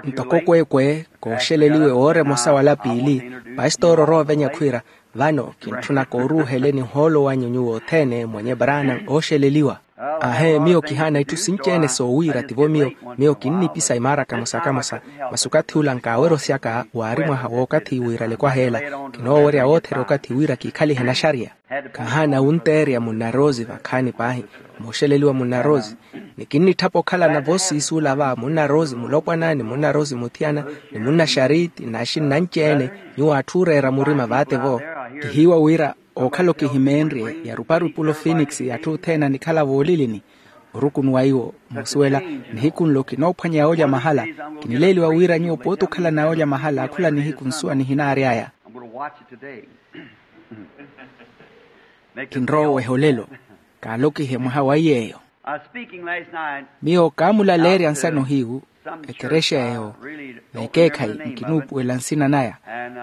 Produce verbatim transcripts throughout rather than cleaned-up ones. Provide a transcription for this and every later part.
Ntoko kweekwe kooxeleliwe woora emosa wala piili, pastori orowa ovenya khwiira, vano kintthuna kooruuhele nihoolo wanyu nyuwo othene mwenye branham ooxeleliwa. Ahe miyo kihaana itthu sinci-ene soowiira tivo miyo. Miyo kinnipisa imaara kamosa kamosa, masi okathi ula nkaaweryosyaka waari mwaha w'okathi wiirale kwaheela. Kinoowerya wootherya okathi wira kiikhalihe naxariya. Khahaana wunteerya munna rose vakhaani paahi, mooxeleliwa munna rose. Ni kinnitthapa okhalana voosiisuula va munna rose mulopwana ni munna rose muthiyana, ni munna xariti n'axinna anci-ene. Nyuwo atthu ooreera murima vaatevo. Kihiiwa wira ookhala okihimeenrye ya ruparupulo phoenix atthu othene anikhala voolilini. Orukunuwa iwo moosuwela, nihiku nlo kinoophwanya yoolya mahala. Kinileeliwa wira nyuwo pooti okhalana yoolya mahala khula nihiku nsuwa nihinaary'aya. Kinrowa oweha olelo. Kaalokihe mwaha wa iy'eyo. Miyo kaamulaleerya nsano hiyu ekerexa eyo, n'ekeekhayi nkinuupuwela nsina naya.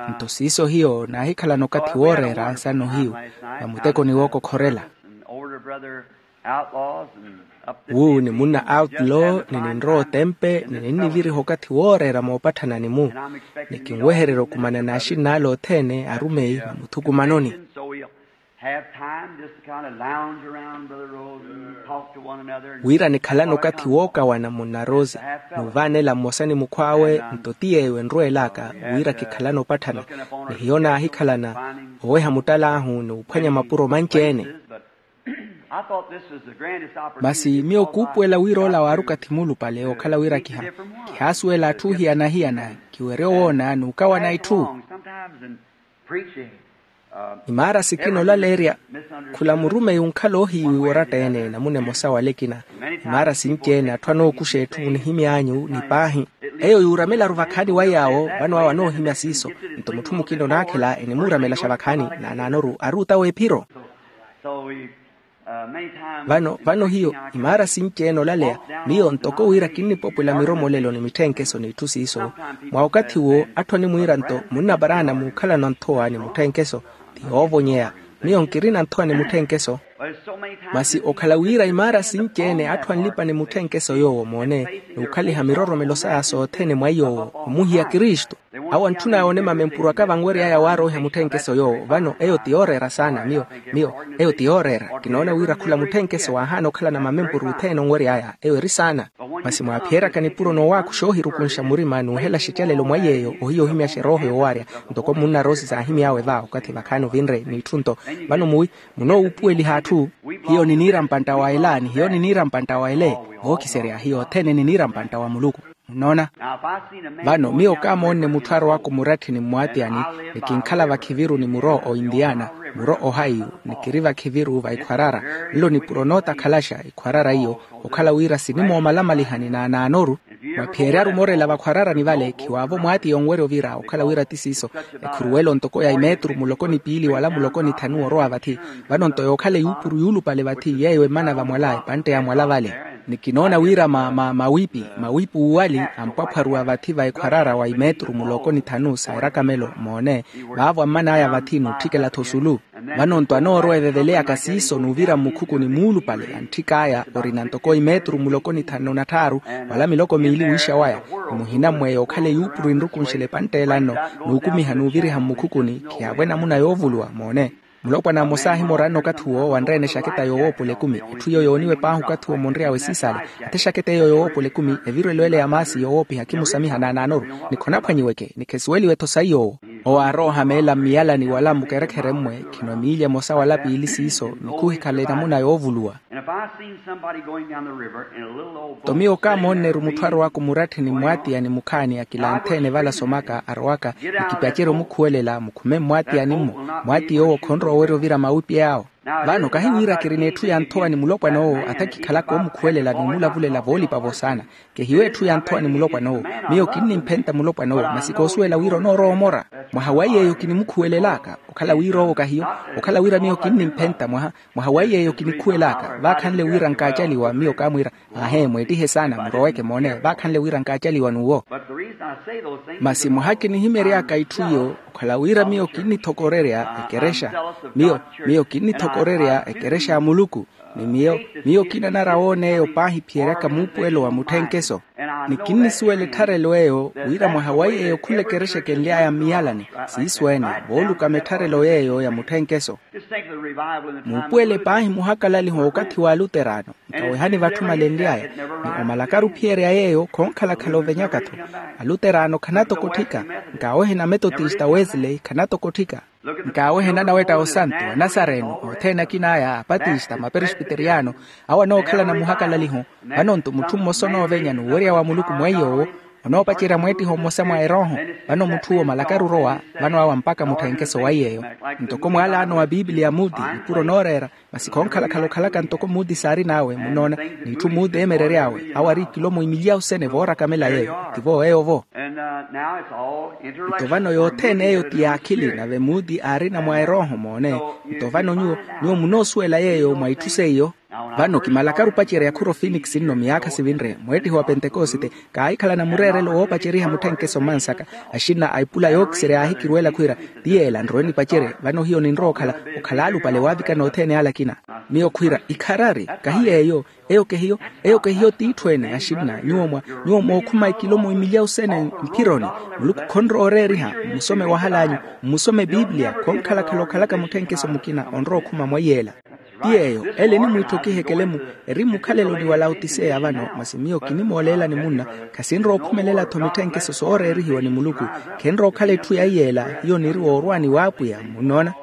Nto siiso hiyo naahikhalana okathi wooreera nsano hiyu, vamutekoni wookokhorela. Wu ni munna outlaw ni ninrowa otempe ni ninniviriha okathi wooreera moopatthana ni mu. Ni kinwehererya okumana n'axinn'ale othene arumeyi vamuthukumanoni. Wira nikhalana okathi wookawana munna rose, n'uvaanela mmosa ni mukhw'awe. Nto ti yeeyo enrweel'aka wira kikhalana opatthana. Ni hiyo naahikhalana oweha muttal'ahu ni uphwanya mapuro manci-ene. Masi miyo kuupuwela wira ola waari okathi muulupale okhala wira kiha kihaasuwela atthu ohiyana-hiyana. Kiwerye owoona n'ukawana itthu. Imaara sikina olaleerya khula murumeyi onkhala oohiiwiwa oratta-ene namuna emosa wala ekina. Imaara sinci-ene atthu anookuxa etthu munihimy'anyu ni paahi. Eyo yuuramelaru vakhaani wa yaawo vano awo anoohimya siiso. Nto mutthu mukina onaakhela enimuuramelaxa vakhaani naanaanoru ari ota w'ephiro. Vano vano hiyo imaara sinci-ene olaleya, miyo ntoko wira kinnipopwela miromolelo ni mitthenkeso n'itthu siiso. Mwa okathi uwo atthu animwiira nto munna paraana muukhalana nthowa ni mutthenkeso. Ti yoovonyeya. Miyo nkirina nthowa ni mutthenkeso. Masi okhala wira imaara sinci-ene atthu anlipa ni mutthenkeso yoowo moone n'ukhaliha miroromelo saya sothene mwa iy'owo omuhiya kristu. Awo antthun'aya onemamempuru aka vanwery'aya waaroiha mutthenkeso yoowo vano eyo ti yooreera saana miyo. Miyo eyo ti yooreera kinoona wira khula mutthenkeso waahaana okhalana mamempuru othene onwery'aya eyo eri saana. Masi mwaaphiyeryaka nipuro noowaakuxa oohirukunxa murima n'uhelaxa ecalelo mwa iy'eyo ohiya ohimyaxa erooho yoowaarya. Ntoko munna rose saahimy'awe va okathi vakhaani ovinre n'itthu nto vano muwi munoowuupuweliha atthu. Hiyo niniira mpantta wa ela ni hiyo niniira mpantta wa ele. Vookiserya hiyo othene niniira mpantta wa muluku. Munnoona? Vano miyo kaamoonne mutthu arowaka omuratthini mmwaatiyani, ni kinkhala vakhiviru ni muro oindiana, muro ohaiyu, ni kiri vakhiviru vaikhwarara. Nlo nipuro nootakhalaxa ikhwarara iyo. Okhala wira sinimoomalamaliha ni naanaanoru. Mwaphiyeryaru moorela vakhwararani vale khiwaavo mwaatiya onwerya ovira okhala wira ti siiso. Ekhuruwelo ntoko ya imetru muloko ni piili wala muloko ni thanu orowa vathi. Vano nto yookhala eyuupuru yuulupale vathi yeeyo emmana vamwala epantte ya mwala vale. Ni kinoona wira ma ma mawipi mawipi uwali ampwaphwaruwa vathi va ekhwarara wa imetru muloko ni thanu sa erakamelo moone. Vaavo amman'aya vathi n'utthikela-tho osulu. Vano nto anoorowa eveveleyaka siiso n'uvira mmukhukuni muulupale antthik'aya orina ntoko imetru muloko ni thanu na tthaaru wala miloko miili wiixa waya. Ni muhina mmweya okhala eyuupuru enrukunxela epantte ela nno n'ukumiha n'uviriha mmukhukuni khihaavo enamuna yoovuluwa moone. Mulopwana mmosa aahimora anno okathi uwo wanreene exaketa yoowoopola ekumi. Etthu iyo yooniwe paahi okathi uwo munry'awe siisale. Athi exaketa eyo yoowoopola ekumi evirwelo ele ya maasi yoowoopiha khimusamiha naanaanoru. Ni khonaphwanyiweke ni khesuweliwe-tho saiy'owo. Owo aarowa ohameela mmiyalani wala mmukerekhere mmwe khino emiilya emosa wala piili siiso ni khuhikhala enamuna yoovuluwa. Nto miyo kaamoonneru mutthu arowaka omuratthini mmwaatiyani mukhaani akilanthe-ene vala somaka arowaka ni kipacerya omukhuwelela mukhume mmwaatiyani-mmo. Mwaatiya owo khonrowa owerya ovira mawipi awo. Vano kahi wira kirina etthu ya nthowa ni mulopwana owo atha kikhalaka omukhuwelela n'umulavulela voolipa-vo saana. Kehiyo etthu ya nthowa ni mulopwana owo. Miyo kinnimphenta mulopwana owo masi koosuwela wira onoorowa omora. Mwaha wa iy'eyo kinimukhuwelelaka okhala wira owo kahiyo. Okhala wira miyo kinnimphenta mwaha mwaha wa iy'eyo kinikhuwelaka vaakhanle wira nkaacaliwa miyo kaamwiira. Aahe mweettihe saana muroweke moone vaakhanle wira nkaacaliwa n'uwo. Masi mwaha kinihimery'aka itthu iyo okhala wira miyo kinnithokorerya ekerexa. Miyo miyo kinnithokorerya ekerexa ya muluku. Ni miyo, miyo kinanara woona eyo paahi phiyeraka muupuwelo wa mutthenkeso. Ni kinnisuwela ettharelo eyo wira mwaha wa yeeyo khula ekerexa ekenly'aya mmiyalani siiso ene voolukama ettharelo yeeyo ya mutthenkeso. Muupuwele paahi muhakalaliho okathi wa aluterano nkawehani vatthu malenly'aya, ni omalakaru ophiyerya yeeyo khoonkhalakhala ovenyaka-tho. Aluterano khanatokotthika, nkaawehena ametotista wesley khanatokotthika. Nkaawehena anawetta osantu anasareno othene akin'aya apatista maperesbiteriyano, awo anookhalana muhakalaliho. Vano-nto mutthu mmosa onoovenya n'uwerya wa muluku mweiy'owo onoopacerya mweettiho mmosa mwa erooho. Vano mutth'uwo malakaru orowa, vano awa mpakha mutthenkeso waiy'eyo. Ntoko mwaalaano wa piipiliya muti nipuro onooreera, masi khoonkhalakhala okhalaka ntoko muti saarin'awe munnoona, n'itthu muti eemerery'awe awo ari ikilomo imilyawu sene voorakamela yeeyo. Tivo eyo-vo. Nto vano yothene eyo ti yaakhili nave muti aarina mwa erooho moone. Nto vano nyuwo, nyuwo munoosuwela yeeyo mwa itthu seiyo. Vano kimalakaru opacerya khuro phoenix nno miyaakha sivinre mweettiho wa pentekosite, kaahikhalana mureerelo woopaceriha mutthenkeso mmansaka. Axinna a ipula yookiserya yaahikirweela khwiira, ti yeela nrowe nipacerye. Vano hiyo ninrowa okhala, okhala alupale waavikana othene ale akina. Miyo khwiira ikharari kahi yeeyo. Eyo kehiyo, eyo kehiyo t'itthu ene axinna nyuwo mwa, nyuwo mookhuma ikilomo imilyawu sene mphironi. Muluku khonrowa oreeriha. Mmusome wahal'anyu, mmusome piipiliya khoonkhalakhala okhalaka mutthenkeso mukina onrowa okhuma mwaiy'ela. Ti yeeyo ele enimwiitthokiha ekelemu. Eri mmukhaleloni wa laotiseya vano masi miyo kinimooleelani munna, khasinrowa okhumelela-tho mitthenkeso sooreerihiwa ni muluku. Khenrowa okhala etthu yaiy'ela. Hiyo niri woorwaani w'apwiya munnoona.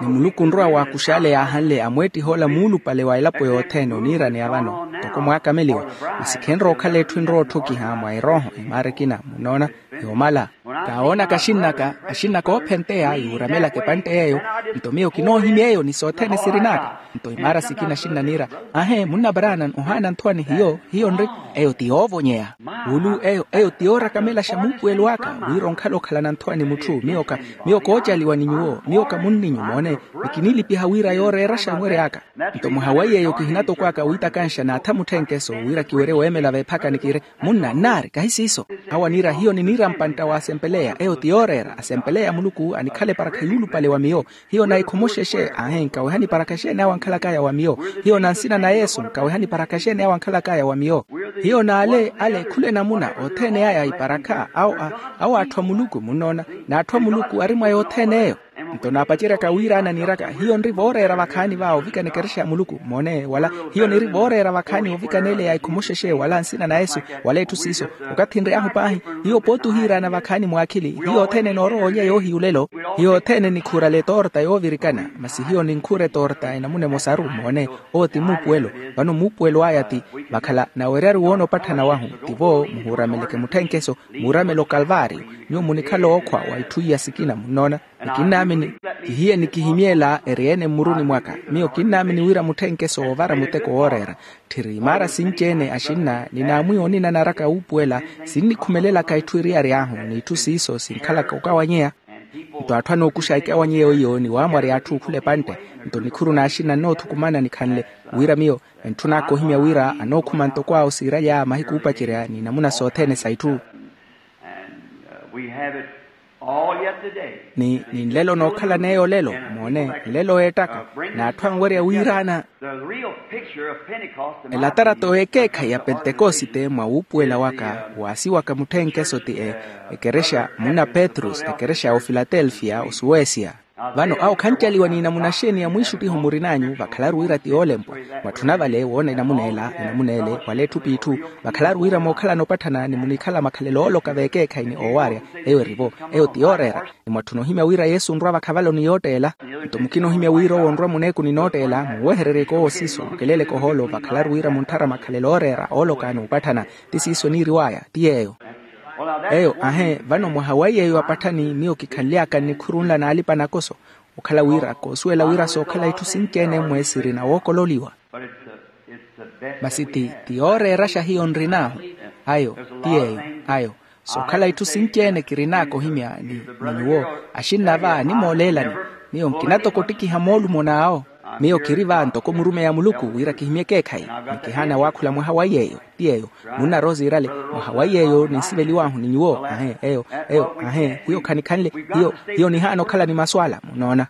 Ni muluku onrowa waakux'ale yaahanle amweettih'ola muulupale wa elapo yothene oniiraneya vano ntoko mwaakameliwa. Masi khenrowa okhala etthu enrowa otthokiha mwa erooho emaara ekina munnoona. Yoomala, kaawoonaka axinn'aka, axinn'aka oophenteya yuuramelaka epantte yeeyo. Nto miyo kinoohimya eyo ni sothene sirin'aka. Nto imaara sikina axinna niira, ahe munna brana ohaana nthowa ni hiyo. Hiyo nri, eyo ti yoovonyeya. Wulu eyo, eyo ti yoorakamelaxa muupuwelo aka wira onkhala okhalana nthowa ni mutthu. Miyo ka, miyo koocaliwa ni nyuwo, miyo ka munninyu moone. Ni kinilipiha wira yooreeraxa nwerya aka. Nto mwaha wa yeeyo kihinatokwaka wiitakanxa naatha mutthenkeso wira kiwerye weemela veephakani kiire, munna nnaari kahi siiso. Awo aniira hiyo niniira mpantta wa asempeleya eyo ti yooreera asempeleya muluku anikhala eparakha yuulupale wa miyo. Hiyo naikhomoxexe ahe nkawehani eparakha exeeni awo ankhalakaya wa miyo. Hiyo na nsina na yesu nkawehani eparakha exeeni awo ankhalakaya wa miyo. Hiyo n'ale ale khula enamuna othene aya iparakha awo atthu a muluku munnoona. N'atthu a muluku ari mwa yothene eyo. Nto naapaceryaka wiiraana niiraka hiyo nri vooreera vakhaani va ovikana ekerexa ya muluku moone wala hiyo niri vooreera vakhaani ovikana ele ya ikhomoxexe wala nsina na yesu wala etthu siiso. Okathi nry'ahu paahi hiyo pooti ohiiraana vakhaani mwaakhili hiyo othene noorowa olya yoohiya olelo. Hiyo othene nikhuurale etoorta yoovirikana masi hiyo ninkhuura etoorta enamuna emosaru moone. Owo ti muupuwelo. Vano muupuwelo aya ti vakhala naweryaru woona opatthana wahu. Tivo muhuurameleke mutthenkeso muuramela okalvaario. Nyuwo munikhala ookhwa wa itthu iya sikina munnoona. Ni kinnaamini kihiye nikihimyeela eri-ene mmuruni mwaka. Miyo kinnaamini wira mutthenkeso woovara muteko wooreera. Tthiri imaara sinci-ene axinna ni naamwiya onina naraka wuupuwela sinnikhumelelaka itthu iriyari ahu n'itthu siiso sinkhalaka okawanyeya. Nto atthu anookuxa ekawanyeya oyo ni waamwarya atthu okhula epantte. Nto nikhuru n'axinna nnoothukumana nikhanle wira miyo entthun'aka ohimya wira anookhuma ntoko awo siiralya mahiku oopacerya ni namuna sothene sa itthu. And uh, we have it all yet today. Ni ni nlelo nookhalana eyo olelo moone nlelo eettaka n'atthu anwerya wiiraana. The real picture of Pentecost in my elatarato opinion, ekeekhayi ya pentekosite mwa wuupuwela waka waasiwaka mutthenkeso ti e ekerexa munna petros ekerexa ya ofilatelfiya osuwesia. Vano awo khancaliwa ni namuna xeeni ya mwiixuttiho murin'anyu vakhalaru wira ti yoolempwa. Mwatthuna vale woona enamuna ela enamuna ele wala etthu p'itthu. Vakhalaru wira mookhalana opatthana ni munikhala makhalelo ooloka veekeekhayi ni oowaarya. Eyo erivo eyo ti yooreera. Ni mwatthuna ohimya wira yesu onrwa vakhavalo ni yootteela. Nto mukina ohimya wira owo onrwa muneeku ni nootteela muuwehereryeke owo siiso mukeleleke ohoolo vakhalaru wira muntthara makhalelo ooreera ooloka n'upatthana. Ti siiso niiriw'aya ti yeeyo. Eyo ahe vano mwaha wa yeeyo apatthani miyo kikhanly'aka nnikhuru nla n'alipa nakoso. Okhala wira koosuwela wira sookhala itthu sinci-ene mmwe siri na wookololiwa. Masi ti ti yooreeraxa hiyo nrin'ahu. Ayo ti yeeyo. Ayo sookhala itthu sinci-ene kirin'aka ohimya ni nyuwo. Axinna va nimooleelani miyo nkinatokottikiha moolumo n'awo. Miyo kiri va ntoko murumeyi a muluku wira kihimye ekeekhayi. Ni kihaana waakhula mwaha wa iy'eyo. Ti yeeyo. Munna rosi irale. Mwaha wa iy'eyo ninsiveliw'ahu ni nyuwo ahe eyo. Eyo ahe hiyo khanikhanle. Hiyo hiyo nihaana okhala ni masu ala munoona.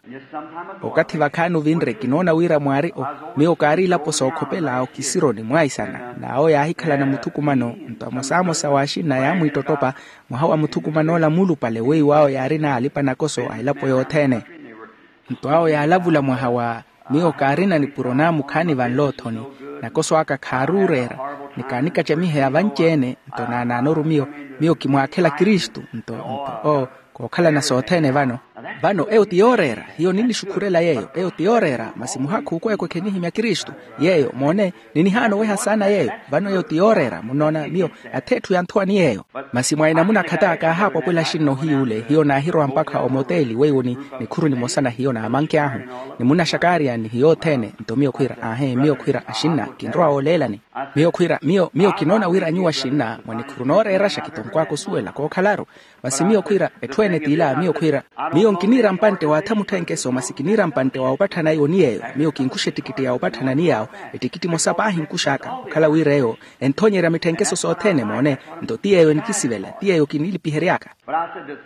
Okathi vakhaani ovinre kinoona wira mwaari o. Miyo kaari ilapo sookhopela okisironi mwaisana n'awo yaahikhalana muthukumano. Nto amosamosa wa axinna yaamwiittottopha mwaha wa muthukuman'ola muulupale weiwo awo yaarina alipa nakoso a elapo yothene. Nto awo yaalavula mwaha wa miyo kaarina nipuro naamukhaani vanloothoni. Nakoso aka khaaruureera ni kaanikacamiheya vanci-ene. Nto naanaanoru miyo miyo kimwaakhela kristu nto nto o kookhalana sothene vano. Vano eyo ti yooreera hiyo ninnixukhurela yeeyo eyo ti yooreera masi muhakhu kweekwe khenihimya kristu. Yeeyo moone ninihaana oweha saana yeeyo. Vano eyo ti yooreera munnoona miyo ath'etthu yanthowani yeeyo. Masi mwa enamuna khata kaahaapwapwela axinna ohiy'ule hiyo naahirowa mpakha omoteeli weiwo ni nikhuru nimosa na hiyo naamanke ahu ni munnaxakaariyani hiyo othene. Nto miyo khwiira aahe miyo khwiira axinna kinrowa wooleelani. Miyo khwiira miyo miyo kinoona wira nyuwo axinna mwa nikhuru nooreeraxa kitonkw'aka osuwela kookhalaru. Masi miyo khwiira etthu ene t'ila miyo khwiira miyo nkiniira mpantte waatha mutthenkeso masi kiniira mpantte wa opatthana iwo ni yeeyo. Miyo kinkuxa ettikitti ya opatthana ni yaawo ettikitti emosa paahi nkux'aka okhala wira eyo enthoonyerya mitthenkeso sothene moone. Nto ti yeeyo enikisivela ti yeeyo kinilipihery'aka.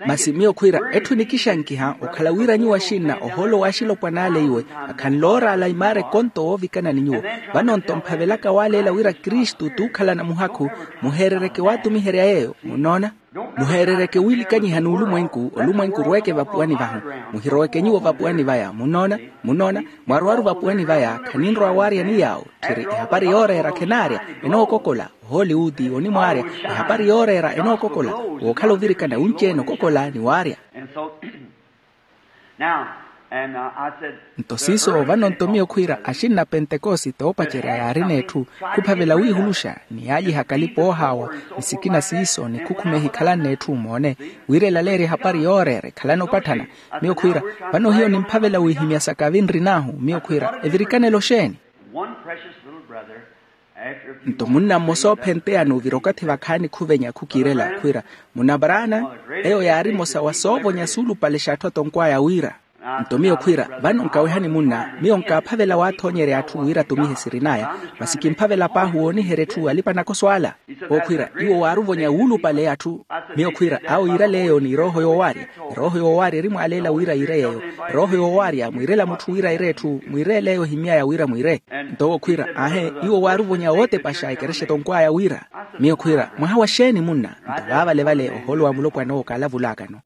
Masi miyo khwiira etthu enikixankiha okhala wira nyuwo axinna ohoolo w'axilopwana ale iwe akhanlooraala imaara ekonto woovikana ni nyuwo. Vano nto mphavelaka waaleela wira kristu t'ukhalana muhakhu muheerereke waatumiherya yeeyo munnoona. Muheerereke wiilikanyiha n'ulumwenku olumwenku orweeke vapuwani vahu. Muhiroweke nyuwo vapuwani vaya munnoona. Munnoona mwarwaru vapuwani vaya khaninrowa waarya ni yaawo. Tthiri ehapari yooreera khenaarya enookokola ohooliwuti onimwaarya. Ehapari yooreera enookokola wookhala ovirikana wunci-ene okokola ni waarya. Nto siiso vano nto miyo khwiira axinna pentekosite oopacerya yaarina etthu khuphavela wiihuluxa ni yaalyiha kalipa oohaawa ni sikina siiso ni khukhumehi khalanna etthu moone. Wira elaleerye ehapari yooreera ekhalana opatthana. Miyo khwiira vano hiyo nimphavela wiihimya saka avinrin'ahu miyo khwiira evirikanelo xeeni? Nto munna mmosa oophenteyani ovira okathi vakhaani khuvenya khukiirela khwiira munna paraana eyo yaari mmosa wa soovonya suulupale x'atthu atonkw'aya wira. Nto miyo khwiira vano nkawehani munna miyo nkaaphavela waathoonyerya atthu wira atumihe sirin'aya. Masi kimphavela paahi wooniherya etthu alipa nakoso ala. Ookhwiira iwo waaruvonya wuulupale atthu. Miyo khwiira awo yiirale eyo ni erooho yoowaarya. Erooho yoowaarya erimwaaleela wira yiire yeeyo. Erooho yoowaarya mwiirela mutthu wira aire etthu mwiireele eyo ehimy'aya wira mwiire. Nto owo khwiira aahe iwo waaruvonya wootepaxa ekerexa etonkw'aya wira. Miyo khwiira mwaha wa xeeni munna? Nto vaavale vale ohoolo wa mulopwana owo kaalavul'akano.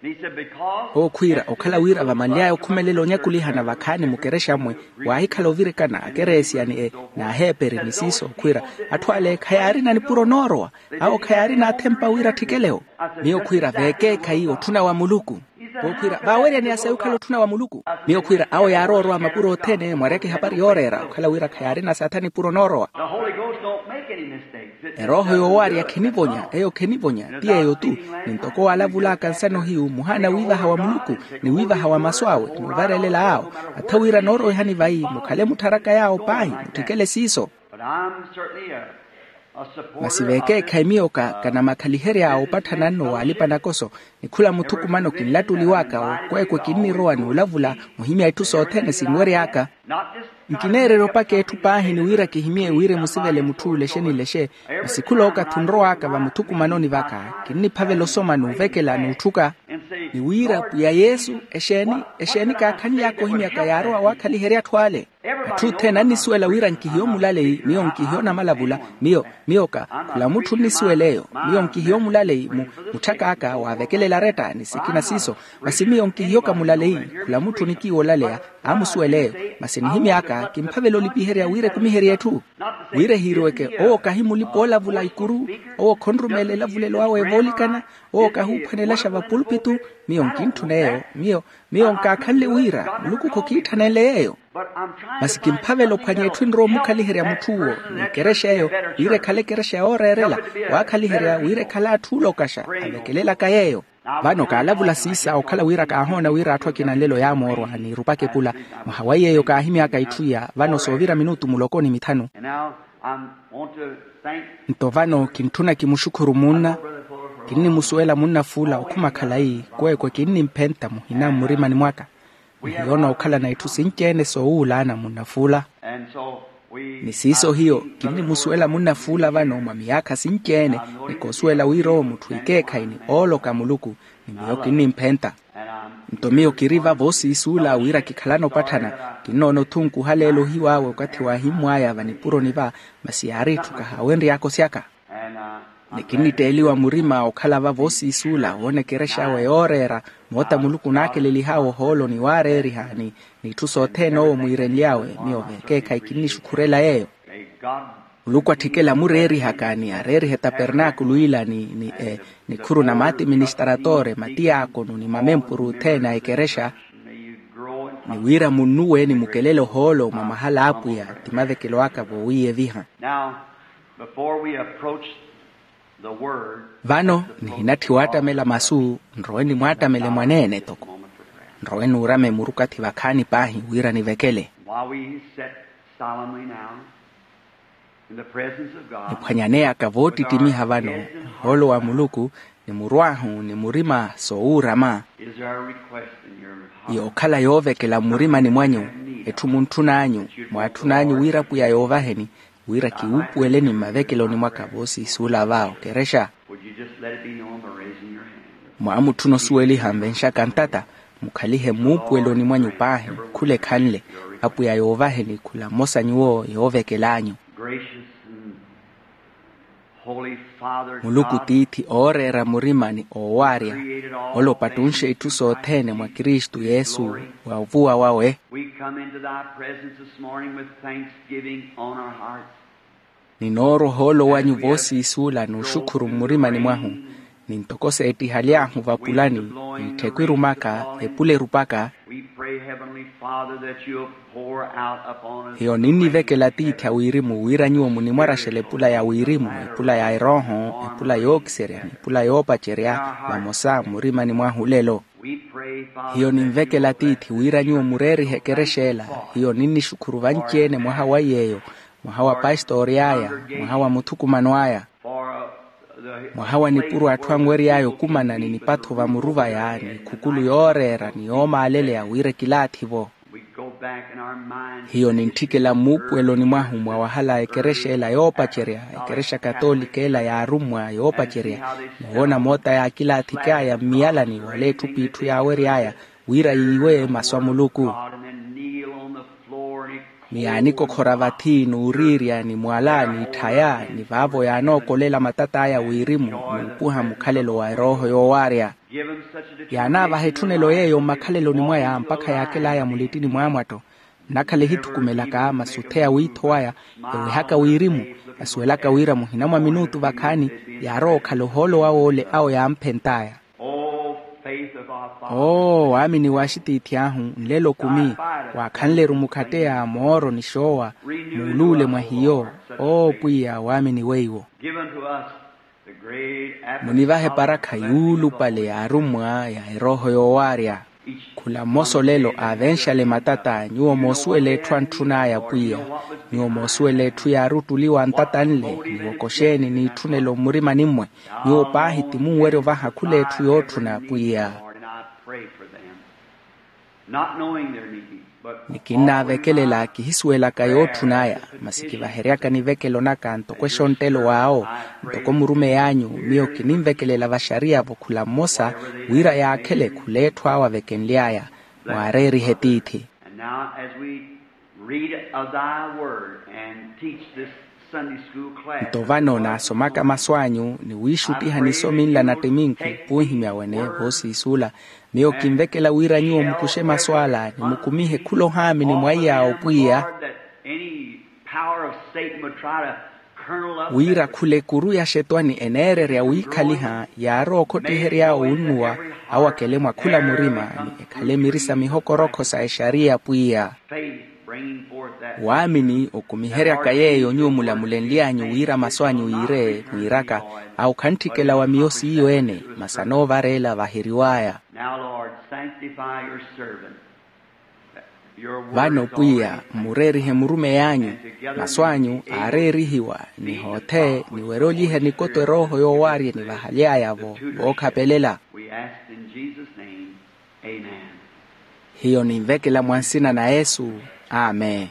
Owo khwiira okhala wira vamanly'aya okhumelela onyakulihana vakhaani mukerexa mmwe waahikhala ovirikana akereesiya ni e n'aheeperi ni siiso khwiira atthu ale khayaarina nipuro noorowa. Awo khayaarina athempa wira atthikelewo. Miyo khwiira veekeekhayi otthuna wa muluku. Owo khwiira vaaweryani ya sayi okhala otthuna wa muluku. Miyo khwiira awo yaarowa orowa mapuro othene mwaryaka ehapari yooreera okhala wira khayaarina saatha nipuro noorowa. Erooho yoowaarya khinivonya eyo khinivonya ti yeeyo-tu. Ni ntoko waalavul'aka nsana ohiyu muhaana wiivaha wa muluku ni wiivaha wa masu awe ni ovarelela awo. Atha wira noorowihani vayi mukhale muttharaka yaawo paahi mutthikele siiso. Masi veekeekhayi miyo ka kanamakhaliherya opatthana nno w'alipa nakoso ni khula muthukumano kinlattuliw'aka okweekwe kinnirowa n'ulavula muhimya itthu sothene sinwery'aka. Nkineererya opaka etthu paahi ni wira kihimye wira emusivele mutth'ule exenilexe. Masi khula okathi onrow'aka vamuthukumanoni vaka kinniphavela osoma n'uvekela n'utthuka ni wira pwiya yesu exeeni exeeni kaakhanly'aka ohimyaka yaarowa waakhaliherya atthu ale. Atthu othene annisuwela wira nkihiyo mulaleyi miyo nkihiyo namalavula. Miyo miyo ka khula mutthu onnisuwela eyo. Miyo nkihiyo mulaleyi mu mutthak'aka waavekelela aretta ni sikina siiso. Masi miyo nkihiyo ka mulaleyi khula mutthu onikiiwa olaleya aamusuwela eyo. Masi nihimy'aka kimphavela olipiherya wira ekumiherye etthu wira ehiiriweke owo kahi mulipa oolavula ikuru. Owo khonrumeela elavulelo awe evoolikana owo kahuuphwanelaxa vapulupitu. Miyo nkintthuna eyo miyo miyo nkaakhanle wira muluku khokiitthanenle yeeyo. Masi kimphavela ophwanya etthu enrowa omukhaliherya mutth'uwo ni ekerexa eyo wira ekhale ekerexa yooreerela waakhaliherya wira ekhale atthu oolokaxa avekelelaka yeeyo. Vano kaalavula siisa okhala wira kaahoona wira atthu akina nlelo yaamoorwa n'irupaka epula mwaha wa yeeyo kaahimy'aka itthu iya vano soovira minutu muloko ni mithanu. Nto vano kintthuna kimuxukhuru munna kinnimusuwela munna fuula okhuma khalayi kweekwe kinnimphenta muhina mmurimani mwaka. Ni hiyo nookhalana itthu sinci-ene soowuulaana munnafuula. Ni siiso hiyo kinnimusuwela munnafuula vano mwa miyaakha sinci-ene, ni koosuwela wira owo mutthu ikeekhayi ni ooloka muluku. Ni miyo kinnimphenta. Nto miyo kiri vavo siisuula wira kikhalana opatthana. Kinnoona othunkuha leelo ohiw'awe okathi waahimmw'aya vanipuroni va, masi yaari itthu kahaawenry'aka osyaka. Ni kinnitteeliwa murima okhala vavo siisuula woona ekerexa awe yooreera, moota muluku onaakelelih'awe ohoolo ni waareeriha ni n'itthu sothene owo mwiirenly'awe. Miyo vekeekhayi kinnixukhurela yeeyo. Muluku atthikela amureerihaka ni areeriha etapernaakulu ila ni nikhuru na maatiministaratoore matiyaakonu ni mamempuru othene a ekerexa. Ni wira munnuwe ni mukelele ohoolo mwa mahala a apwiya, ti mavekelo aka voowiiyeviha. Vano nihinatthiwa attamela masu. Nrowe nimwattamele mwaneene toko. Nrowe nuurame murukathi vakhaani paahi wira nivekele. Niphwanyaneyaka voottittimiha vano, ohoolo wa muluku ni murw'ahu ni murima soowuurama. Yookhala yoovekela mmurimani mwanyu, etthu muntthun'anyu mwaatthun'anyu wira apwiya yoovaheni, wira kiwuupuweleni mmavekeloni mwaka voosiisuula va okerexa. Mwaamutthuna osuweliha nvenxaka ntata, mukhalihe mmuupuweloni mwanyu paahi khula ekhanle. Apwiya yoovaheni khula mmosa nyuwo yoovekel'anyu. Muluku tiithi ooreera murima ni oowaarya, ole opattunxe itthu sothene mwa kristu yesu, wa ovuwa wawe. Ninoorwa ohoolo wanyu voosiisuula n'uxukhuru mmurimani mwahu, ni ntoko seettihaly'ahu vapulani, ni tthekwirumaka epula erupaka. Hiyo ninnivekela tiithi a wirimu wira nyuwo munimwaraxela epula ya wirimu, epula ya erooho, epula yookiserya ni epula yoopacerya, vamosa mmurimani mwahu olelo. Hiyo ninvekela tiithi wira nyuwo mureerihe ekerexa ela. Hiyo ninnixukhuru vanci-ene mwaha wa iy'eyo, mwaha wa pastori aya, mwaha wa muthukumano aya, mwaha wa nipuro atthu anwery'aya okumana ni nipatho vamuruvaya ni khukulu yooreera ni yoomaaleleya wira ekilaathi-vo. Hiyo nintthikela mmuupuweloni mwahu mwa wahala a ekerexa ela yoopacerya, ekerexa katolika ela yaarummwa yoopacerya, niwoona moota yaakilaathik'aya mmiyalani wala etthu p'itthu yaawery'aya, wira yiiwe masu a muluku. Ni yaanikokhora vathi n'uriirya ni mwala n'itthaya ni vaavo yaanookolela matat'aya wirimu, n'upuha mukhalelo wa erooho yoowaarya. Yaanaavaha etthunelo yeeyo mmakhaleloni mwaya mpakha yaakel'aya mulittini mw'amwatto. Nnakhala ehithukumelaka masi otheya wiitho waya, ewehaka wirimu, asuwelaka wira muhina mwa minutu vakhaani yaarowa okhala ohoolo wawe ole awo yaamphent'aya. Oo waamini w'axitiithi ahu, nlelo okumi waakhanle-ru mukhatteya mooro ni xoowa, muuluule mwa hiyo. Oo pwiya waamini weiwo. Munivahe eparakha yuulupale yaarummwa ya erooho yoowaarya. Khula mmosa olelo aavenxale matata nyuwo moosuwela etthu antthun'aya pwiya. Nyuwo moosuwela etthu yaari ottuliwa ntata nle, niwokoxeeni n'itthunelo mmurimani-mmwe. Nyuwo paahi ti munwerya ovaha khula etthu yootthuna pwiya. Ni kinnaavekelela kihisuwelaka yootthun'aya, masi kivaheryaka nivekelo naka ntoko exonttelo w'awo, ntoko murumeyi anyu. Miyo kininvekelela vaxariya-vo khula mmosa, wira yaakhele khula etthu awo avekenly'aya. Mwaareerihe tiithi. Nto vano naasomaka masu anyu ni wiixuttiha nisomi nla na ttiminku, poohimya wene voosiisuula. Miyo kinvekela wira nyuwo mukuxe masu ala ni mukumihe khula ohaamini mwa iy'awo pwiya, wira khula ekuru ya axetwani eneererya wiikhaliha yaarowa okhottihery'awe onnuwa, awo akele mwa khula murima ni ekhale miri sa mihokorokho sa exariya pwiya. Waamini okumiheryaka yeeyo nyuwo mulamulenly'anyu wira masu anyu yiire mwiiraka, awo khantthikela wa miyo siiyo-ene, masi anoovareela vaheriw'aya. Vano pwiya mmureerihe murumeyi anyu, masu anyu aareerihiwa ni hoothe niwerye olyiha nikoto erooho yoowaarya enivahaly'aya-vo vookhapelela. Hiyo ninvekela mwa nsina na yesu. Amen.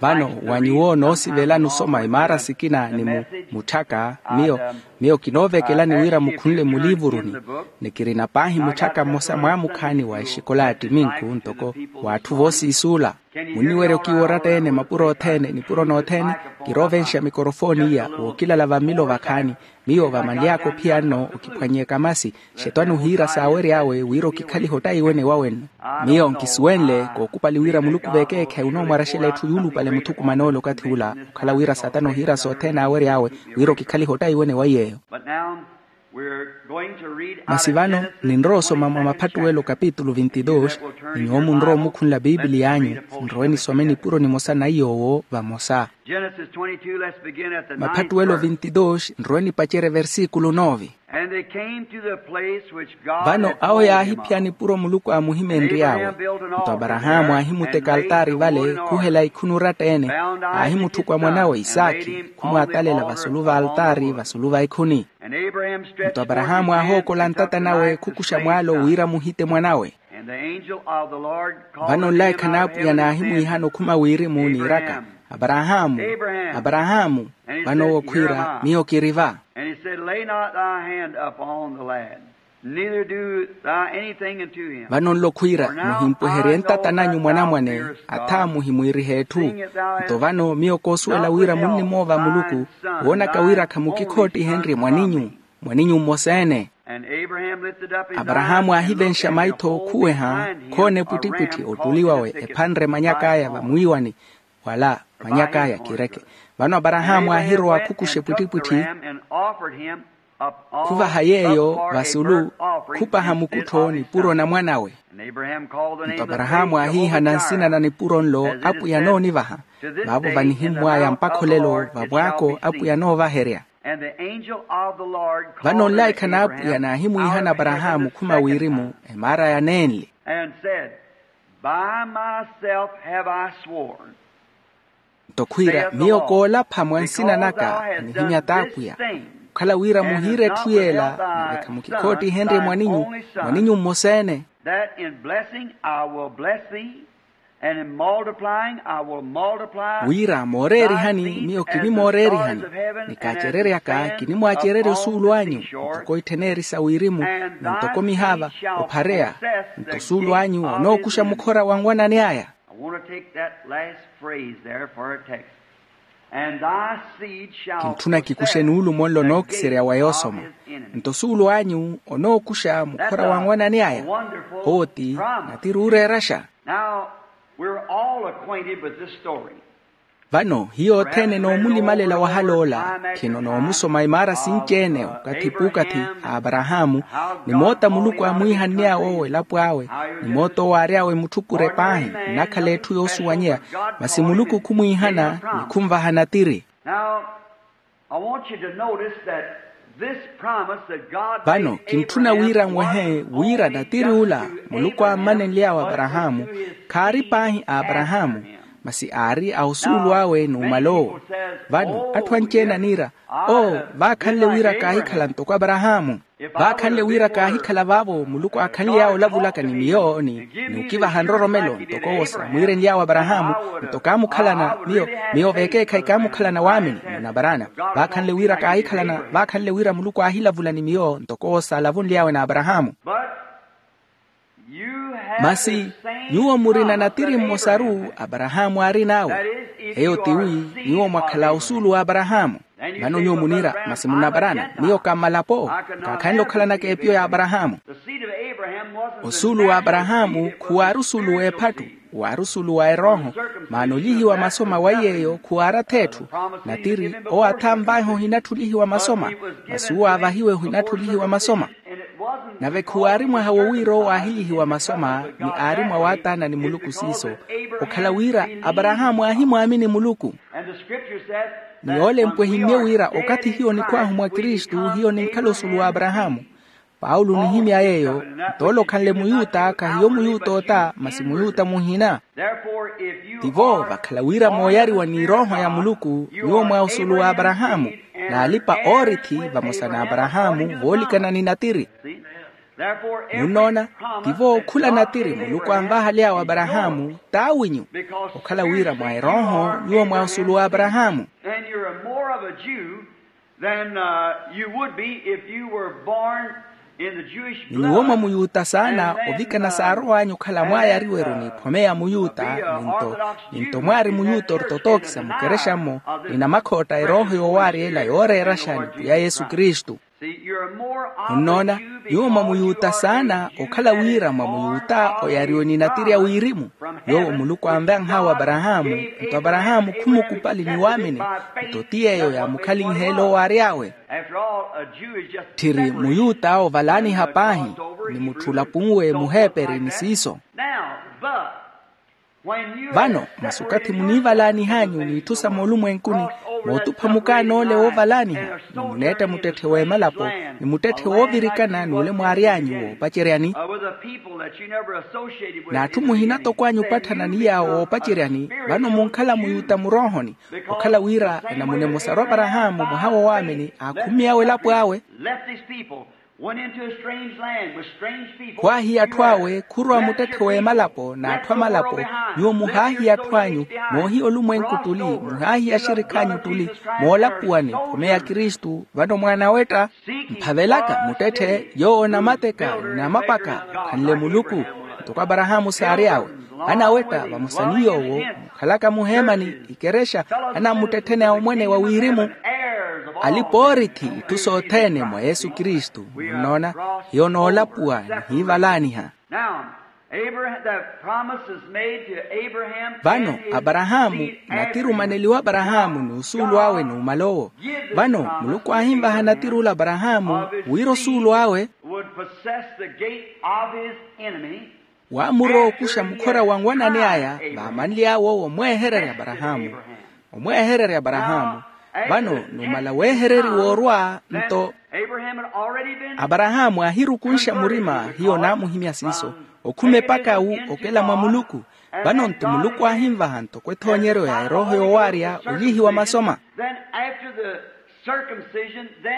Vano, wa nyuwo noosivelani osoma imaara sikina ni mu mutthaka, miyo miyo kinoovekelani wira mukhunle muliivuruni. Ni kirina paahi mutthaka mmosa mwaamukhaani wa exikola ya ttiminku ntoko w'atthu voosiisuula. Munniwerya okiiwa oratta-ene mapuro othene nipuro nothene. Kiroovenxa mikorofooni iya wookilala vammilo vakhaani. Miyo vamanly'aka ophiya nno okiphwany'eka masi. Xetwani ohiira saawery'awe wira okikhaliha ottaiwene wawe nno. Miyo nkisuwenle kookupali wira muluku vekeekhe onoomwaraxela etthu yuulupale muthukuman'ole okathi ula okhala wira satana ohiira sothene aawery'awe wira okikhaliha ottaiwene wa iy'eyo. Masi vano ninrowa osoma mwa maphattuwelo kapitulu vinti dos. Ni nyuwo munrowa omukhunla pipiliy'anyu, nrowe nisome nipuro nimosa na iy'owo vamosa. Maphattuwelo vinti dos, nrowe nipacerye versikulu nove. Vano awo yaahiphiya nipuro muluku aamuhimenry'awe. Nto aparahaamu aahimuteka altaari vale khuhela ikhuni oratta-ene. Aahimutthuka mwanawe isaakhi khumwaatalela vasulu va altaari vasulu va ikhuni. Nto aparahaamu aahookola ntata nawe khukuxa mwaalo wira muhite mwanawe. Vano nlaikha n'apwiya naahimwiihana okhuma wirimu niiraka, aparahaamu, aparahaamu. Vano owo khwiira miyo kiri va. Lay not thy hand upon the lad, neither do thou anything unto him. Vano nlo khwiira muhimpweherye ntattan'anyu mwanamwane. Athaamu himwiirihe etthu. Nto vano miyo koosuwela wira munnimoova muluku, woonaka wira khamukikhoottiheenrye mwaninyu, mwaninyu mmosa-ene. Aparahaamu aahivenxa maitho khuweha, khoona epwittipwitthi ottuli wawe ephanre manyak'aya vamwiiwani. Wala manyak'aya kireke. Vano aparahaamu aahirowa khukuxa epwittipwitthi, khuvaha yeeyo vasulu, khupaha mukuttho nipuro na mwanawe. Nto aparahaamu aahiihana nsina na nipuro nlo apwiya noonivaha. Vaavo vanihimmw'aya mpakha olelo vamwaako apwiya noovaherya. Vano nlaikha n'apwiya naahimwiihana aparahaamu khuma wirimu emaar'aya neenli. By myself have I sworn. Nto khwiira miyo koolapha mwa nsina naka, nihimya t'apwiya, okhala wira muhiire etthu yeela, nave khamukikhoottihenrye mwaninyu, mwaninyu mmosa-ene. That in blessing I will bless thee, and in multiplying I will multiply. Wira mooreerihani miyo kinimooreerihani, ni kaacereryaka kinimwaacererya osuulu anyu, ntoko ittheneeri sa wirimu, ni ntoko mihaava ophareya. Nto osuulu anyu onookuxa mukhora wa nwanani aya. I want to take that last phrase there for a text. And thy seed shall. Kintthuna kikuxe nuulumo nlo nookiserya wa yoosoma. Nto osuulu anyu onookuxa mukhora wa nwanani aya. Owo ti natiri ooreeraxa. Now, we're all acquainted with this story. Vano hiyo othene noomulimalela wahal'ola, khino noomusoma imaara sinci-ene okathi puukathi a aparahaamu, ni moota muluku aamwiihann'awe owo elapo awe, ni moota owo aary'awe mutthukure paahi nnakhala etthu yoosuwanyeya. Masi muluku khumwiihana ni khunvaha natiri. Now, I want you to notice that this promise that God made Abraham. Vano kintthuna wira nwehe wira natiri ula muluku aammanenly'awe aparahaamu, khaari paahi a aparahaamu, masi aari a osuulu awe n'umal'owo. Vano atthu anci-ene aniira, oo, vaakhanle wira kaahikhala ntoko aparahaamu. Vaakhanle wira kaahikhala vaavo muluku aakhanly'awe olavulaka ni miyo ni okivaha nroromelo ntoko owo saamwiirenly'awe aparahaamu, nto kaamukhalana miyo, miyo vekeekhayi kaamukhalana waamini. Munaparana, vaakhanle wira kaahikhalana, vaakhanle wira muluku aahilavula ni miyo ntoko owo saalavunly'awe n'aparahaamu. Masi nyuwo murina natiri mmosaru aparahaamu aarin'awe. Eyo tiwi, nyuwo mwakhala osuulu w'aparahaamu. Vano nyuwo muniira, masi munaparana miyo kammalapo, kaakhanle okhalanaka epiyo ya aparahaamu. Osuulu w'aparahaamu khuwaari osuulu w'ephattu, waari osuulu wa erooho. Maana olyihiwa masoma wa iy'eyo khuwaari ath'etthu. Natiri owo athaanvaiha ohinatthi olyihiwa masoma, masi owo aavahiwe ohinatthi olyihiwa masoma. Nave khuwaari mwaha wo wira owo aahilyihiwa masoma ni aari mwa waataana ni muluku siiso, okhala wira aparahaamu aahimwaamini muluku. Ni yoolempwa ehimmye wira okathi hiyo nikhw'ahu mwa kristu hiyo ninkhala osuulu w'aparahaamu. Paulo onihimya yeeyo, nto ole okhanle muyuta khahiyo muyuta ota masi muyuta muhina. Tivo vakhala wira mooyariwa n'irooho ya muluku nyuwo mwa osuulu w'aparahaamu, n'alipa oorithi vamosa n'aparahaamu voolikana ni natiri. Munnoona, tivo okhula natiri muluku anvahaly'awe aparahaamu t'awinyu, okhala wira mwa erooho nyuwo mwa osulu w'aparahaamu. Ni nyuwo mwa muyuta saana ovikana saarow'anyu okhala mwaayariweru n'iphome ya muyuta, ninto ninto mwaari muyuta ortotookisa mukerexa-mo, ni namakhootta erooho yoowaarya ela yooreeraxa ni pwiya yesu kristu. Munnoona, nyuwo mwa muyuta saana okhala wira mwa muyuta oyariwe ni natiri a wirimu, yoowo muluku anvanh'awe aparahaamu, nto aparahaamu khumukupali ni waamini, nto ti yeeyo yaamukhalinheela owaary'awe. Tthiri muyuta ovalaaniha paahi, ni mutthu olapunwe muheeperi ni siiso. Vano masi okathi muniivalaanih'anyu n'itthu sa moolumwenkuni, mootupha mukaan'ole woovalaaniha, ni muneetta muttetthe w'emalapo, ni muttetthe woovirikana n'ule mwaary'anyu woopaceryani, n'atthu muhina tokwaanyu opatthana ni yaawo woopaceryani. Vano munkhala muyuta muroohoni, okhala wira enamuna emosaru aparahaamu mwaha wa waamini aakhummy'awe elapo awe. Khwaahiya atthu awe khurwa muttetthe w'emalapo n'atthu amalapo. Nyuwo muhaahiya atthu anyu, moohiya olumwenku ttuli, muhaahiya axirikh'anyu ttuli, moolapuwa ni ephome ya kristu. Vano mwaana awetta mphavelaka muttetthe yoowo namateka, namapaka, khanle muluku, ntoko aparahaamu saary'awe. Anawetta vamosa ni yoowo mukhalaka muheemani, ikerexa, anamuttetthene a omwene wa wirimu, alipa oorithi itthu sothene mwa yesu kristu. Munnoona, hiyo noolapuwa nihiivalaaniha. Vano aparahaamu, natiri omaneliwa aparahaamu n'usuulu awe numala owo. Vano muluku aahinvaha natiri ole aparahaamu wira osuulu awe waamuro okuxa mukhora wa nwanani aya, vaamanly'awe owo omweehererya aparahaamu. Omweehererya aparahaamu. Vano numala weehereriwa orwa nto aparahaamu aahirukunxa murima hiyo naamuhimya siiso, okhuma epaka awu okela mwa muluku. Vano nto muluku aahinvaha ntoko ethoonyeryo ya erooho yoowaarya olyihiwa masoma.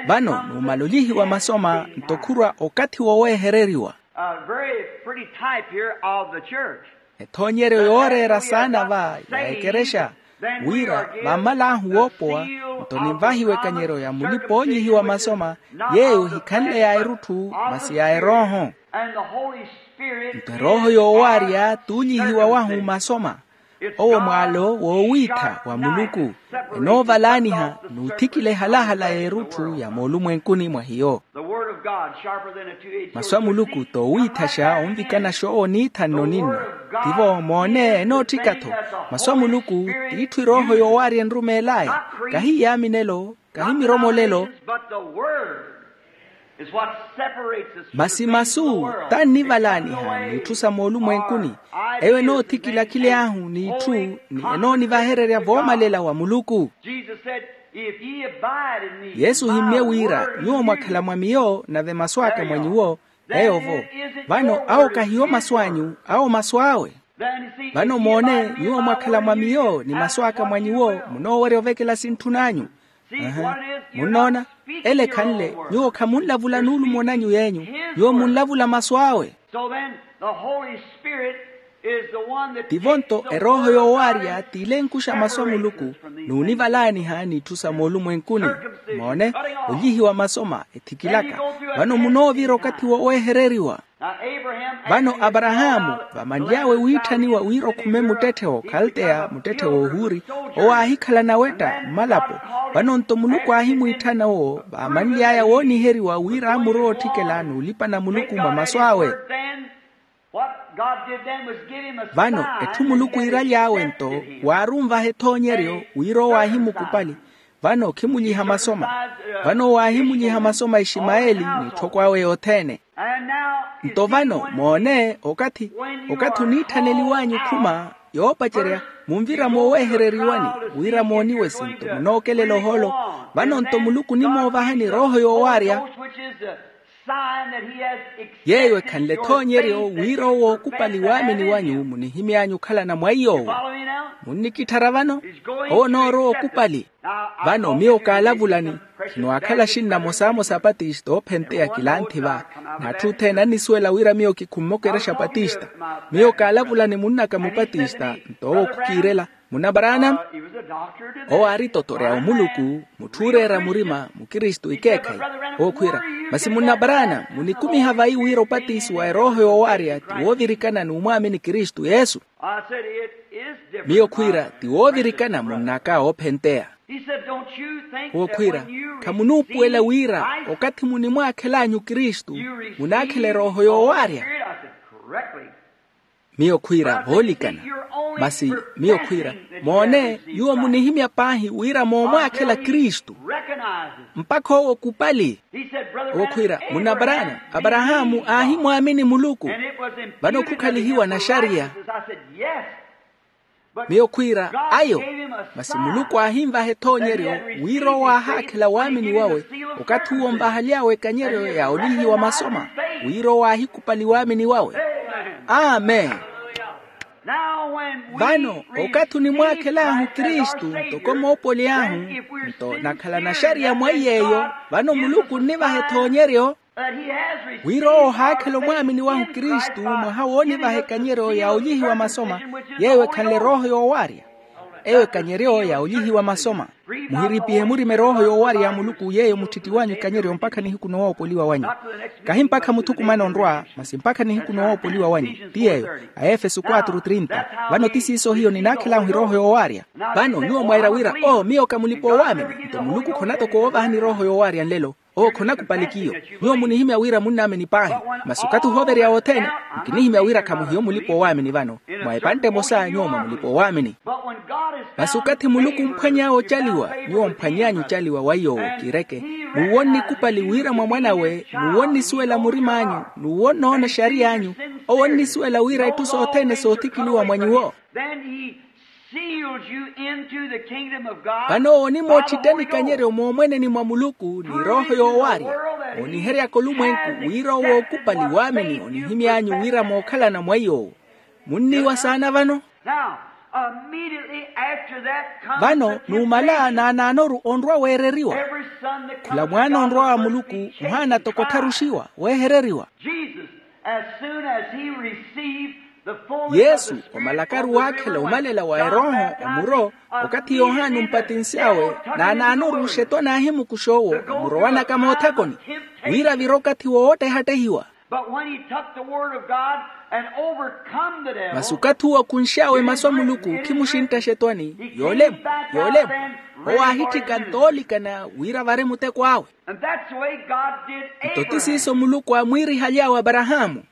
Vano numala olyihiwa masoma nto khurwa okathi woweehereriwa. Ethoonyeryo yooreera saana va ya ekerexa, wira vammal'ahu woopowa nto ninvahiwa ekanyeryo ya mulipa oolyihiwa masoma, yeeyo ohikhanle ya erutthu masi ya erooho. Nto erooho yoowaarya t'ulyihiwa wahu masoma. Owo mwaalo woowiitha wa muluku, enoovalaaniha n'uthikile ehalahala y'erutthu ya moolumwenkuni mwa hiyo. Masu a muluku t'owiithaxa onvikanaxa owo niithanno ninno. Tivo moone enootthika-tho. Masu a muluku t'itthu erooho yoowaarya enrumeel'aya, kahi yaaminelo, kahi miromolelo. Masi masu t'annivalaaniha n'itthu sa moolumwenkuni. Eyo enoothikila akhil'ahu n'itthu, ni enoonivahererya voomalela wa muluku. Yesu ohimmye wira, nyuwo mwakhala mwa miyo nave masu aka mwa nyuwo, eyo-vo. Vano awo kahiyo masu anyu, awo masu awe. Vano moone, nyuwo mwakhala mwa miyo ni masu aka mwa nyuwo, munoowerya ovekela sintthun'anyu. Munnoona, ele ekhanle nyuwo khamunlavula nuulumo nanyu yenyu, nyuwo munlavula masu awe. Tivo nto erooho yoowaarya t'ilenkuxa masu a muluku, n'univalaaniha n'itthu sa moolumwenkuni. Moone, olyihiwa masoma ethikilaka. Vano munoovira okathi woweehereriwa. Vano aparahaamu vamanly'awe wiitthaniwa wira okhume muttetthe w'okhalteya muttetthe w'ohuuri, owo aahikhala nawetta mmalapo. Vano nto muluku aahimwiitthana owo vaamanly'aya wooniheriwa wira amurowa otthikela n'ulipana muluku mwa masu awe. Vano etthu muluku iiraly'awe nto, waarunvaha ethoonyeryo wira owo aahimukupali. Vano khimulyiha masoma. Vano owo aahimulyiha masoma iximayeli n'etthoko awe yothene. Nto vano moone, okathi okathi oniitthaneliw'anyu okhuma yoopacerya, munvira mooweehereriwani wira mooniwe sinto munookelela ohoolo. Vano nto muluku onimoovahani erooho yoowaarya. Yeeyo ekhanle ethoonyeryo wira owo ookupali waamini wanyu munihimy'anyu okhalana mwa iy'owo. Munnikitthara vano? Owo onoorowa ookupali. Vano miyo kaalavulani, khino aakhala axinna amosamosa apatista oophenteya kilanthi va, n'atthu othene annisuwela wira miyo kikhummokeraxa apatista. Miyo kaalavulani munn'aka mupatista, nto owo khukiirela. Munna abraana? Owo aari totoreya omuluku, mutthu ooreera murima mukristu ikeekhayi. Owo khwiira, masi munna abraana munikumiha vayi wira opatisiwa erooho yoowaarya ti woovirikana n'umwaamini kristu yesu? Miyo khwiira, ti woovirikana munn'aka oophenteya. Owo khwiira, khamunuupuwela wira okathi munimwaakhel'anyu kristu munaakhela erooho yoowaarya? Miyo khwiira, voolikana. Masi miyo khwiira, moone, nyuwo munihimya paahi wira moomwaakhela kristu mpakha owo okupali. Owo khwiira, munna abraana, abrahamu aahimwaamini muluku. Vano khukhalihiwa naxariya. Miyo khwiira, ayo. Masi muluku aahinvaha ethoonyeryo wira owo aahaakhela waamini wawe, okathi uwo onvahaly'awe ekanyeryo ya olihiwa masoma, wira owo aahikupali waamini wawe. Amen. Vano okathi onimwaakhel'ahu kristu ntoko moopoly'ahu, nto nakhala naxariya mwa iy'eyo, vano muluku onnivaha ethoonyeryo wira owo ohaakhela omwaamini wahu kristu mwaha woonivaha ekanyeryo ya olihiwa masoma, yeeyo ekhanle erooho yoowaarya. Eyo ekanyeryo ya olihiwa masoma. Muhiripihe murima erooho yoowaarya ya muluku yeeyo mutthitti wanyu ekanyeryo mpakha nihiku nowoopoliwa wanyu. Kahi mpakha muthukumana onrwa, masi mpakha nihiku nowoopoliwa wanyu. Ti yeeyo, aefeso quatro trinta. Vano ti siiso hiyo ninaakhel'ahu erooho yoowaarya. Vano nyuwo mwaira wira oo miyo ka mulipa-oowaamini, nto muluku khonatoka oovahani erooho yoowaarya nlelo. Owo khonakupali kiyo. Nyuwo munihimya wira munnaamini paahi, masi okathi ohoovereya wothene, nkinihimya wira khamuhiyo mulipa-oowaamini vano. Mwa epantte emosa nyuwo mwa mulipa-oowaamini. Masi okathi muluku omphwany'awe ocaliwa, nyuwo mphwany'anyu ocaliwa wa iy'owo kiireke. N'uwo onnikupali wira mwa mwan'awe, n'uwo onnisuwela murim'anyu, n'uwo onnoona exariy'anyu, owo onnisuwela wira itthu sothene soothikiliwa mwa nyuwo. Vano owo onimootthittani ikanyeryo moomweneni mwa muluku ni erooho yoowaarya, ooniheryaka olumwenku wira owo ookupali waamini onihimy'anyu wira mookhalana mwa iy'owo. Munniiwa saana vano? Vano numala naanaanoru onrwa weereriwa. Khula mwaana onrwa wa muluku ohaana toko ottharuxiwa weehereriwa. Yesu omalakaru waakhela omalela wa erooho, omuro okathi yohani ompatinsy'awe naanaanoru oxetwani aahimukuxa owo, omurowanaka moothakoni wira avire okathi woowottehattehiwa. Masi okathi uwo okhunx'awe masu a muluku khimuxintta oxetwani, yoolemu, yoolemu. Owo aahitthika ntoolikana wira avare muteko awe. Nto ti siiso muluku aamwiirihaly'awe aparahaamu.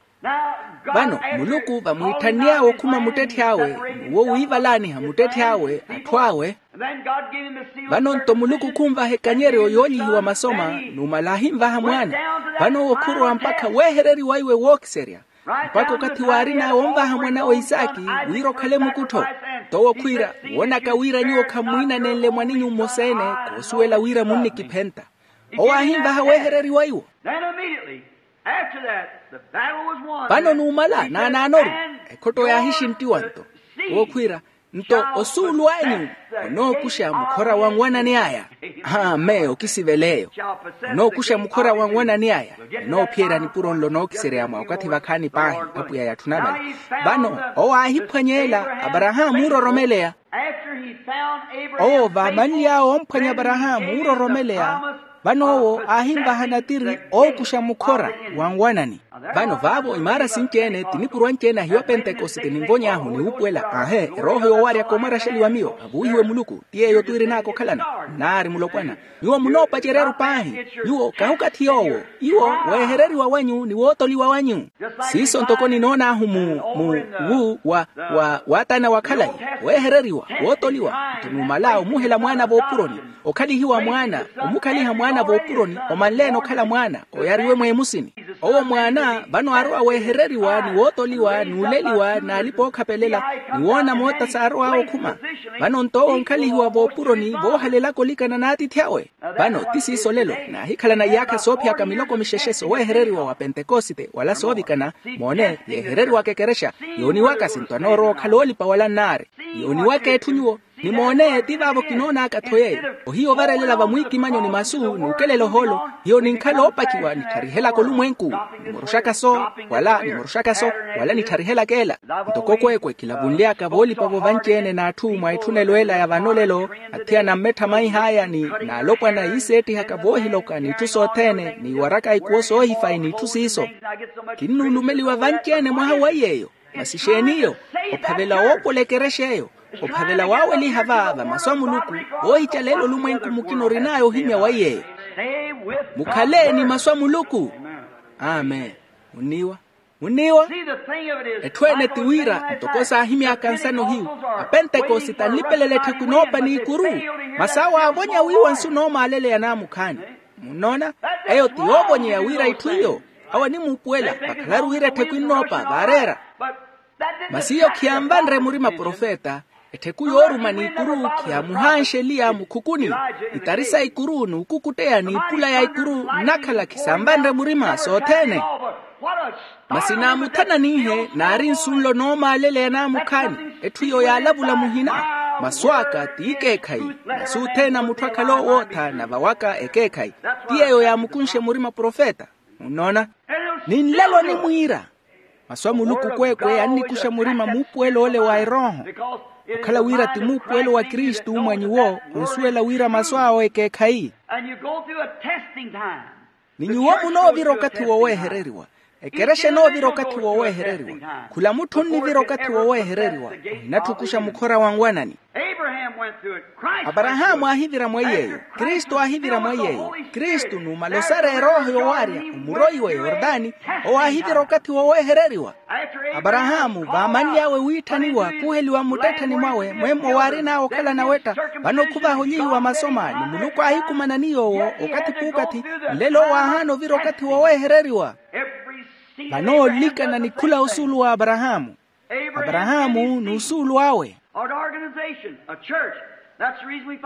Vano muluku vamwiitthann'awe okhuma muttetthi awe, n'uwo wiivalaaniha muttetthi awe atthu awe. Vano nto muluku khunvaha ekanyeryo yoolihiwa masoma, numala ahinvaha mwaana. Vano owo khurowa mpakha weehereriwa iwe wookiserya, mpakha okathi waarin'awe onvaha mwan'awe isaaki wira okhale mukuttho. Nto owo khwiira, woonaka wira nyuwo khammwiinanenle mwaninyu mmosa-ene, khoosuwela wira munnikiphenta. Owo aahinvaha weehereriwa iwo. Vano numala naanaanoru, ekhotto yaahixinttiwa nto. Owo khwiira, nto osuulu anyu onookuxa mukhora wa nwanani aya. Amen. Okisivela eyo. Onookuxa mukhora wa nwanani aya. Onoophiyerya nipuro nlo nookiserya mwa okathi vakhaani paahi apwiya yatthuna vale. Vano owo aahiphwanyeela aparahaamu oororomeleya. Owo vaamanly'awe omphwanya aparahaamu oororomeleya. Vano owo aahinvaha natiri ookuxa mukhora wa nwanani. Vano vaavo imaara sinci-ene ti nipuro anci-ene ahiyo pentekosite ninvony'ahu ni wuupuwela aahe erooho yoowaryaka omwaraxeliwa miyo avuwihiwe muluku. Ti yeeyo twiirin'aka okhalana. Nnaari mulopwana, nyuwo munoopacerya-ru paahi. Nyuwo kahi okathi yoowo. Iwo weehereriwa wanyu ni wootoliwa wanyu. Siiso ntoko ninoon'ahu mu mu wu wa wa waatana wa khalayi, weehereriwa, wootoliwa. Nto numala omuhela mwaana voopuroni, okhalihiwa mwaana, omukhaliha mwaana voopuroni omanle-ene okhala mwaana, oyariwe mweemusini. Owo mwaana vano aarowa weehereriwa ni wootoliwa n'uleliwa n'alipa-ookhapelela, ni woona moota saarow'awe okhuma. Vano-nto owo onkhalihiwa voopuroni voohalelaka olikana n'atiithi awe. Vano ti siiso olelo, naahikhalana iyaakha soophiyaka miloko mixexe soweehereriwa wa pentekosite wala soovikana. Moone, yeehereriwaka ekerexa, yooniwaka sinto anoorowa okhala oolipa wala nnaari. Yooniwaka etthu nyuwo. Ni moone, ti vaavo kinoonaka-tho yeeyo. Ohiya ovarelela vamwiikimanyo ni masu n'ukelela ohoolo, hiyo ninkhala oopakiwa nittharihelaka olumwenku, nimoroxaka so, wala nimoroxaka so, wala nittharihelaka ela. Ntoko kweekwe kilavunly'aka voolipa-vo vanci-ene n'atthu mwa etthunelo ela ya vano olelo, athiyana mmetthamaih'aya ni n'alopwana iiseettihaka voohiloka n'itthu sothene n'iwaraka ikuwo soohifayi n'itthu siiso. Kinnuulumeliwa vanci-ene mwaha wa iy'eyo. Masi exeeni iyo? Ophavela woopola ekerexa eyo. Ophavela waaweliha va va masu a muluku, oohicalela olumwenku mukina orin'aya ohimya wa iy'eyo. Mukhale ni masu a muluku. Amen. Munniiwa? Munniiwa? Etthu ene ti wira ntoko saahimyaka nsano hiyu, apentekosite anlipelela ettheku enoopa n'ikuru, masi awo aavonya wiiwa nsu noomaaleleya naamukhaani. Munnoona? Eyo ti yoovonyeya wira itthu iyo. Awo animuupuwela vakhalaru wira ettheku ennoopa vaareera. Masi iyo khiyanvanre murima profeta. Ettheku yooruma n'ikuru khiyaamuhanxe eliya mukhukuni. Itari sa ikuru n'ukukutteya n'ipula ya ikuru nnakhala khisamvanre murima sothene. Masi naamuthananihe naari nsu nlo noomaaleleya naamukhaani. Etthu iyo yaalavula muhina. Masu aka ti ikeekhayi. Masu othene a mutthu akhala oowootha navawaka ekeekhayi. Ti yeeyo yaamukunxe murima profeta. Munnoona? Ni nlelo onimwiira. Masu a muluku kweekwe annikuxa murima muupuwelo ole wa erooho. Okhala wira ti muupuwelo wa kristu mwa nyuwo, onsuwela wira masu awo ekeekhayi. Ni nyuwo munoovira okathi woweehereriwa. Ekerexa enoovira okathi woweehereriwa. Khula mutthu onnivira okathi woweehereriwa. Ohinattukuxa mukhora wa nwanani. Aparahaamu aahivira mwa iy'eyo. Kristu aahivira mwa iy'eyo. Kristu numala osara erooho yowaarya omuroiwe yordani. Owo aahivira okathi woweehereriwa. Aparahaamu vaamanly'awe wiitthaniwa khuheliwa mmuttettheni mwawe mwemmo waarin'awe okhala nawetta. Vano khuvaha onyihiwa masoma ni muluku aahikumanani yoowo okathi p'ukathi. Nlelo owo aahaana ovira okathi woweehereriwa. Vano olikana ni khula osuulu wa aparahaamu. Aparahaamu n'usuulu awe.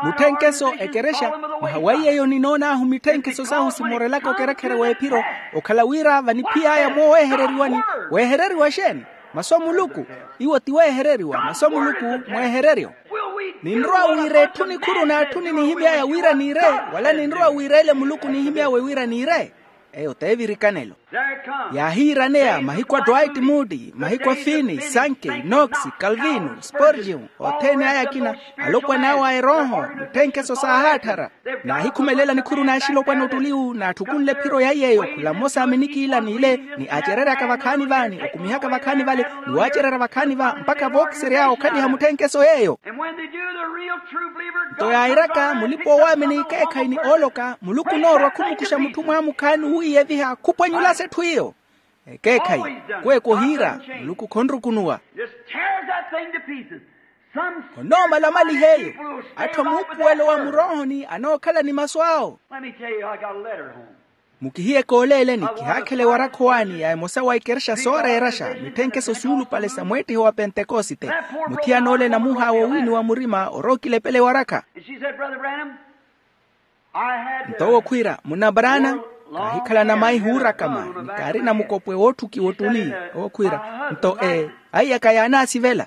Mutthenkeso ekerexa. Mwaha wa iy'eyo ninoon'ahu mitthenkeso sahu simorelaka okerekhere w'ephiro. Okhala wira vaniphiy'aya mooweehereriwani. Weehereriwa exeeni? Masu a muluku. Iwo ti weehereriwa masu a muluku. Mweehereryo. Ninrowa wiira etthu nikhuru n'atthu ninihimy'aya wira niire, wala ninrowa wiira ele muluku nihimy'awe wira niire? Eyo t'evirikanelo. Yaahiiraneya mahiku a dwight moody, mahiku a fini sanke, nox, calvino, sporgio, othene aya akina. Alopwan'awe a erooho. Mutthenkeso saahaattharya. Naahikhumelela nikhuru n'axilopwana ottuliwu naattukunle ephiro ya iy'eyo khula mmosa a minikiila n'ile, ni acereryaka vakhaani va ni okumihaka vakhaani vale, ni waacererya vakhaani va mpakha vookisery'awe okhaliha mutthenkeso yeeyo. Nto yairaka mulipa-owaamini ekeekhayi ni ooloka muluku onoorwa khumukuxa mutthu mwaamukhaani owiiyeviha khupwanyulasa etthu iyo. Ekeekhayi. Kweekwe ohiira muluku khonrukunuwa. Onoomala omaliha eyo. Atthu a muupuwelo wa muroohoni anookhala ni masu awo. Mukihiye kooleeleni kihaakhela ewarakha owaani ya emosa wa ikerexa sooreeraxa mitthenkeso suulupale sa mweettiho wa pentekosite. Muthiyana ole namuhaawa owiiniwa murima orookilepela ewarakha. Nto owo khwiira munna brana, kaahikhala namaihi oorakama ni kaarina mukopwe wootthukiwa ottuli. Owo khwiira nto ee aiyaka yaanaasivela.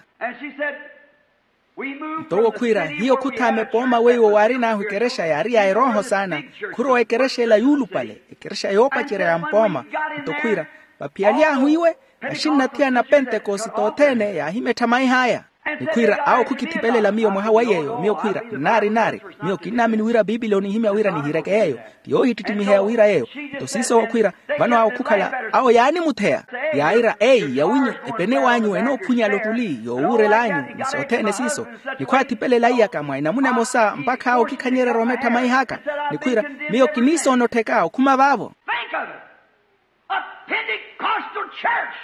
Nto owo khwiira hiyo khuthaama epooma weiwo waarin'ahu ekerexa yaari ya erooho saana. Khurowa ekerexa ela yuulupale ekerexa yoopacerya ya mpooma. Nto khwiira vaphiyaly'ahu iwe, axinnathiyana pentekosite othene yaahimettha maih'aya. Ni khwiira awo khukithipelela miyo mwaha wa yeeyo miyo khwiira nnaari nnaari. Miyo kinnaamini wira piipili onihimya wira nihireke yeeyo. Ti yoohittittimiheya wira yeeyo. Nto siiso owo khwiira vano awo khukhala awo yaanimutheya. Yaayira eyi yawinyu epene w'anyu enoophunyala ottuli yoowuurel'anyu ni sothene siiso. Ni khwaathipelela iyaka mwa enamuna emosa mpakha awo okikhanyererya omettha maih'aka. Ni khwiira miyo kiniisoona ottheka okhuma vaavo. Think of it. A Pentecostal church.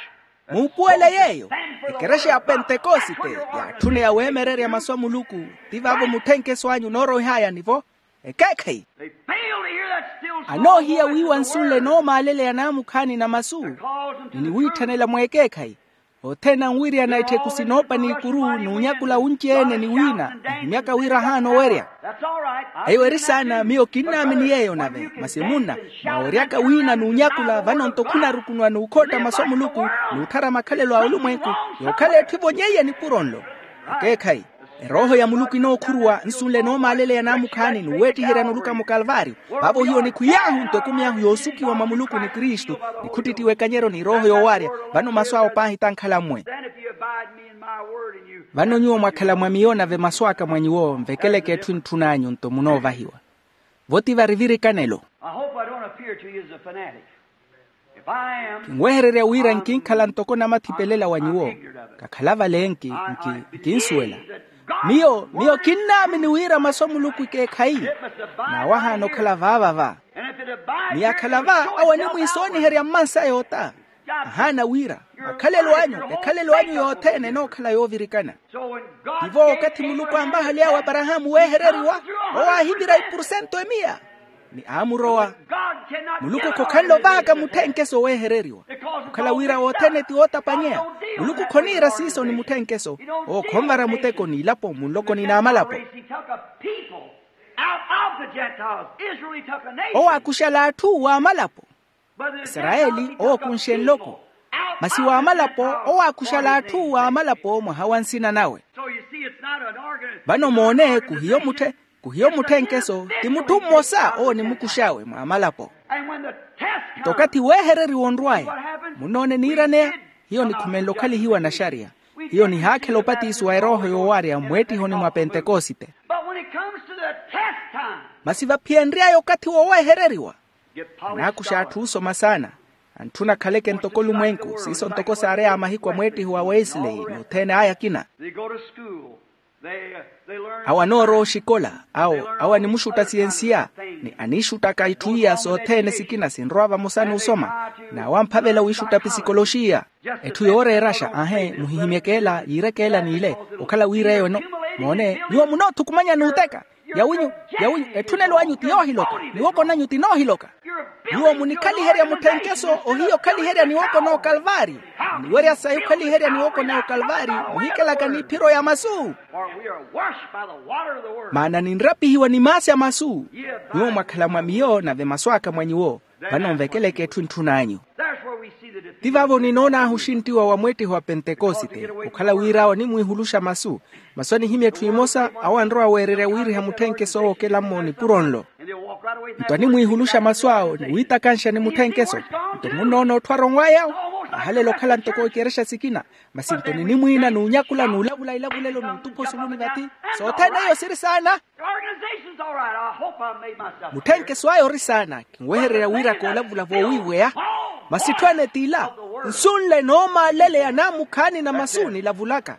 Muupuwele yeeyo. Ekerexa ya pentekosite yaatthune yaweemererya masu a muluku. Ti vaavo mutthenkeso anyu nooroih'aya nivo. Ekeekhayi. Anoohiya wiiwa nsunle noomaaleleya naamukhaani na masu ni niwiitthanela mweekeekhayi. Othene anwiiriyana ettheku sinoopa n'ikuru n'unyakula wunci-ene ni wiina, ehimyaka wira ahaana owerya. Eyo eri saana, miyo kinnaamini yeeyo nave masi munna, mwaweryaka wiina n'unyakula vano-nto khunarukunuwa n'ukhootta masu a muluku, n'utthara makhalelo a olumwenku, yookhala etthu evonyeiye nipuro nlo. Ekeekhayi. Erooho ya muluku inookhuruwa nsunle noomaaleleya naamukhaani n'uweettiherya nuluka mukalvaariyo. Vaavo hiyo nikhwiy'ahu nto ekumi ahu yoosukiwa mwa muluku ni kristu, ni khuttittiwa ekanyeryo ni erooho yoowaarya. Vano masu awo paahi tankhala mmwe. Vano nyuwo mwakhala mwa miyo nave masu aka mwa nyuwo nvekeleke etthu entthun'anyu nto munoovahiwa. Vo ti vari virikanelo. Kinwehererya wira nkinkhala ntoko namathipelela wa nyuwo. Kakhala vale nki nki nkinsuwela. Miyo miyo kinnaamini wira masu a muluku ekeekhayi. N'awo ahaana okhala vaava va. Ni akhala va awo animwiisooniherya mmansa yoota. Ahaana wira makhalelo anyu ekhalelo anyu yothene enookhala yoovirikana. Tivo okathi muluku aamvahaly'awe aparahaamu weehereriwa, owo aahivira ipursento emiya ni aamurowa. Muluku khokhanle ovaaka mutthenkeso weehereriwa. Okhala wira othene ti ootapanyeya. Muluku khoniira siiso ni mutthenkeso. Owo khonvara muteko n'ilapo munlokoni n'amalapo. Owo aakuxala atthu w'amalapo. Isarayeli owo okunxe nloko. Masi w'amalapo owo aakuxala atthu w'amalapo mwaha wa nsina nawe. Vano moone kuhiyo mutthe kuhiyo mutthenkeso ti mutthu mmosa owo onimukux'awe mw'amalapo. Nto okathi weehereriwa onrw'aya munnoone niiraneya. Hiyo nikhumenle okhalihiwa naxariya. Hiyo nihaakhela opatiso wa erooho yoowarya mmweettihoni mwa pentekosite. Masi vaphiyenry'aya okathi woweehereriwa. Anaakuxa atthu osoma saana. Antthuna akhaleke ntoko olumwenku siiso ntoko saareya mahiku a mweettihi wa wesley n'othene aya akina. Awo anoorowa oxikola awo awo animuxutta siyensiya. Ni aniixuttaka itthu iya sothene sikina sinrowa vamosa n'usoma. N'awo amphavela wiixutta pisikoloxiya. Etthu yooreeraxa aahe muhihimyeke ela yiireke ela n'ile. Okhala wira eyo eno moone nyuwo munoothukumanya n'uteka. Yawinyu yawinyu etthunelo anyu ti yoohiloka. Niwoko nanyu ti noohiloka. Nyuwo munikhaliherya mutthenkeso ohiya okhaliherya niwoko n'okalvaari. Muniwerya sayi okhaliherya niwoko n'okalvaari. Muhikelaka n'iphiro ya masu. Maana ninrapihiwa ni maasi a masu. Nyuwo mwakhala mwa miyo nave masu aka mwa nyuwo. Vano nvekeleke etthu entthun'anyu. Ti vaavo ninoon'ahu oxinttiwa wa mweettihi wa pentekosite okhala wira awo animwiihuluxa masu. Masu anihimya etthu emosa awo anrowa weererya wiiriha mutthenkeso wookelammo nipuro nlo. Nto animwiihuluxa masu awo ni wiitakanxa ni mutthenkeso. Nto munnoona otthwara onw'aya awo ahalela okhala ntoko ikerexa sikina. Masi nto ninimwiina n'unyakula n'ulavula ilavulelo n'utupha osuluni vathi. Sothene eyo siri saana. Mutthenkeso aya ori saana kinwehererya wira koolavula voowiiweya. Masi etthu ene t'ila nsunle noomaaleleya naamukhaani na masu nilavulaka.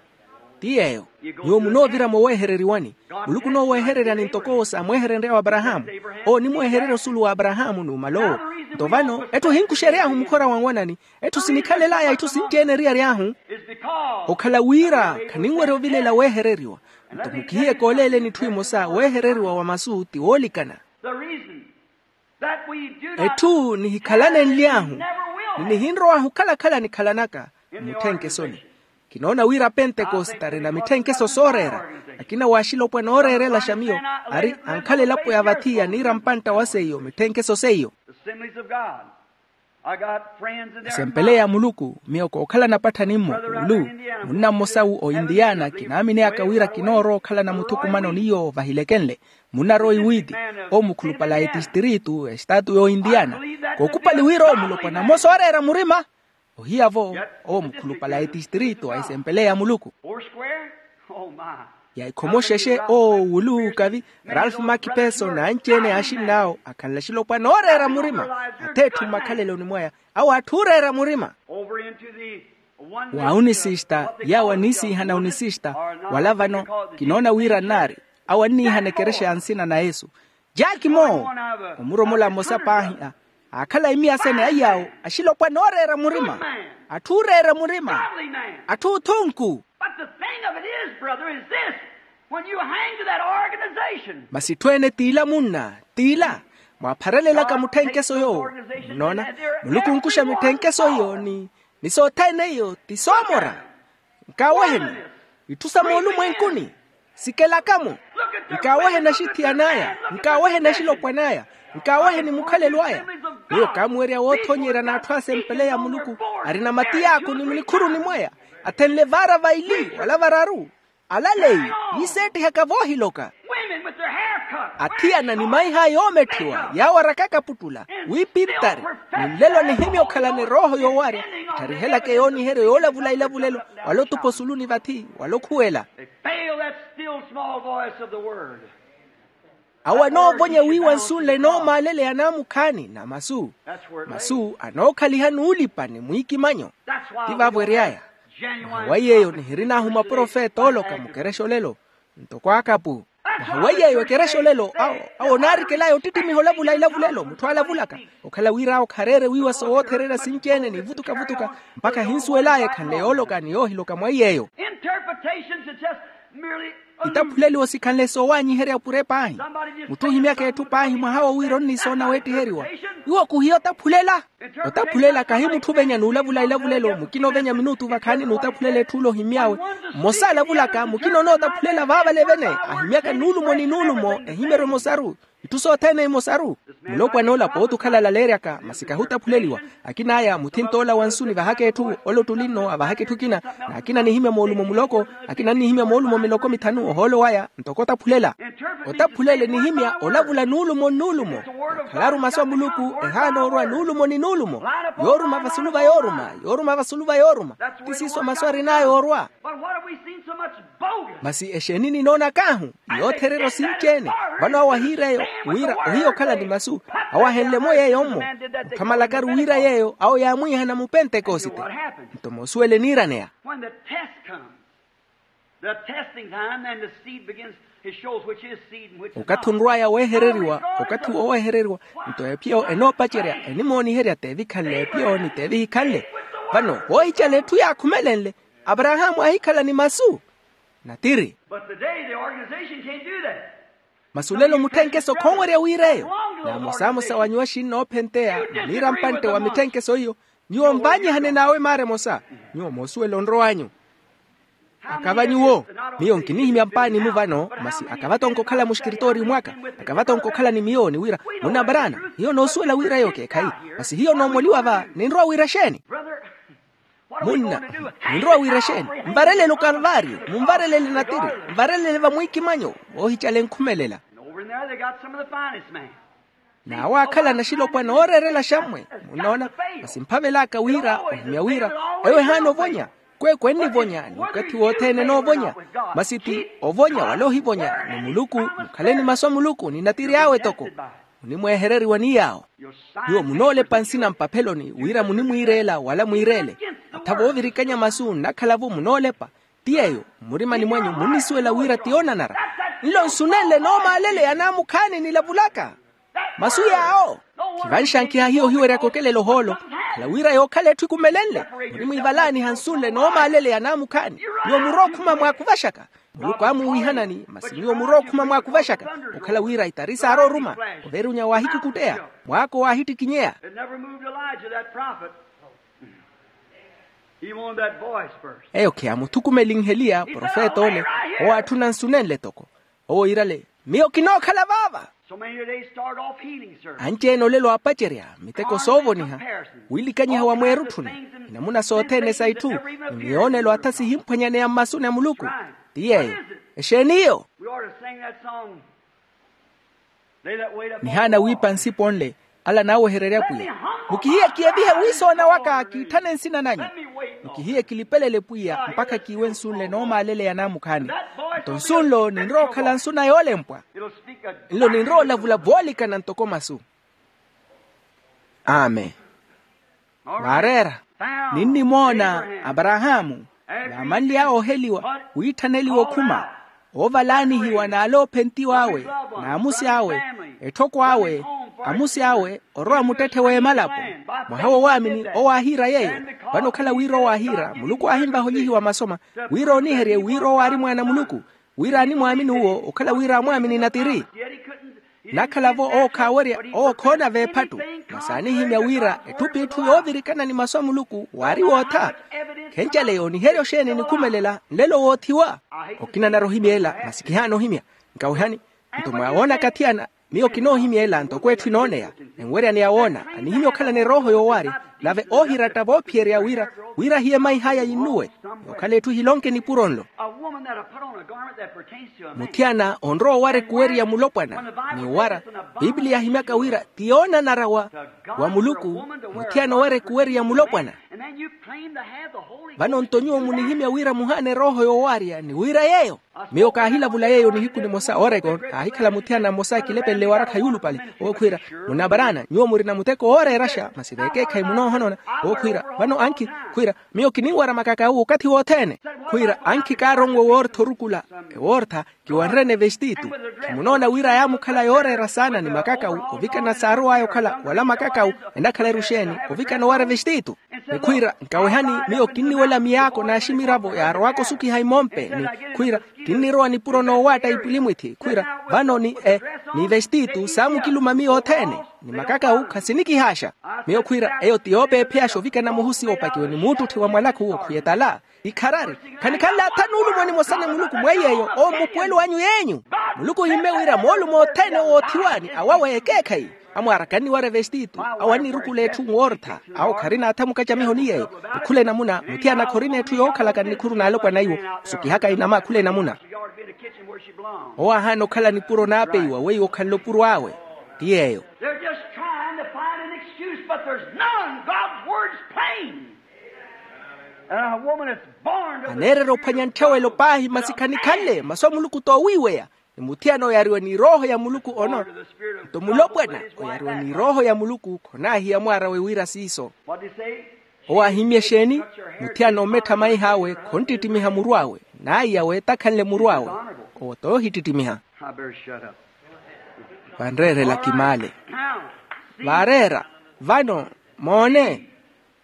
Ti yeeyo. Nyuwo munoovira mooweehereriwani. Muluku onooweehereryani ntoko owo saamweeherenry'awe aparahaamu. Owo onimweehererya osulu w'aparahaamu n'umala owo. Nto vano etthu ohinkuxery'ahu mukhora wa nwanani. Etthu sinikhalel'aya itthu sinci-ene eriyari ahu. Okhala wira khaninwerya ovilela weehereriwa. Nto mukihiye kooleeleni itthu imosa weehereriwa wa masu ti woolikana. Etthu nihikhalane nly'ahu ni nihinrow'ahu okhala-khala nikhalanaka mmutthenkeso-ni. Kinoona wira apentekosite ari na mitthenkeso sooreera. Akina w'axilopwana ooreerelaxa miyo ari ankhala elapo ya vathi yaniira mpantta wa seiyo mitthenkeso seiyo. Esempeleya muluku miyo kookhala napattha nimmo ulu. Munna mmosawu ointiyana kinaamineyaka wira kinoorowa okhalana muthukumano n'iyo vahilekenle. Munnarowa iwiiti owo mukhulupale a etistiritu estatu y'ointiyana. Kookupali wira owo mulopwana mmosa ooreera murima. Ohiya-vo owo mukhulupale a etistiritu a esempeleya muluku. Ya ikhomoxexe owo wulu kavi ralph makipeso n'anci-ene yaaxinn'awo akhanle axilopwana ooreera murima. Ath'etthu mmakhaleloni mwaya awo atthu ooreera murima. Wa unisista yawo aniisiihana unisista wala vano kinoona wira nnaari awo anniihana ekerexa ya nsina na yesu. Jaaki moowo omuromola mmosa paahi aakhala imiya sene aiy'awo axilopwana ooreera murima. Atthu ooreera murima. Atthu othunku. But the thing of it is, brother, is this. When you hang to that organization. Masi etthu ene t'ila munna, t'ila, mwaapharelelaka mutthenkeso yoowo. Munnoona, muluku onkuxa mitthenkeso iyo ni ni sothene iyo ti soomora. Nkaaweheni itthu sa moolumwenkuni. Sikelaka-mo. Nkaaweheni axithiyan'aya, nkaaweheni axilopwan'aya, nkaaweheni mukhalelo aya. Miyo kaamuwerya woothonyerya n'atthu asempele ya muluku, arina matiyaaku ni munikhuruni mwaya, athenle vaara vaili wala vararu. Alaleyi, yiiseettihaka voohiloka. Athiyana ni maiha yoometthiwa yaawarakaka puttula, wiipintari, ni nlelo nihimya okhalana erooho yoowarya, ettharihelaka eyooniheryo yoolavula ilavulelo, wala otupa osuluni vathi wala okhuwela. Awo anoovonya wiiwa nsu nle enoomaaleleya naamukhaani na masu. Masu anookhaliha nuulipa ni mwiikimanyo. Ti vaavo ery'aya. Nahawayi eyo nihirin'ahu maprofeta ooloka mukerexa olelo. Ntoko akapu. Nahawayi eyo ekerexa olelo awo, awo onaarikel'aya ottittimiha olavula ilavulelo mutthu aalavulaka, okhala wira awo khareere wiiwa sowoothererya sinci-ene ni vutuka-vutuka, mpakha ahinsuwel'aya ekhanle yooloka ni yoohiloka mwa iy'eyo. Itaphuleliwo sikhanle soowaanyiherya opure paahi. Mutthu ohimyaka etthu paahi mwaha wo wira onnisoona weettiheriwa. Iwo khuhiya otaphulela. Otaphulela kahi mutthu ovenya n'ulavula ilavulelo mukina ovenya minutu vakhaani n'utaphulela etthu ole ohimy'awe. Mmosa alavulaka mukina onootaphulela vaavale vene, ahimyaka nuulumo ni nuulumo ehimyeryo emosaru. Itthu sothene emosaru. Mulopwana ola pooti okhala alaleeryaka masi kahi otaphuleliwa. Akin'aya muthinta ola wa nsu nivahaka etthu ole ottuli nno avahaka etthu ekina. N'akina anihimya moolumo muloko, akina anihimya moolumo miloko mithanu ohoolo waya. Ntoko otaphulela. Otaphulele nihimya olavula nuulumo nnuulumo. Khalaru masu a muluku ehaana orwa nuulumo ni nuulumo. Yooruma vasulu va yooruma, yooruma vasulu va yooruma. Ti siiso masu arin'aya orwa. Masi exeeni ninoonak'ahu? Yoothererya osinci-ene. Vano awo ahiira eyo wira ohiya okhala ni masu. Awo ahenle-mo yeeyo-mmo. Mutthu amalakaru wira yeeyo awo yaamwiihana mu pentekosite. Nto moosuwele eniiraneya. The testing time and the seed begins, it shows which is seed and which is not. Okathi onrw'aya weehereriwa, okathi woowehereriwa. Nto ephiyo enoopacerya enimooniherya t'evikhanle ephiyo ni t'evihikhanle. Vano voohicala etthu yaakhumelenle, aparahaamu aahikhala ni masu. Natiri. But today the organization can't do that. Masi olelo mutthenkeso khoowerya wiireyo. N'amosamosa wa nyuwo axinnoophenteya, muniira mpantte wa mitthenkeso iyo. Nyuwo mvaanyihane n'awe maara emosa. Nyuwo moosuwela onrow'anyu. Akava nyuwo. Miyo nkinihimya mpaani-mu vano masi akava tonkokhala muxikiritooriyu mwaka. Akava tonkokhala ni miyo ni wira, munna mbarana, hiyo noosuwela wira eyo k'ekhayi. Masi hiyo noomoliwa va ninrowa wira exeeni? Munna, ninrowa wira exeeni? Nvarelele okalvaariyo, munvarelele natiri, nvarelele vamwiikimanyo. Voohicala enkhumelela. N'awo aakhala naxilopwana ooreerela xammwe. Munnoona? Masi mphavel'aka wira ohimya wira eyo ehaana ovonya. Kweekwe ennivonya ni okathi wothene enoovonya. Masi ti ovonya wala ohivonya ni muluku. Mukhaleni masu a muluku ni natiri awe toko. Munimwehereriwa ni yaawo. Nyuwo munoolepa nsina mpapheloni wira munimwiireela wala mwiireele. Atha voovirikanya masu nnakhala-vo munoolepa. Ti yeeyo mmurimani mwanyu munnisuwela wira ti yoonanara. Nlo nsunenle noomaaleleya naamukhaani nilavulaka. Masu yaawo. Khivanxankiha hiyo ohiweryaka okelela ohoolo. Khala wira yookhala etthu ikumelenle. Murimwiivalaaniha nsunle noomaaleleya naamukhaani. Nyuwo murookhuma mwaakuvaxaka. Muluku aamuwiihanani masi nyuwo murookhuma mwaakuvaxaka. Okhala wira itari saarooruma. Oveerunya waahikukutteya. Mwaako waahittikinyeya. It never moved Elijah, that prophet. He wanted that voice first. Eyo khiyaamuthukumelinheliya profeta ole. Owaatthuna nsunenle toko. Owo iirale, miyo kinookhala vaava. So many today start off healing service. Anci-ene olelo aapacerya miteko soovoniha. Wiilikanyiha wa mweerutthuni. Inamuna sothene sa itthu ni miyoonelo atha sihimphwanyaneya mmasuni a muluku. Ti yeeyo. Exeeni iyo? We ought to sing that song. Nihaana wiipa nsipo nle, ala naawehererya pwiya. Mukihiyeke evihe wiisoona waka kiitthane nsina nanyu. Mukihiyeke lipelele pwiya mpakha kiiwe nsu nle noomaaleleya naamukhaani. Nto nsu nlo ninrowa okhala nsu na yoolempwa. Nlo ninrowa olavula voolikana ntoko masu. Amen. Waareera. Ninnimoona aparahaamu, vaamanly'awe oheliwa wiitthaneliwa okhuma, oovalaanihiwa n'aloophentiw'awe, n'amusi awe, etthoko awe, amusi awe orowa muttetthe w'emalapo. Mwaha wo waamini owo aahiira yeeyo. Vano okhala wira owo aahiira muluku aahinvaha olyihiwa masoma, wira ooniherye wira owo aari mwaana a muluku. Wira animwaamini uwo okhala wira amwaamini natiri. Nakhala-vo owo khaawerya, owo khoona veephattu. Masi aanihimya wira etthu p'itthu yoovirikana ni masu a muluku waari wootha. Khencale yooniherya oxeeni nikhumelela nlelo woothiwa? Okina anarwa ohimya ela masi kihaana ohimya. Nkawehani, nto mwawoona kathi ana, miyo kinoohimya ela ntoko etthu enooneya. Enwerya ni awoona anihimya okhalana erooho yoowaarya, nave oohiratta voophiyerya wira, wira ahiye maih'aya yinnuwe, yookhala etthu ehilonke nipuro nlo. Muthiyana onrowa owara ekuweri ya mulopwana. Ni owara, pipiliya yahimyaka wira ti yoonanara wa muluku. Muthiyana owara ekuweri ya mulopwana. Vano nto nyuwo munihimya wira muhaana erooho yoowaarya ni wira yeeyo. Miyo kaahilavula yeeyo nihiku nimosa oregon, aahikhala muthiyana mmosa kilepelele warakha yuulupale. Owo khwiira, munabaraana nyuwo murina muteko wooreeraxa masi veekeekhayi munoohonona. Owo khwiira, vano ankhi, khwiira, miyo kininwara makaka awo okathi wothene. Khwiira ankhi kaaronwe woortha orukula ewoortha, kiwanrene vestitu. Khimunoona wira yaamukhala yooreera saana ni makakawu ovikana saarow'aya okhala wala makakawu enakhala eruxeeni ovikana owara vestitu. Ni khwiira nkawehani, miyo kinniwela miyaako n'aximiravo yaarowaka osukiha imompe ni khwiira kinnirowa nipuro noowaatta ipulimwithi khwiira vano ni e ni vestitu saamukiluma miyo othene. Ni makakawu khasinikihaaxa. Miyo khwiira eyo ti yoopeepheyaxa ovikana muhusi oopakiwe ni muuttutthi wa mwalakhu okhwiyetala. Ikharari, khanikhanle atha nuulumo nimosa na muluku mweiy'eyo owo mmupuwelo anyu yeenyu. Muluku ohimmye wira moolumo othene owoothiwani awawe ekeekhayi. Amwaara kanniwara evestitu awo annirukula etthu nwoortha. Awo kharina atha mukacamiho ni yeeyo. Okhula enamuna muthiyana khorina etthu yookhalaka nnikhuru n'alopwana iwo. Osukihaka inama akhula enamuna. Owo aahaana okhala nipuro naapeiwa weiwo okhanle opuro awe. Ti yeeyo. They're just trying to find an excuse, but there's none. God's word's plain. And a woman that's born to the aneerera ophwanya ntthawelo paahi masi khanikhanle masu a muluku toowiiweya. Ni muthiyana oyariwe ni erooho ya muluku ono nto mulopwana oyariwe ni erooho ya muluku khonaahiya mwaarawe wira siiso. What did he say? Owo aahimmye exeeni? Muthiyana omettha maih'awe khonttittimiha muru awe. N'aiya weetakhanle muru awe. Owo toohittittimiha. I better shut up. Vanreerela kimaale. Now, see, vaareera vano. Moone,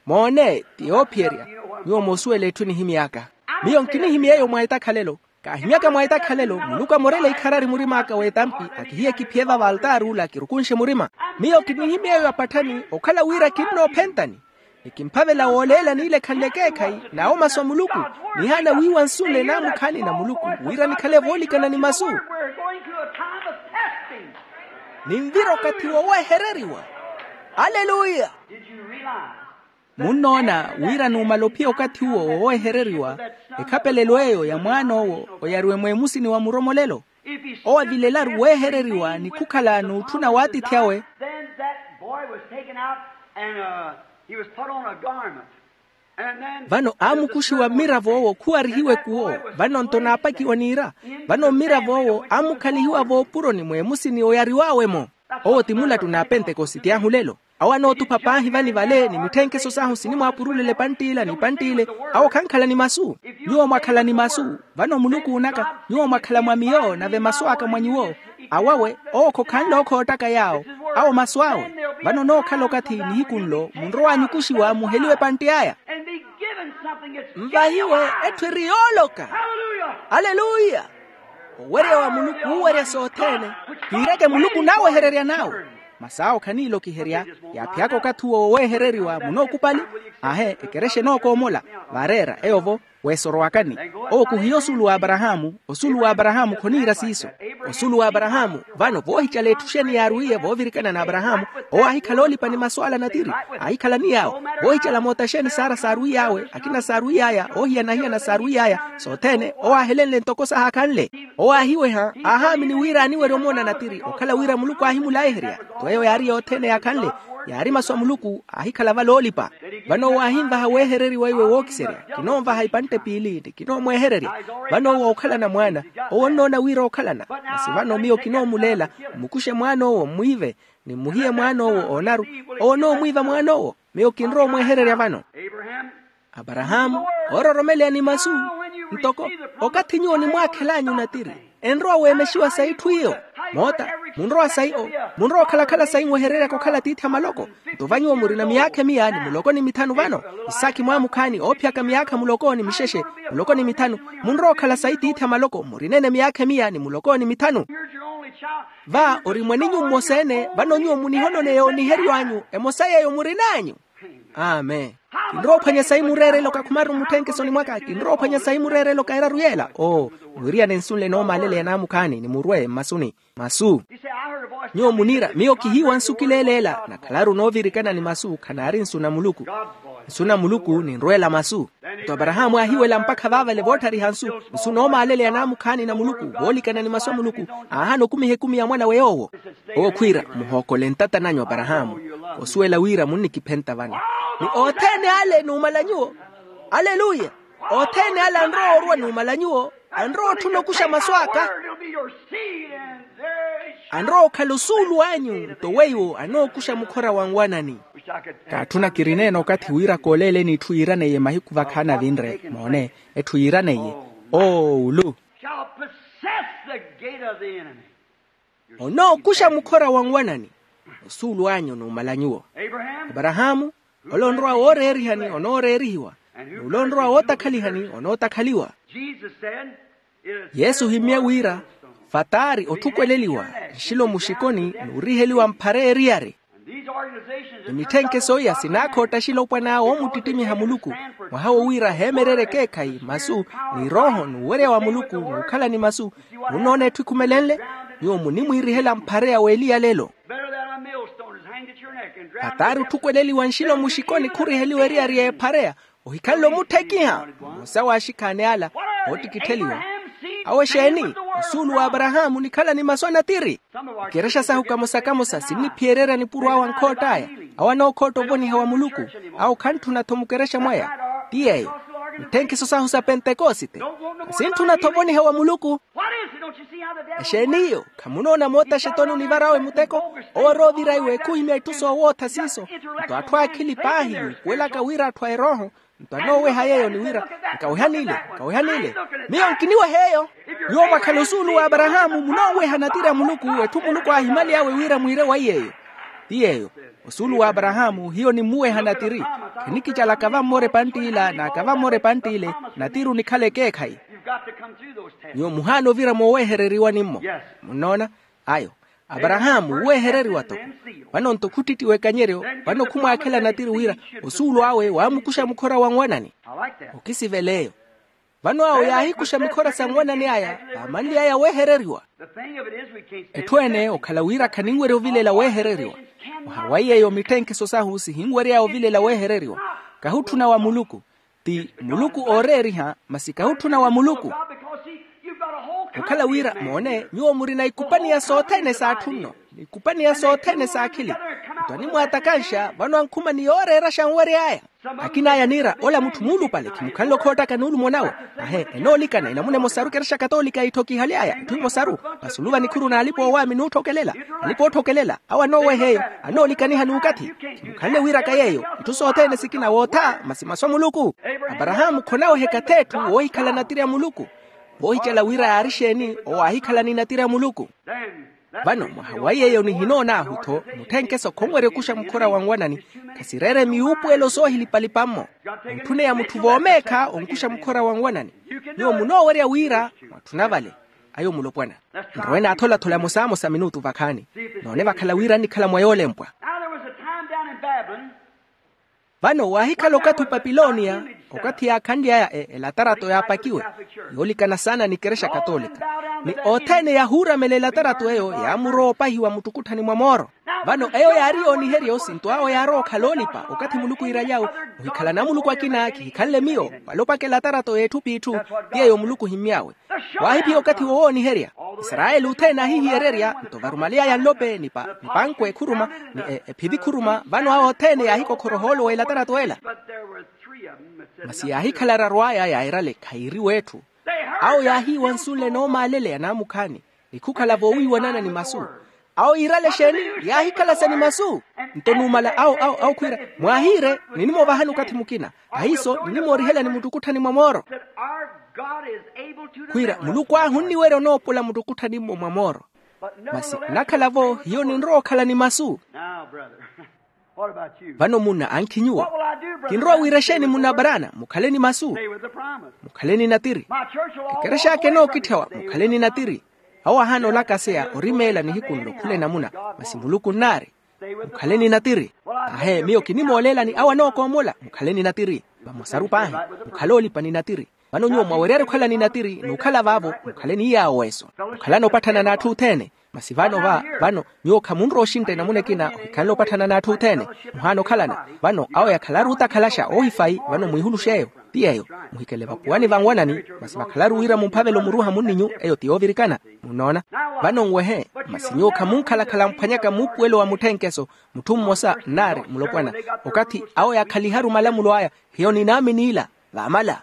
moone ti yoophiyerya. Nyuwo moosuwela etthu enihimy'aka. Miyo nkinihimy'eyo mwa etakhalelo. Kaahimyaka mwa etakhalelo muluku amorele ikharari murim'aka w'etampi. Akihiye kiphiye va valtaari ula kirukunxe murima. Miyo kinihimy'eyo apatthani okhala wira kinnoophentani. Ni kimphavela wooleela niilekhanle ekeekhayi n'awo masu a muluku. Nihaana wiiwa nsu nle naamukhaani na muluku wira nikhale voolikana ni masu. We're going through a time of testing. Ninvira okathi wowehereriwa. Aleluya. Did you realize munnoona wira numala ophiya okathi uwo wowehereriwa ekhapelelo eyo ya mwaan'owo oyariwe mweemusini wa muromolelo. Owo avilelaru weehereriwa ni khukhala n'utthuna w'atiithi awe. Then that boy was taken out and uh, he was put on a garment. And then vano aamukuxiwa mmirav'owo khuwarihiwe kuwo. Vano nto naapakiwa niira. Vano mmirav'owo aamukhalihiwa voopuroni mweemusini oyariw'awe-mo. Owo ti mulattu n'apentekositi ahu lelo. Awo anootupha paahi vani vale ni mitthenkeso sahu sinimwaapurulela epantt'ila ni epantt'ile. Awo khankhala ni masu. Nyuwo mwakhala ni masu. Vano muluku naka nyuwo mwakhala mwa miyo nave masu aka mwa nyuwo. Awawe owo khokhanle ookhoottaka yaawo. Awo masu awe. Vano nookhala okathi nihiku nlo munrowa anyukuxiwa muheliwe epantti aya. Nvahiwe etthu eri yooloka. Aleluya. Owerya wa muluku uuwerya sothene. Kiireke muluku naawehererya nawe. Masi awo khaniilokiherya. Yaaphiyaka okathi uwo wowehereriwa munookupali. Aahe ekerexa enookoomola. Vaareera eyo-vo. Weesorowakani. Owo khuhiya osulu w'aparahaamu. Osulu w'aparahaamu khoniira siiso. Osulu w'aparahaamu. Vano voohicala etthu xeeni yaarwiiye voovirikana n'aparahaamu. Owo aahikhala oolipa ni masu ala natiri. Aahikhala ni yaawo. Voohicala moota xeeni saara saarwiiy'awe akina saarwiiy'aya oohiyana-hiyana saarwiiy'aya. Sothene owo aahelenle ntoko sahaakhanle. Owo aahiweha aahaamini wira aaniwerya omoona natiri okhala wira muluku aahimulaiherya. Tto eyo yaari yothene yaakhanle. Yaari masu a muluku aahikhala vale oolipa. Vano owo aahinvaha weehereriwa iwe wookiserya. Kinoonvaha ipantte piili ni kinoomweehererya. Vano owo ookhalana mwaana. Owo onnoona wira ookhalana. Masi vano miyo kinoomuleela. Mmukuxe mwaan'owo mmwiive ni mmuhiye mwaan'owo oonaru. Owo onoomwiiva mwaan'owo. Miyo kinrowa omweehererya vano. Aparahaamu oororomeleya ni masu. Ntoko okathi nyuwo onimwaakhel'anyu natiri enrowa weemexiwa sa itthu iyo. Moota Munrowa sayi o munrowa okhalakhala sayi nwehereryaka okhala atiithi a maloko. Nto vanyuwo murina miyaakha emiya ni muloko ni mithanu vano. Isaakhi mwaamukhaani oophiyaka miyaakha muloko ni mixexe, muloko ni mithanu. Munrowa okhala sayi tiithi a maloko murina ene miyaakha emiya ni muloko ni mithanu. Va ori mwaninyu mmosa-ene vano nyuwo munihononeya oniheriw'anyu emosa yeeyo murin'anyu. Amen. Kinrowa ophwanya sayi mureerelo kakhumaru mutthenkesoni mwaka kinrowa ophwanya sayi mureerelo kairaru yeela oo. Mwiriyane nsunle noomaaleleya naamukhaani ni murwe mmasuni. Masu. Nyuwo muniira miyo kihiiwa nsu kileeleela nakhalaru noovirikana ni masu khanaari nsu na muluku. Nsu na muluku ninrweela masu. Nto aparahaamu aahiwela mpakha vaavale vootthariha nsu. Nsu noomaaleleya naamukhaani na muluku voolikana ni masu a muluku. Aahana okumiha ekumi ya mwanawe yoowo. Owo khwiira muhookole ntata nanyu aparahaamu. Osuwela wira munnikiphenta vano. Ni othene ale numala nyuwo. Aleluya. Othene ale anrowa orwa numala nyuwo. Anrowa otthuna okuxa masu aka. Anrowa okhala osuulu anyu nto weiwo anookuxa mukhora wa nwanani. Kaatthuna kirineene okathi wira kooleeleni itthu yiiraneiye mahiku vakhaana vinre moone. Etthu yiiraneiye oowulu. Shall possess the gate of the enemy. Onookuxa mukhora wa nwanani. Osuulu anyu numala nyuwo. Aparahaamu. Ole onrowa wooreerihani onooreerihiwa. N'ule onrowa wootakhalihani onootakhaliwa. Jesus said, yesu ohimmye wira, fataari otthukweleliwa nxilo muxikoni n'uriheliwa mphara eriyari. Ni mitthenkeso iya sinaakhootta axilopwana oomuttittimiha muluku. Mwaha wo wira heemererye ekeekhayi masu ni rooho n'uwerya wa muluku n'ukhala ni masu. Munnoona etthu ekhumelenle. Nyuwo munimwiirihela mphareya w'eliya lelo. Hataari otthukweleliwa nxilo muxikoni khuriheliwa eriyari y'ephareya. Ohikhanle omutthekiha. Mmosa w'axikhaani ala oottikittheliwa. Awo exeeni? Osuulu w'aparahaamu onikhala ni masu a natiri. Ikerexa sahu kamosa-kamosa sinniphiyererya nipuro awo ankhott'aya. Awo anookhotta ovoniha wa muluku. Awo khantthuna-tho mukerexa mwaya. Ti yeeyo. Mitthenkiso sahu sa pentekosite. Kasintthuna-tho ovoniha wa muluku. Exeeni iyo? Khamunoona moota xetoni onivarawe muteko. Owo aroovira iwe khuhimya itthu soowootha siiso. Nto atthu aakhili paahi wuupuwelaka wira atthu a erooho. Nto anooweha yeeyo ni wira, nkawehani ile, nkawehani ile. Miyo nkiniweha eyo. Nyuwo mwakhala osuulu w'aparahaamu munooweha natiri a muluku. Etthu muluku aahimaly'awe wira mwiire wa iy'eyo. Ti yeeyo. Osuulu w'aparahaamu hiyo nimmuweha natiri. Khanikicalaka vammora epantt'ila n'aka vammora epantt'ile. Natiri onikhala ekeekhayi. Nyuwo muhaana ovira moowehereriwani-mmo. Munnoona? Ayo. Aparahaamu wuwehereriwa-tho. Vano-nto khuttitti w'ekanyeryo. Vano khumwaakhela natiri wira osuulu awe waamukuxa mukhora wa nwanani. Okisivela eyo. Vano awo yaahikuxa mikhora sa nwanani aya. Vaamanly'aya wehereriwa. Etthu-ene okhala wira khaninwerya ovilela wehereriwa. Mwaha wa yeeyo mitthenkiso sahu sihinwery'aya ovilela wehereriwa. Kahutthuna wa muluku. Ti muluku ooreeriha masi kahutthuna wa muluku. Okhala wira moone nyuwo murina ikupaniya sothene s'atthu nno. Ikupaniya sothene s'akhili. Nto animwaatakanxa vano ankhuma ni yooreeraxa anwery'aya. Akin'aya niira ola mutthu muulupale khimukhanle okhoottaka n'ulumo nawe. Ahe enoolikana enamuna emosaru ekerexa katoolika itthokihaly'aya itthu emosaru. Masi oluva nikhuru n'alipa-oowaami n'utthokelela. Alipa-ootthokelela awo anooweha eyo. Anoolikaniha n'ukathi. Khimukhanle wiiraka yeeyo. Itthu sothene sikina wootha masi masu a muluku. Aparahaamu khonaweheka th'etthu woohikhala natiri a muluku. Voohicela wira yaari exeeni owo aahikhala ni natiri a muluku. Vano mwaha wa yeeyo nihinoon'ahu-tho. Mutthenkeso khonwerya okuxa mukhora wa nwanani. Khasireere miwuupuwelo soohilipa-lipa-mmo. Ontthuneya mutthu voomeekha onkuxa mukhora wa nwanani. Nyuwo munoowerya wira mwatthuna vale. Ayo mulopwana. Nrowe naathola-thola emosamosa minutu vakhaani. Noone vakhala wira annikhala mwa yoolempwa. Vano waahikhala okathi opapiloniya, okathi yaakhanly'aya elatarato yaapakiwe. Yoolikana saana ni kerexa katolika. Ni othene yahuuramela elatarato eyo yaamurowa opahiwa muttukutthani mwa mooro. Vano eyo yaari yooniheryo sinto awo yaarowa okhala oolipa okathi muluku iiraly'awe. Muhikhalana muluku akina khihikhanle miyo. Wala opaka elatarato y'etthu p'itthu. Ti yeeyo muluku ohimmy'awe. Waahiphiya okathi wowooniherya. Isarayeli othene aahihiyererya nto varumaly'aya nlope ni pankwe khuruma ni ephivi khuruma vano awo othene yaahikokhora ohoolo w'elatarato ela. Masi yaahikhala araru aya yairale khairi w'etthu. Awo yaahiiwa nsunle noomaaleleya naamukhaani. Ni khukhala voowiiwanana ni masu. Awo yiirale exeeni? Yaahikhala sa ni masu. Nto numala awo awo awo khwiira mwaahiire. Ninimoovahani okathi mukina. Ahiiso ninimoorihelani muttukutthani mwa mooro. Khwiira muluku ahu onniwerya onoopola muttukutthani-mmo mwa mooro. Masi onakhala-vo hiyo ninrowa okhala ni masu. Vano munna ankhi nyuwo, kinrowa wira exeeni munna abarana mukhale ni masu? Mukhale ni natiri. Ekerexa aka enookitthawa mukhale ni natiri. Awo ahaana olakaseya orimeela nihiku nlo khula enamuna. Masi muluku nnaari, mukhale ni natiri. Ahe miyo kinimooleelani awo anookoomola mukhale ni natiri. Vamosaru paahi, mukhale olipa ni natiri. Vano nyuwo mwaweryerya okhala ni natiri n'ukhala vaavo mukhale ni yaawo weeso. Mukhalana opatthana n'atthu othene. Masi vano va vano nyuwo khamunrowa oxintta enamuna ekina ohikhanle opatthana n'atthu othene. Muhaana okhalana vano awo yakhalaru otakhalaxa oohifayi vano mwiihulux'eyo. Ti yeeyo, muhikele vapuwani vanwanani. Masi vakhalaru wira mumphavele omuruuha munninyu eyo ti yoovirikana. Munnoona? Vano nwehe. Masi nyuwo khamunkhalakhala mphwanyaka muupuwelo wa mutthenkeso. Mutthu mmosa nnaari mulopwana, okathi awo yaakhaliharu malamulo aya, hiyo ninaamini ila. Vaamala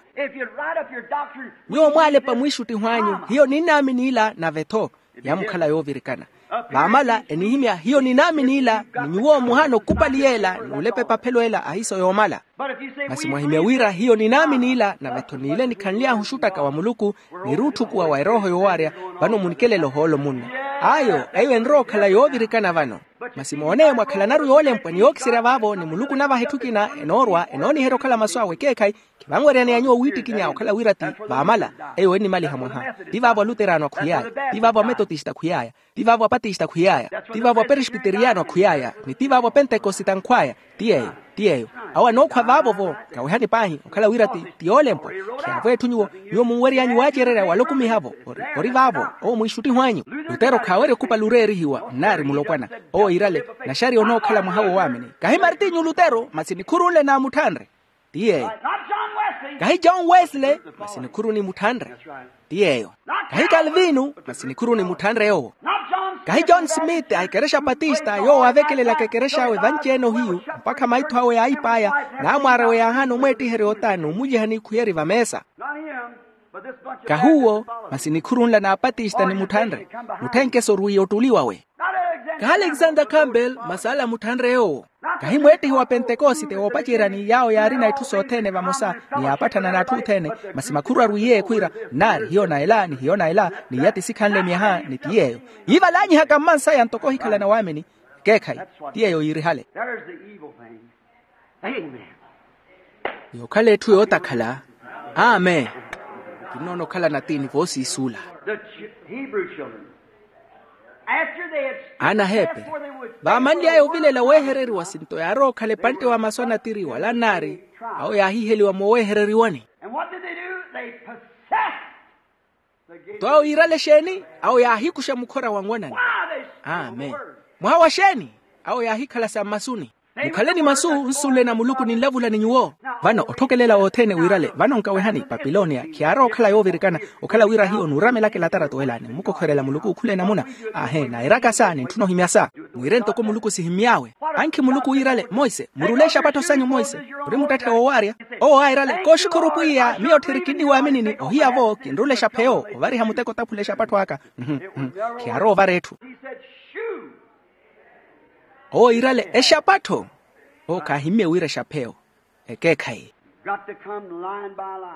nyuwo mwaalepa mwiixuttiho anyu hiyo ninaamini ila nave-tho. Yaamukhala yoovirikana. Vaamala enihimya hiyo ninaamini ila, ni nyuwo muhaana okupali yeela n'ulepa epaphelo ela ahiiso yoomala. Masi mwahimya wira hiyo ninaamini ila nave-tho n'ile nikhanly'ahu oxuttaka wa muluku, niruutthukuwa wa erooho yoowarya. Vano munikelela ohoolo munno. Ayo eyo enrowa okhala yoovirikana vano. Masi moone mwakhalanaru yoolempwa ni yookiserya vaavo ni muluku onavaha etthu ekina enoorwa enooniherya okhala masu awe ekeekhayi. Khivanweryaneya nyuwo wiittikinya okhala wira ti vaamala. Eyo ennimaliha mwaha. Ti vaavo aluteraano akhwiy'aya, ti vaavo ametotista akhwiy'aya, ti vaavo apatista akhwiy'aya, ti vaavo aperespiteriyano akhwiy'aya, ni ti vaavo apentekosite ankhw'aya. Ti yeeyo. Ti yeeyo. Awo anookhwa vaavo-vo. Kawehani paahi okhala wira ti ti yoolempwa. Khiyaavo etthu nyuwo nyuwo munwery'anyu waacererya walokumiha-vo. Ori vaavo owo mwiixuttiho anyu. Lutero khaawerya okupali oreerihiwa nnaari mulopwana. Owo iirale naxariya onookhala mwaha wowaamini kahi martinyu lutero masi nikhuru nle naamutthanre. Ti yeeyo. Kahi john wesley masi nikhuru nimutthanre. Ti yeeyo. Kahi kalvinu masi nikhuru nimutthanre yoowo. Kahi john smith a ekerexa patista yoowo aavekelelaka ekerex'awe vanci-ene ohiyu mpakha maitho awe yaayip'aya. Naamwaar'awe yaahaana omweettiherya ota n'umulyiha n'ikhuyeri vameesa. Kahi uwo masi nikhuru nla n'apatista nimutthanre. Mutthenkeso orwiiye ottuli wawe. Kahi alexander campbell masi ala amutthanre yoowo. Kahi mweettihi wa pentekosite woopaceryani yaawo yaarina itthu sothene vamosa ni yaapatthana n'atthu othene. Masi makhuru arwiiye khwiira nnaari hiyo na ela ni hiyo na ela ni iya tisikhanle myaha ni ti yeeyo. Yiivalanyihaka mmansaya ntoko ohikhalana waamini. Ekeekhayi ti yeeyo yiirihale. Yookhala etthu yootakhala. Amen. Kinnoona okhala natiini voosiisuula. Aana aheeperi vaamanly'aya ovilela weehereriwa sinto yaarowa okhala epantte wa masu a natiri wala nnaari. Awo yaahiheliwa mooweehereriwani. Nto awo yiirale exeeni? Awo yaahikuxa mukhora wanwanani. Amen. Mwaha wa xeeni? Awo yaahikhala sa mmasuni. Mukhale ni masu nsunle na muluku ninlavula ni nyuwo. Vano otthokelela othene wiirale vano nkawehani papilonia khiyaarowa okhala yoovirikana. Okhala wira hiyo nuuramelaka elatarato ela ni mmukokhwerela muluku okhule namuna. Ahe nairaka sa nintthuna ohimya sa. Mwiire ntoko muluku sihimy'awe. Ankhi muluku wiirale monse murule exapattho sanyu monse. Ori muttatthe woowaarya. Owo airale kooxukhuru pwiya miyo tthiri kinniwaaminini ohiya-vo kinrule exapheyo ovariha muteko otaphula exapattho aka. Khiyaarowa ovara etthu. Owo yiirale exapattho. Owo khaahimmye wira exapheyo. Ekeekhayi.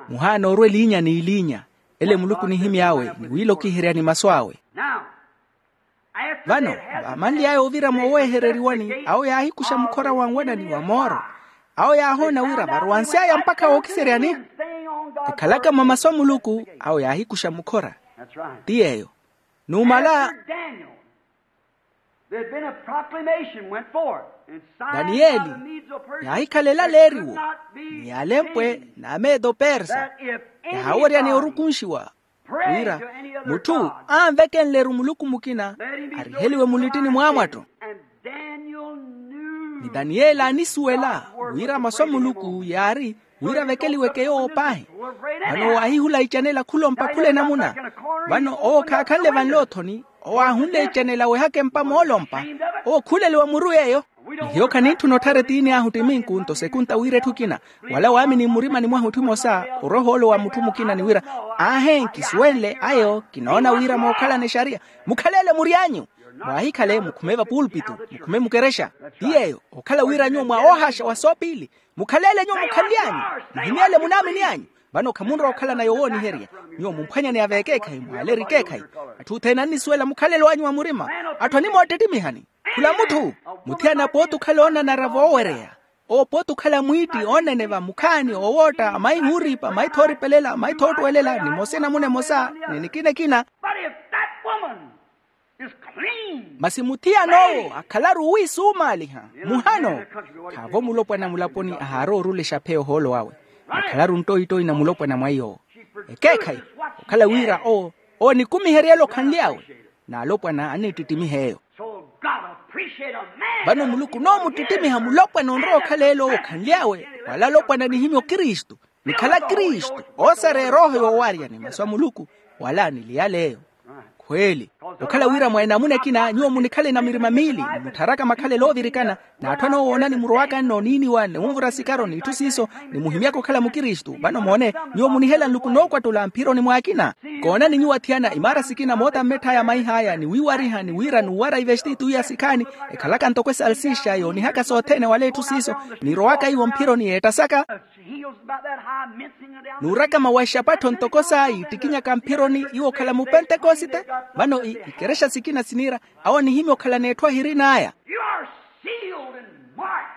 Muhaana orwa eliinya n'iliinya. Ele muluku nihimy'awe ni wiilokiheryani masu awe. Vano vaamanly'aya ovira mooweehereriwani awo yaahikuxa mukhora wanwanani wa mooro. Awo yaahoona wira varowansy'aya mpakha wookiseryani. Ekhalaka mwa masu a muluku awo yaahikuxa mukhora. Ti yeeyo. Numala daniyeli yaahikhala elaleeriwo ni alempwe n'amedo persa. Yaahaweryani orukunxiwa wira mutthu anvekenle-ru muluku mukina ariheliwe mulittini mwaamwatto. Ni daniyeli aanisuwela wira masu a muluku yaari wira avekeliweke yoowo paahi. Vano owo aahihula icanela khulompa khula enamuna. Vano owo khaakhanle vanle othoni. Owo aahunle icanela wehaka empa moolompa. Owo khuuleliwa muru yeeyo. Ni hiyo khanintthuna otthara etiini ahu ttiminku nto sekunta wira etthu ekina wala waamini mmurimani mwahu etthu emosa. Oroho ole wa mutthu mukina ni wira aahe nkisuwenle ayo kinoona wira mookhalana exariya. Mukhalele mury'anyu. Mwaahikhale mukhume vapulpitu mukhume mukerexa. Ti yeeyo okhala wira nyuwo mwa oohaaxa wa soopiili. Mukhalele nyuwo mukhanly'anyu. Muhimyele munaamini anyu. Vano khamunrowa okhalana yowooniherya. Nyuwo mumphwanyane ya vekeekhayi mwaleri ekeekhayi. Atthu othene annisuwela mukhalelo anyu wa murima. Atthu animoottettimihani. Khula mutthu, mutthiyana pooti okhala oonanara voowereya. Owo pooti okhala mwiitti oonene vamukhaani owootta mayi wuuripa mayi thooripelela mayi thoottuwelela nimosa enamuna emosa. Ni nikina ekina. But if that woman is clean, masi muthiyan'owo akhalaru wi suumaaliha muhano. Khaavo mulopwana mulaponi ahaari orulexa pheya ohoolo wawe. Akhalaru nttoyi-ttoyi na mulopwana mwa iy'owo. Ekeekhayi okhala wira owo owo nikumiheryela okhanly'awe. N'alopwana anniittittimiha eyo. So God appreciate a man. Vano muluku n'omuttittimiha mulopwana onrowa okhala ele owo okhanly'awe. Wala alopwana anihimya okristu nikhala kristu. Osareya erooho yoowarya ni masu a muluku wala aniliyala eyo. Khweli okhala wira mwa enamuna ekina nyuwo munikhale na mirima miili. Muttharaka makhalelo oovirikana n'atthu anoowoonani murowaka n'oniiniwa n'unvura sikaro n'itthu siiso nimuhimyaka okhala mukristu vano moone. Nyuwo munihela nluku nookwattula mphironi mwaakina. Koonani nyuwo athiyana imaara sikina moota mmetth'aya maih'aya ni wiiwariha ni wira n'uwara ivestitu iya sikhaani ekhalaka ntoko esalsixa yoonihaka sothene wala etthu siiso. Nirowaka iwo mphironi yeettasaka. Nuuraka mawaixapattho ntoko saa yiittikinyaka mphironi iwo okhala mupentekosite. Vano ikerexa sikina siniira awo anihimya okhalana etthu ahirin'aya.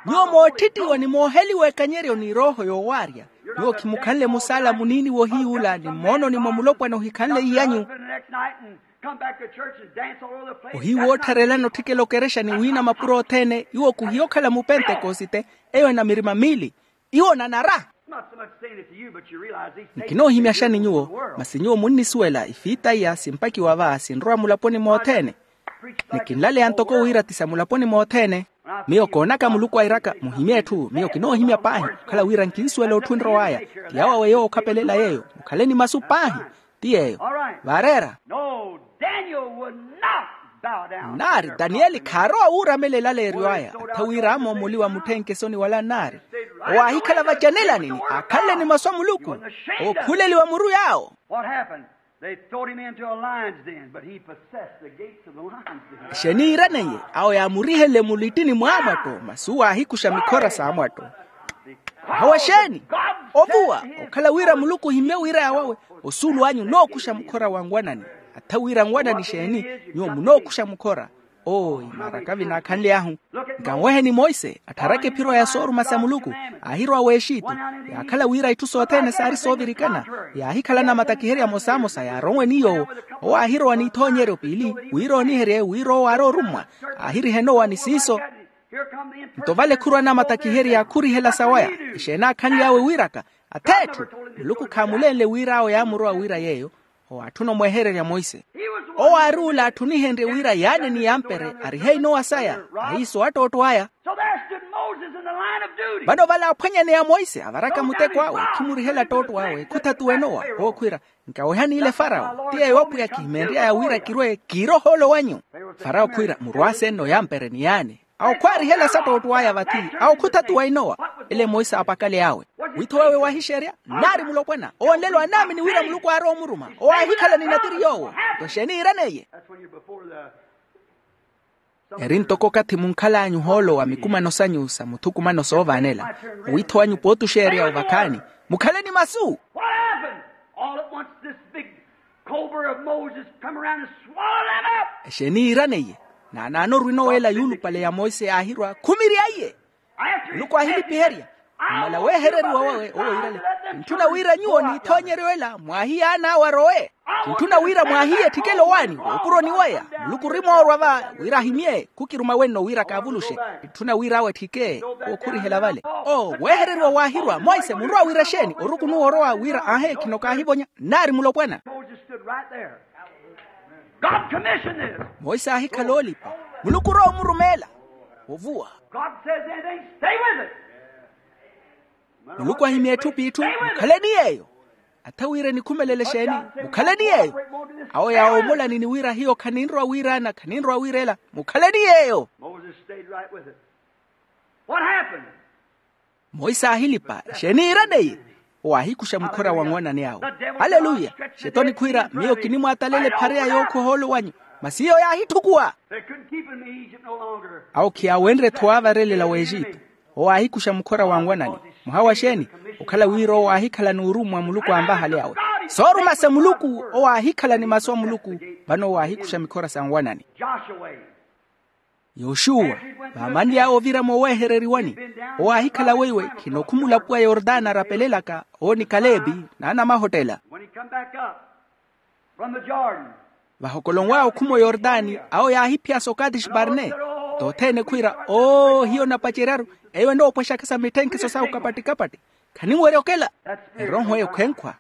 Nyuwo mootthittiwa ni mooheliwa ekanyeryo ni erooho yoowaarya. Nyuwo khimukhanle musaala muniini wohiyuula ni mmoononi mwa mulopwana ohikhanle iyanyu. Ohiwoottharelana otthikela okerexa ni wiina mapuro othene iwo khuhiya okhala mupentekosite. Eyo ena mirima miili. Iwo nanara. Nkinoohimyaxani nyuwo masi nyuwo munnisuwela ifiita iya simpakiwa va sinrowa mulaponi mothene. Ni kinlaleya ntoko wira ti sa mulaponi mothene. Miyo koonaka muluku airaka muhimye etthu miyo kinoohimya paahi okhala wira nkinsuwela otthu enrow'aya. Ti yawo awe yoowo okhapelela yeeyo mukhaleni masu paahi. Ti yeeyo. Vaareera. Naari daniyeli khaarowa wuuramela elaleeryo aya atha wira amoomoliwa mutthenkesoni wala nnaari. Owo aahikhala vacanelani ni aakhanle ni masu a muluku. Owo khuuleliwa muru yaawo. What happened? They throwed him into a lion's den, but he possessed the gates of the lion's den. Exeeni iiraneiye? Awo yaamurihenle mulittini mwaamwatto masi uwo aahikuxa mikhora saamwatto. Hawa exeeni? Ovuwa okhala wira muluku ohimmye wira yaawawe. Osuulu anyu onookuxa mukhora wa nwanani. Atha wira nwanani exeeni? Nyuwo munookuxa mukhora. Owo imaaraka vinaakhanly'ahu. Nkanweheni monse atharaka ephiro ya sooruma sa muluku. Aahirowa w'exitu yaakhala wira itthu sothene saari soovirikana. Yaahikhala namatakiherya amosamosa yaaronwe ni yoowo. Owo aahirowa n'ithoonyeryo piili wira ooniherye wira owo aari orummwa. Aahirihenowa ni siiso. Nto vale khurwa namatakiherya khurihela sawaya. Exeeni aakhanly'awe wiiraka? Ath'etthu. Muluku khaamulenle wira awo yaamurowa wira yeeyo. Owo aatthuna omwehererya monse. Owo aari ula atthunihenrye wira yaane ni yampere arihe inowa saya. Ahiiso attootto aya. Vano vale aaphwanyaneya monse avaraka muteko awe khimurihela ttootto awe khuthatuwa inowa. Owo khwiira, nkawehani ile farao ti yeeyo apwiya kihimenry'aya wira kirwe kiire ohoolo wanyu. Farao khwiira murwaase nno yampere ni yaane. Awo khwaarihela sattootto aya vathi. Awo khuthatuwa inowa. Ele monse aapakale awe. Witho wawe waahixerya nnaari mulopwana owo nlelo anaamini wira muluku aarowa omuruma. Owo aahikhala ni natiri yoowo. Nto exeeni iiraneiye? Eri ntoko okathi munkhal'anyu ohoolo wa mikumano sanyu sa muthukumano soovaanela. Owitho wanyu pootuxerya ovakhaani. Mukhale ni masu. What happened? All at once this big cobra of Moses come around and swallowed them up. Exeeni iiraneiye? Naanaano orwinoweela yuulupale ya monse yaahirwa khumirya iye. Muluku aahilipiherya. Mmala weehereriwa wawe owo iirale. Nttuna wira nyuwo n'ithoonyeryo ela mwaahiyaan'awe arowe. Nttuna wira mwaahiye etthikele owaani woopuroni waya. Muluku orimoorwa va wira ahimye khukiruma wenno wira kaavuluxe. Nttuna wira awe etthike. Owo khurihela vale. Oo weehereriwa waahirwa monse munrowa wira exeeni orukunuwa orowa wira aahe khino kaahivonya. Nnaari mulopwana. Monse aahikhala oolipa. Muluku orowa omurumeela. Ovuwa. Muluku ahimya etthu p'itthu. Mukhaleni yeeyo. Atha wira enikhumelela exeeni? Mukhaleni yeeyo. Awo yaawomolani ni wira hiyo khaninrowa wira ana khaninrowa wira ela. Mukhaleni yeeyo. Monse aahilipa exeeni iiraneiye? Owo aahikuxa mukhora wa nwanani awo. Aleluya. Xetoni khwiira miyo kinimwaatalela ephareya yookhuwa ohoolo wanyu. Masi iyo yaahithukuwa. Awo khiyaawenrye-tho waavarelela w'exitu. Owo aahikuxa mukhora wa nwanani. Muhawa xeeni? Okhala wira owo aahikhala n'urummwa muluku anvahale awe. Sooruma sa muluku owo aahikhala ni masu a muluku. Vano owo aahikuxa mikhora sa nwanani. Yoxuwa, vaamanly'awe ovira moowehereriwani, owo aahikhala weiwe khinokhumula puwa yortana arapelelaka, owo ni kalebi, n'anamahottela. Vahokolonw'awe okhuma oyortani, awo yaahiphiya so kadeshi-barne. Tothene khwiira, oo hiyo napaceryaru, eyo enoopwexaka sa mitthenkheso sawe kapatti-kapatti. Khaninwerya okela. Erooho eyo khenkhwa.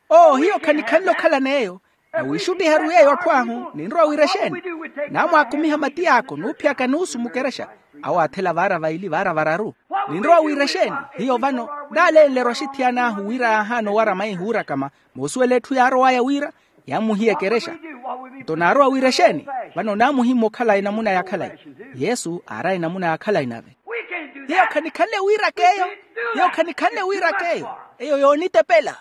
Oo hiyo khanikhanle okhala n'eyo. Na wiixuttiharu yeeyo atthu ahu ninrowa wira exeeni? Naamwaakumiha matiy'aka onuuphiyaka nuusu mukerexa. Awo aathela vaara vaili vaara vararu. Ninrowa wira exeeni? Hiyo vano naalenle-ru axithiyana ahu wira yaahaana owara maihi wuurakama. Moosuwela etthu yaarow'aya wira yaamuhiya ekerexa. Nto naarowa wira exeeni? Vano naamuhimma okhala enamuna ya khalayi. Yesu aaraya enamuna ya khalayi nave. Hiyo khanikhanle wiiraka eyo. Hiyo khanikhanle wiiraka eyo. Eyo yoonitepela.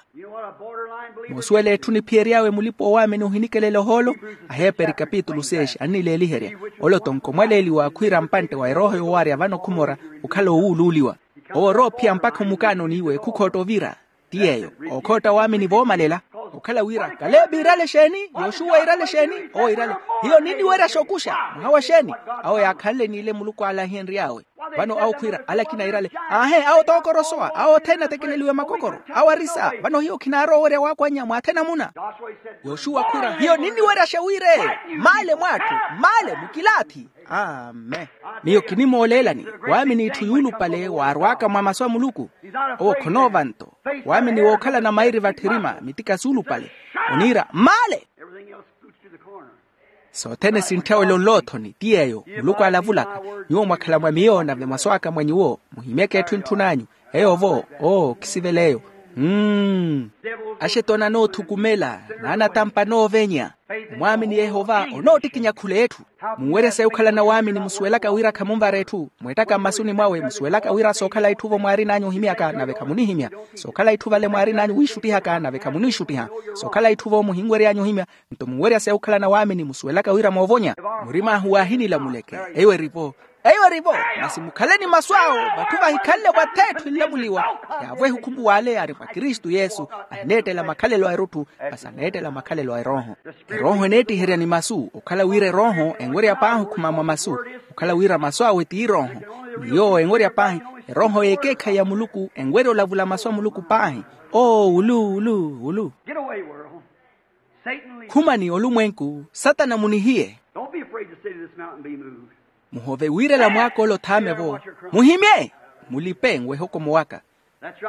Moosuwela etthu niphiyery'awe mulipa-oowaamini ohinikelela ohoolo. Aheeperi kapitulu seis annileeliherya, ole otonko mwaleeliwa khwiira mpantte wa erooho yowaarya vano khumora okhala owuuluuliwa. Owo orowa ophiya mpakha omukaanoni iwe khukhootta ovira. Ti yeeyo, okhootta waamini voomalela. Okhala wira kalebi iirale exeeni? Yoxuwa iirale exeeni? Owo iirale. Hiyo ninniwerya xookuxa. Muhawa xeeni? Awo yaakhanle n'ile muluku aala ahiyenry'awe. Vano awo khwiira alakina iirale. Aahe awo tookorosowa awo othene atekeleliwe makokoro. Awo arisa vano hiyo khinaarowa owerya waakwannya mwaathi enamuna. Yoxuwa khwiira hiyo ninniweryaxa wira eyo. Maale mw'atthu. Maale mukilaathi. Amen. Miyo kinimooleelani waamini itthu yuulupale waarw'aka mwa masu a muluku. Owo khonoova nto. Waamini wookhalana mairi vatthirima mitika suulupale. Oniira maale. Sothene sintthawela onloothoni ti yeeyo muluku alavulaka. Nyuwo mwakhala mwa miyo nave mwaswaaka mwa nyuwo. Muhimyeke etthu entthun'anyu. Eyo-vo oo khisivela eyo. Mm. Axete onanoothukumela. Naanatampa anoovenya. Omwaamini yehova onoottikinya khula etthu. Munwerya sayi okhalana waamini musuwelaka wira khamunvara etthu. Mweettaka mmasuni mwawe musuwelaka wira sookhala itthu-vo mwaarin'anyu ohimyaka nave khamunihimya. Sookhala itthu vale mwaarin'anyu wiixuttihaka nave khamuniixuttiha. Sookhala itthu-vo muhinwery'anyu ohimya. Nto munwerya sayi okhalana waamini musuwelaka wira moovonya. Murim'ahu waahinilamuleke. Eyo eri-vo. Eyo eri-vo. Masi mukhale ni masu awo vatthu vahikhanle vath'etthu enlamuliwa. Yaavwehe okhumbu w'ale ari mwa kristu yesu. Ahineettela makhalelo a erutthu. Masi aneettela makhalelo a erooho. Erooho eneettiherya ni masu okhala wira erooho enwerya paahi okhuma mwa masu. Okhala wira masu awe ti erooho. Ni yoowo enwerya paahi. Erooho y'ekeekhayi ya muluku enwerya olavula masu a muluku paahi. Oo ulu ulu ulu. Khumani olumwenku satana munihiye. Muhove wiirela mwaaka ole othaame-vo. Muhimye. Mulipe nwehe okomo waka.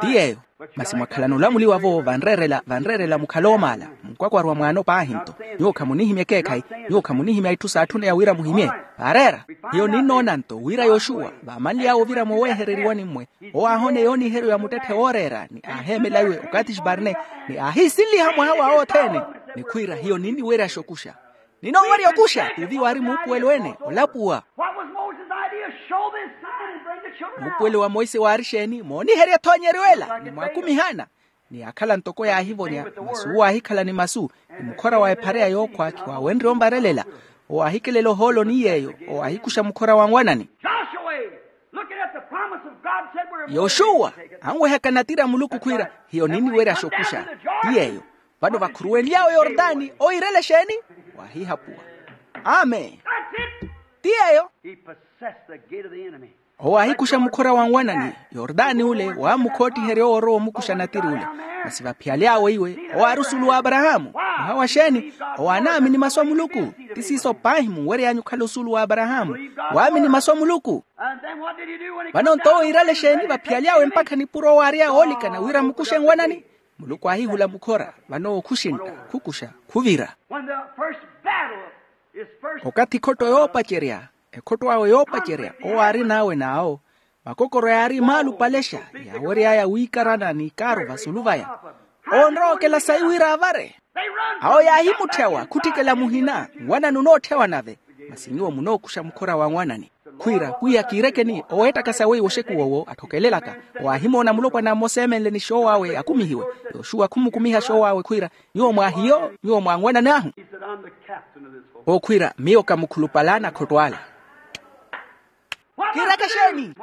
Ti yeeyo. Masi mwakhalana olamuliwa-vo vanreerela vanreerela mukhale oomaala. Munkwakwarwa mwaano paahi nto. Nyuwo khamunihimya ekeekhayi. Nyuwo khamunihimya itthu saatthune ya wira muhimye. Vaareera. Hiyo ninnoona nto wira yoxuwa vaamanly'awe ovira moowehereriwani mmwe. Owo aahoona eyooniheryo ya muttetthe wooreera ni aaheemela iwe okathi xiparne. Ni aahiisinliha mwaha wa othene. Ni khwiira hiyo ninniwerya xookuxa. Ninoowerya okuxa tuuvi waari muupuwelo ene olapuwa. What was Moses' idea? Show this sign and bring the children out. Muupuwelo wa monse waari exeeni mooniherya ethoonyeryo ela ni mwaakumihana. Ni yaakhala ntoko yaahivonya. Masi uwo aahikhala ni masu. Ni mukhora wa ephareya yookhwa khiwaawenrye onvarelela. Owo aahikelela ohoolo ni yeeyo. Owo aahikuxa mukhora wa nwanani. Joshua, looking at the promise of God, said, we're yoxuwa anwehaka natiri a muluku khwiira hiyo ninniwerya xookuxa. Ti yeeyo. Vano vakhuruwenly'awe yortani owo iirele exeeni? Waahihapuwa. Amen. Ti yeeyo. Owo aahikuxa mukhora wa nwanani. Yortani ule waamukhoottiherya owo orowa omukuxa natiri ule. Masi vaphiyaly'awe iwe owo aari osuulu w'aparahaamu. Muhawa xeeni? Owo anaamini masu a muluku. Ti siiso paahi munwery'anyu okhala osuulu w'aparahaamu. Waamini masu a muluku. Vano nto owo iirale exeeni vaphiyaly'awe mpakha nipuro owo aarya oolikana wira amukuxe nwanani? Muluku aahihula mukhora. Vano owo khuxintta khukuxa khuvira. When the first battle is first. Okathi ekhotto yoopacerya ekhotto awe yoopacerya owo aarin'awe n'awo. Makokoro yaari maalupalexa yaawery'aya wiikarana n'ikaaru vasulu vaya. Onrowa okela sayi wira avare. Awo yaahimutthyawa khutthikela muhina. Nwanani onootthyaawa nave. Masi nyuwo munookuxa mukhora wa nwanani. Khwiira pwiya kiirekeni oweettaka sawe iwo oxekuwa owo atthokelelaka. Owo aahimoona mulopwana mmosa eemenle ni xoowo awe akumihiwe. Yoxuwa khumukumiha xoowo awe khwiira, nyuwo mwaahiyo nyuwo mwaanwanani ahu. Owo khwiira miyo kamukhulupal'ana akhotto ala. Kiireke exeeni?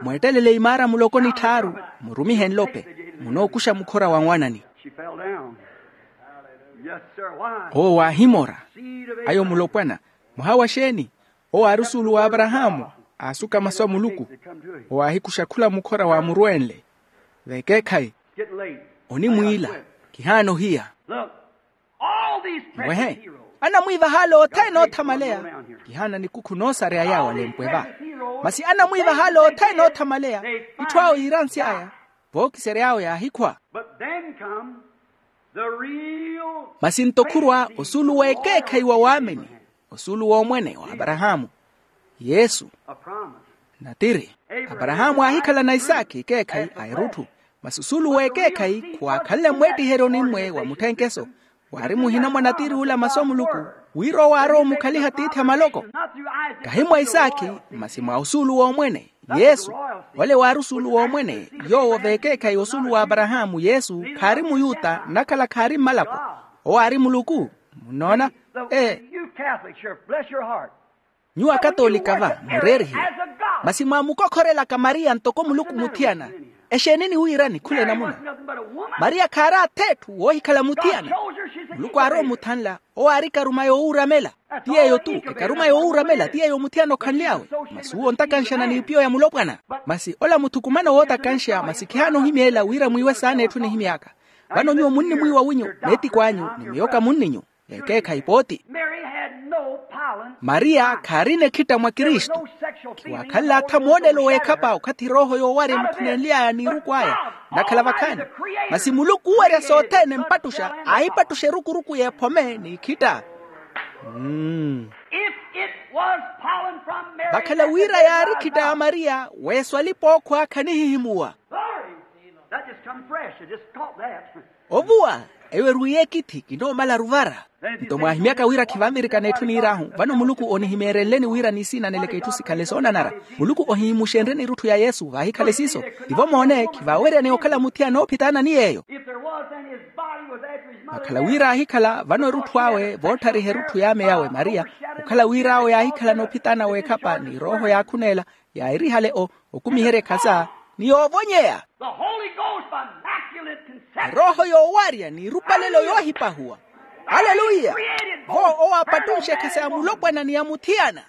Mweettelele imaara muloko ni tthaaru, murumihe nlope. Munookuxa mukhora wa nwanani. Owo waahimora. Ayo mulopwana. Mwaha wa xeeni? Owo aari osuulu wa aparahaamu. Aasuka masu a muluku. Owo aahikuxa khula mukhora waamurweenle. Vekeekhayi. Onimwiila. Kihaana ohiya. Mwehe. Anamwiivahaale othene oothamaleya. Kihaana nikukhu noosareya yaawo alempwe va. Masi anamwiivahaale othene oothamaleya. Itthu awo yiiransy'aya. Vookisery'awo yaahikhwa. Masi nto khurwa osuulu w'ekeekhayi wa waamini. Osuulu w'omwene wa aparahaamu. Yesu. Natiri. Aparahaamu aahikhala na isaaki ekeekhayi a erutthu. Masi osuulu w'ekeekhayi khuwaakhanle mweettiheryo nimmwe wa mutthenkeso. Waari muhina mwa natiri ula masu a muluku. Wira owo aarowa omukhaliha tiithi a maloko. Kahi mwa isaaki. Masi mwa osuulu w'omwene. Yesu. Ole waari osuulu w'omwene. Yoowo veekeekhayi osuulu w'aparahaamu yesu. Khaari muyuta nnakhala khaari mmalapo. Owo aari muluku. Munnoona? Ee. Nyuwo akatoolika va mureerihiwa. Masi mwaamukokhorelaka mariya ntoko muluku muthiyana. Exeeni niwiirani khula enamuna? Mariya khaari ath'etthu woohikhala muthiyana. Muluku aarowa omuthanla. Owo aari ekaruma yoowuuramela. Ti yeeyo-tu. Ekaruma yoowuuramela ti yeeyo muthiyana okhanly'awe. Masi uwo ontakanxana n'ipiyo ya mulopwana. Masi ola muthukumano wootakanxa masi khihaana ohimyeela wira mwiiwe saana etthu enihimy'aka. Vano nyuwo munnimwiiwa winyu. Meetikw'anyu ni miyo kamunninyu. Ekeekhayi pooti. Mariya khaarina ekhitta mwa kristu. Khiwaakhanle atha moolelo w'ekhapa okhathi erooho yoowarya emukhunenly'aya n'iruku aya. Nnakhala vakhaani. Masi muluku oowarya sothene empattuxa aahipattuxa erukuruku y'ephome n'ikhitta. Vakhala wira yaari ekhitta ya mariya. Weeso alipa ookhwa khanihihimuwa. Ovuwa. Eyo erwiiye ekithi kinoomalaru vara. Nto mwaahimyaka wira khivanvirikana etthu niir'ahu. Vano muluku onihimeerenleni wira niisiinaneleke itthu sikhanle soonanara. Muluku ohihimuxenryeni erutthu ya yesu vaahikhale siiso. Tivo moone khivaaweryaneya okhala muthiyana oophitaana ni yeeyo. Vakhala wira aahikhala vano erutthu awe vootthariha erutthu y'ame yawe mariya. Okhala wira awo yaahikhalana ophitaana w'ekhapa ni erooho yaakhuneela. Yaahirihale o okumiherya ekhasa ni yoovonyeya. Erooho yoowarya n'irupalelo yoohipahuwa. Aleluya. Vo owo aapattunxe ekhasa ya mulopwana ni ya muthiyana.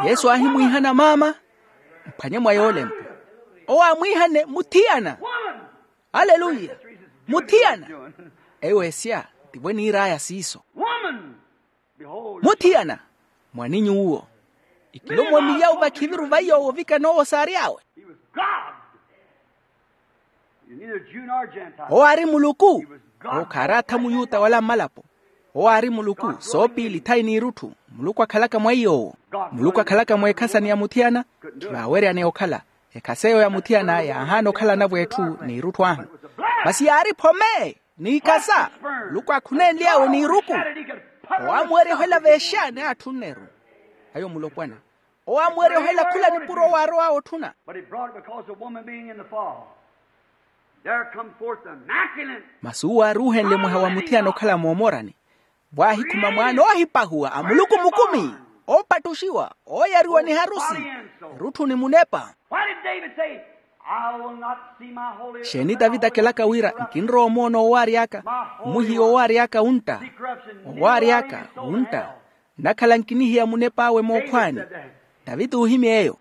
Yesu aahimwiihana maama. Mphwanye mwa yoolempo. Owo aamwiihane muthiyana. Aleluya. Muthiyana. Eyo esya tivo eniir'aya siiso. Muthiyana. Mwaninyu uwo. Ikilomoni yawo vakhiviru va iyoowo ovikana owo saary'awe. Owo aari muluku. Owo khaari atha muyuta wala mmalapo. Owo aari muluku soopiili thayi n'irutthu. Muluku akhalaka mwa iyoowo. Muluku akhalaka mweekhasani ya muthiyana. Khivaaweryaneya okhala. Ekhasa eyo ya muthiyana yaahaana okhala anavo etthu n'irutthu ahu. Masi yaari phome n'ikhasa. Muluku aakhunenly'awe n'iruku. Owo aamuwerya ohela veexaani aatthu nneru. Ayo mulopwana. Owo aamuwerya ohela khula nipuro owo aarow'awe otthuna. Masi uwo aaruuhenle mwaha wa muthiyana okhala moomorani. Vwaahikhuma mwaana oohipahuwa a muluku mukumi. Oopattuxiwa ooyariwa ni harusi. Erutthu ni munepa. Xeeni tavita akelaka wira nkinrowa omoona owaari aka. Omuhiya owaari aka wuntta. Owaari aka wuntta. Nnakhala nkinihiya munep'awe mookhwaani. Tavita oohimya eyo.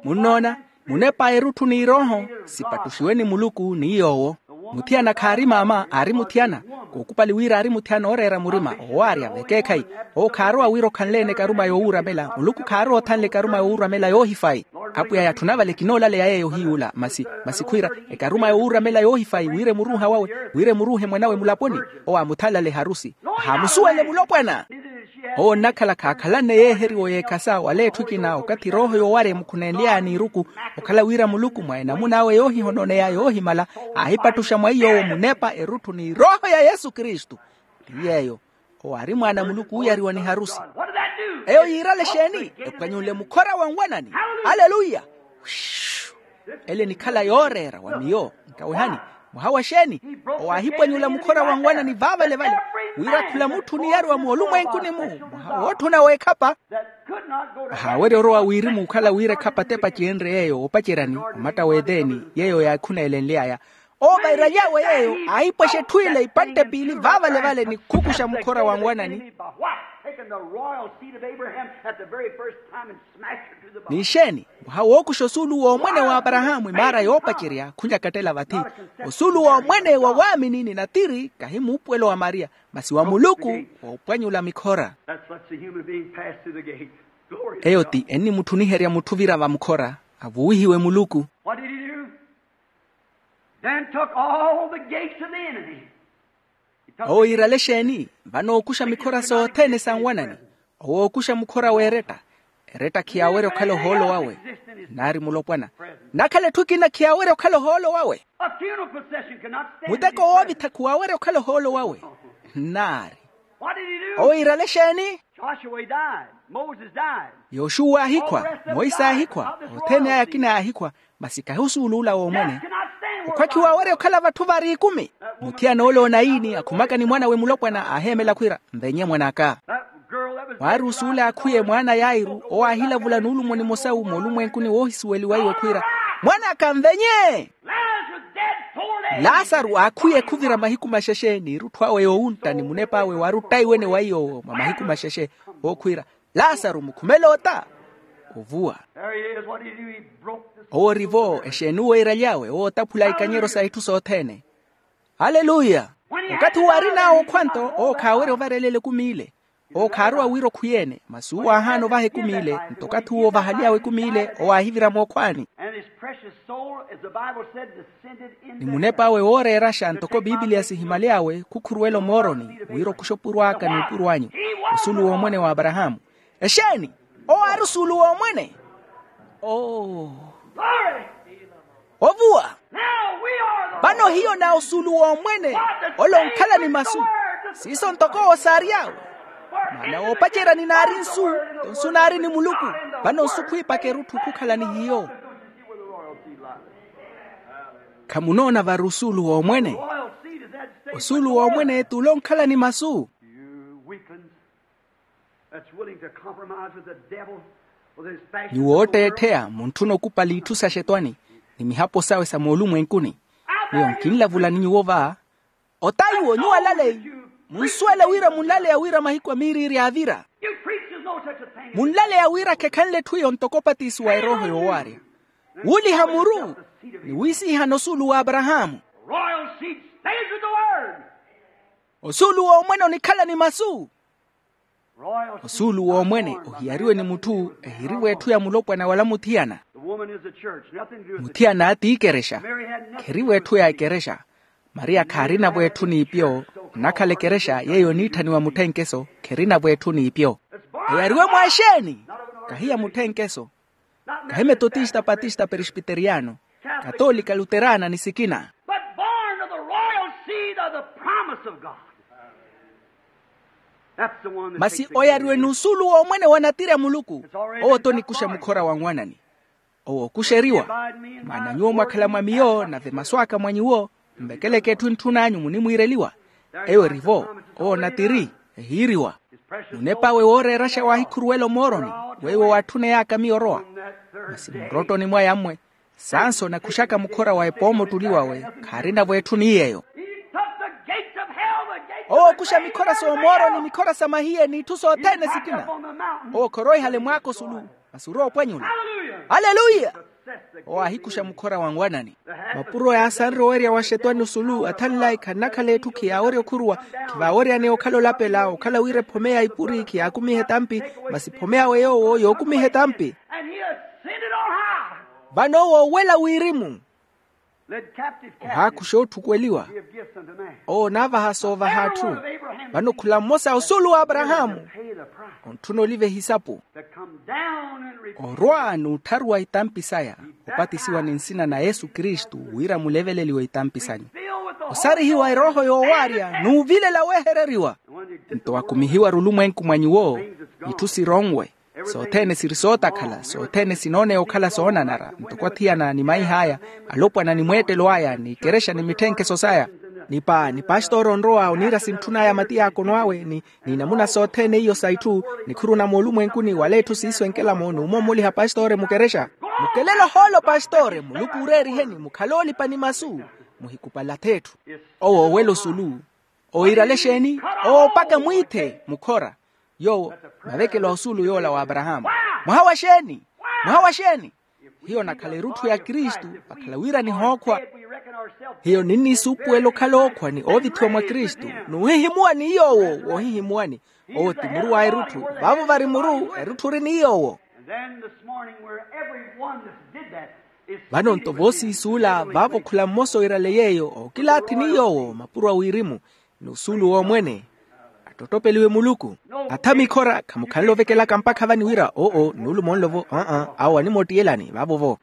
Munnoona, munepa erutthu n'irooho sipattuxiwe ni muluku ni yoowo. Muthiyana khaari maama aari muthiyana. Kookupali wira aari muthiyana ooreera murima owaarya vekeekhayi. Owo khaarowa wira okhanle-ene ekaruma yoowuuramela muluku khaarowa othanle ekaruma yoowuuramela yoohifayi. Apwiya yatthuna vale kinoolaleya yeeyo ohiyuula masi masi khwiira ekaruma yoowuuramela yoohifayi wira emuruuha wawe wira emuruuhe mwan'awe mulaponi. Owo aamuthanlale harusi. Haamusuwenle mulopwana. Owo onnakhala khaakhalanne yeeheriwa yeekhasa wala etthu ekina okathi erooho yoowarya emukhunenly'aya n'iruku. Okhala wira muluku mwa enamun'awe yoohihononeya yoohimala aahipattuxa mwa iy'owo munepa erutthu n'irooho ya yesu kristu. Ti yeeyo. Owo aari mwaana a muluku ooyariwa ni harusi. Eyo yiirale exeeni? Ephwanyunle mukhora wa nwanani. Aleluya. Ele enikhala yooreera wa miyo. Nkawehani. Mwaha wa xeeni? Owo aahipwanyula mukhora wa nwanani vaavale vale. Wira khula mutthu oniyaruwa moolumwenkuni-mu, mwaha wootthuna w'ekhapa. Ahaawerya orowa wirimu okhala wira ekhapa t'epaci enre yeeyo oopaceryani, omatta w'eteeni yeeyo yaakhuneelenly'aya. Owo vairaly'awe yeeyo aahipwexa etthu ile ipantte piili vaavalevale ni khukuxa mukhora wa nwanani. N'ixeeni? Mwaha wookuxa osuulu w'omwene w'aparahaamu imaara yoopacerya khunyakattela vathi. Osuulu w'omwene wa waamini ni natiri kahi muupuwelo wa maria, masi wa muluku. Woopwanyula mikhora. Eyo ti ennimutthuniherya mutthu ovira vamukhora avuwihiwe muluku. Then took all the gates of the enemy. Owo yiirale exeeni? Vano ookuxa mikhora sothene sa nwanani. Owo ookuxa mukhora w'eretta. Eretta khiyaawerya okhala ohoolo wawe. Nnaari mulopwana. Nakhala etthu ekina khiyaawerya okhala ohoolo wawe. Muteko woovitha khuwaawerya okhala ohoolo wawe. Nnaari. Owo yiirale exeeni? Yoxuwa aahikhwa. Moise aahikhwa. Othene aya akina yaahikhwa. Masi kahi osuulu ola w'omwene. Okhwa khiwaawerya okhala vatthu vari ikumi. Muthiyana ole onaini akhumaka ni mwan'awe mulopwana aaheemela khwiira, nvenye mwan'aka. Waari osuulu aakhwiye mwaana a yairu owo aahilavula nuulumo nimosa-u moolumwenkuni woohisuweliwa iwe khwiira, mwan'aka nvenye. Laasaru aakhwiye khuvira mahiku maxexe n'irutthu awe yoowuntta ni munep'awe waari ottaiwene wa iy'owo mwa mahiku maxexe. Ookhwiira, laasaru mukhumele ota. Ovuwa. Owo ori-vo exeeni uwo eeraly'awe owo otaphula ikanyero sa itthu sothene. Aleluya. Okathi uwo arin'awe okhwanto owo khaawerya ovarelela ekumi ile. Owo khaarowa wira okhwiye-ene masi uwo aahaana ovaha ekumi ile nto okathi uwo ovahaly'awe ekumi ile owo aahivira mookhwaani. Ni munep'awe wooreeraxa ntoko piipiliya sihimaly'awe khukhuruwela omooroni wira okuxa opuro aka n'opuro anyu. Osuulu w'omwene w'aparahaamu. Exeeni? Owo aari osuulu w'omwene. Oo. Ovuwa. Vano hiyo na osuulu w'omwene. Ole onkhala ni masu. Siiso ntoko owo saary'awe. Maana woopacerya ninaari nsu. Nsu naari ni muluku. Vano nsu khwiipaka erutthu khukhala ni hiyo. Khamunoona vari osuulu w'omwene? Osuulu w'omwene t'ule onkhala ni masu. Nyuwo ootteettheya muntthuna okupali itthu sa xetwani ni mihapo sawe sa moolumwenkuni. Miyo nkinlavulani nyuwo va. Ota iwo nyuwo alaleyi. Munsuwele wira munlaleya wira mahiku a miiriiri aavira. Munlaleya wira khekhanle etthu iyo ntoko opatisiwa erooho yoowaarya. Wuuliha muru ni wiisiihana osuulu w'aparahaamu. Osuulu w'omwene onikhala ni masu. Osuulu w'omwene ohiyariwe ni mutthu ehirivo etthu ya mulopwana wala muthiyana. Muthiyana ti ikerexa. Kherivo etthu ya ikerexa. Maria khaarinavo etthu n'ipyo. Nnakhala ikerexa yeeyo oniitthaniwa mutthenkeso kherinavo etthu n'ipyo. Eyariwe mwa exeeni? Kahi ya mutthenkeso. Kahi metotista patista perespiteriyano, katoolika luterana ni sikina. Masi oyariwe n'usuulu w'omwene wa natiri a muluku. Owo t'onikuxa mukhora wa nwanani. Owo okuxeriwa. Maana nyuwo mwakhala mwa miyo nave masu aka mwa nyuwo. Mvekeleke etthu entthun'anyu munimwiireliwa. Eyo erivo. Owo natiri. Ehiiriwa. Munep'awe wooreeraxa waahikhuruwela omooroni. Weiwo waatthuney'aka miyo orowa. Masi mmurottoni mwaya mmwe. Sanso nakhuxaka mukhora wa epoomottuli wawe. Khaarinavo etthu ni yeeyo. Owo okuxa mikhora s'omooroni mikhora sa mahiye n'itthu sothene sikina. Owo khoroihale mwaako osulu. Masi orowa opwanyula. Aleluya. Owo aahikuxa mukhora wa nwanani. Mapuro yaasanre owerya wa xetwani osulu athanlayi khannakhala etthu khiyaawerya okhuruwa. Khivaaweryaneya okhala olapela okhala wira ephome ya ipuri khiyaakumiha etampi. Masi ephome yawe yoowo yookumiha etampi. Vano owo owela wirimu. Ohaakuxa ootthukweliwa. Owo onaavaha soovaha atthu. Vano khula mmosa osuulu w'aparahaamu. Ontthuna oliva ehisapu. Orwa n'uttharuwa itampi saya. Opatisiwa ni nsina na yesu kristu wira muleveleliwe itampi sanyu. Osarihiwa erooho yoowaarya n'uvilela weehereriwa. Nto wakumihiwa rulumwenku mwa nyuwo. Itthu sironwe. Sothene siri sootakhala sothene sinooneya okhala soonanara ntoko athiyana ni maih'aya, alopwana ni mweettelo aya ni ikerexa ni mitthenkeso saya. Nipa ni pastori onrowa oniira sintthun'aya mati yaakono awe ni ni namuna sothene iyo sa itthu, nikhuru na moolumwenkuni wala etthu siiso enkela-mo n'umommoliha pastori mukerexa. Mukelele ohoolo pastori muluku ooreeriheni mukhale oolipa ni masu. Muhikupalath'etthu. Owo owela osulu. Oirale exeeni? Owo mpakha mwiithe mukhora. Yoowo mavekelo a osuulu yoola w'aparahaamu. Mwaha wa xeeni? Mwaha wa xeeni? Hiyo nakhala erutthu ya kristu. Vakhala wira nihookhwa. Hiyo ninnisuupuwela okhala ookhwa ni oovithiwa mwa kristu. Nuhihimuwa ni yoowo. Woohihimuwani. Owo ti muru wa erutthu. Vaavo vari muru erutthu ori ni yoowo. Vano nto voosiisuula vaavo khula mmosa oirale yeeyo ookilaathi ni yoowo mapuro a wirimu. Ni osuulu w'omwene attottopeliwe muluku. Atha mikhora khamukhanle ovekelaka mpakha vani wira oo nuulumo nlo-vo aa awo animoottiyelani vaavo-vo.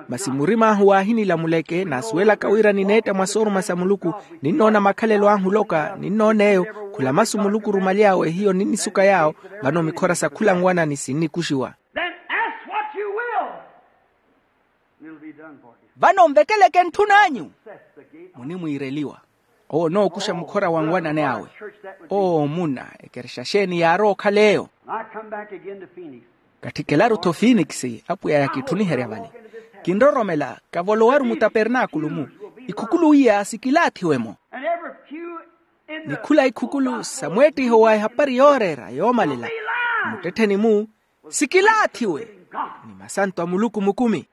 Masi murim'ahu waahinilamuleke naasuwelaka wira nineetta mwa sooruma sa muluku. Ninnoona makhalelo ahu oloka ninnoona eyo. Khula masu muluku orumaly'awe hiyo ninnisuka yaawo. Vano mikhora sa khula nwanani sinnikuxiwa. Vano nvekeleke ntthun'anyu. Munimwiireliwa. Owo onookuxa mukhora wa nwanani awe. Oo muna ekerexa xeeni yaarowa okhala eyo? Katthikelaru-tho finikisi apwiya yakitthuniherya vale. Kinroromela kavolowaru mutapernaakulu-mu. Ikhukulu iya sikilaathiwe-mo. Ni khula ikhukulu sa mweettiho wa ehapari yooreera yoomalela muttettheni-mu sikilaathiwe. Ni masanto a muluku mukumi.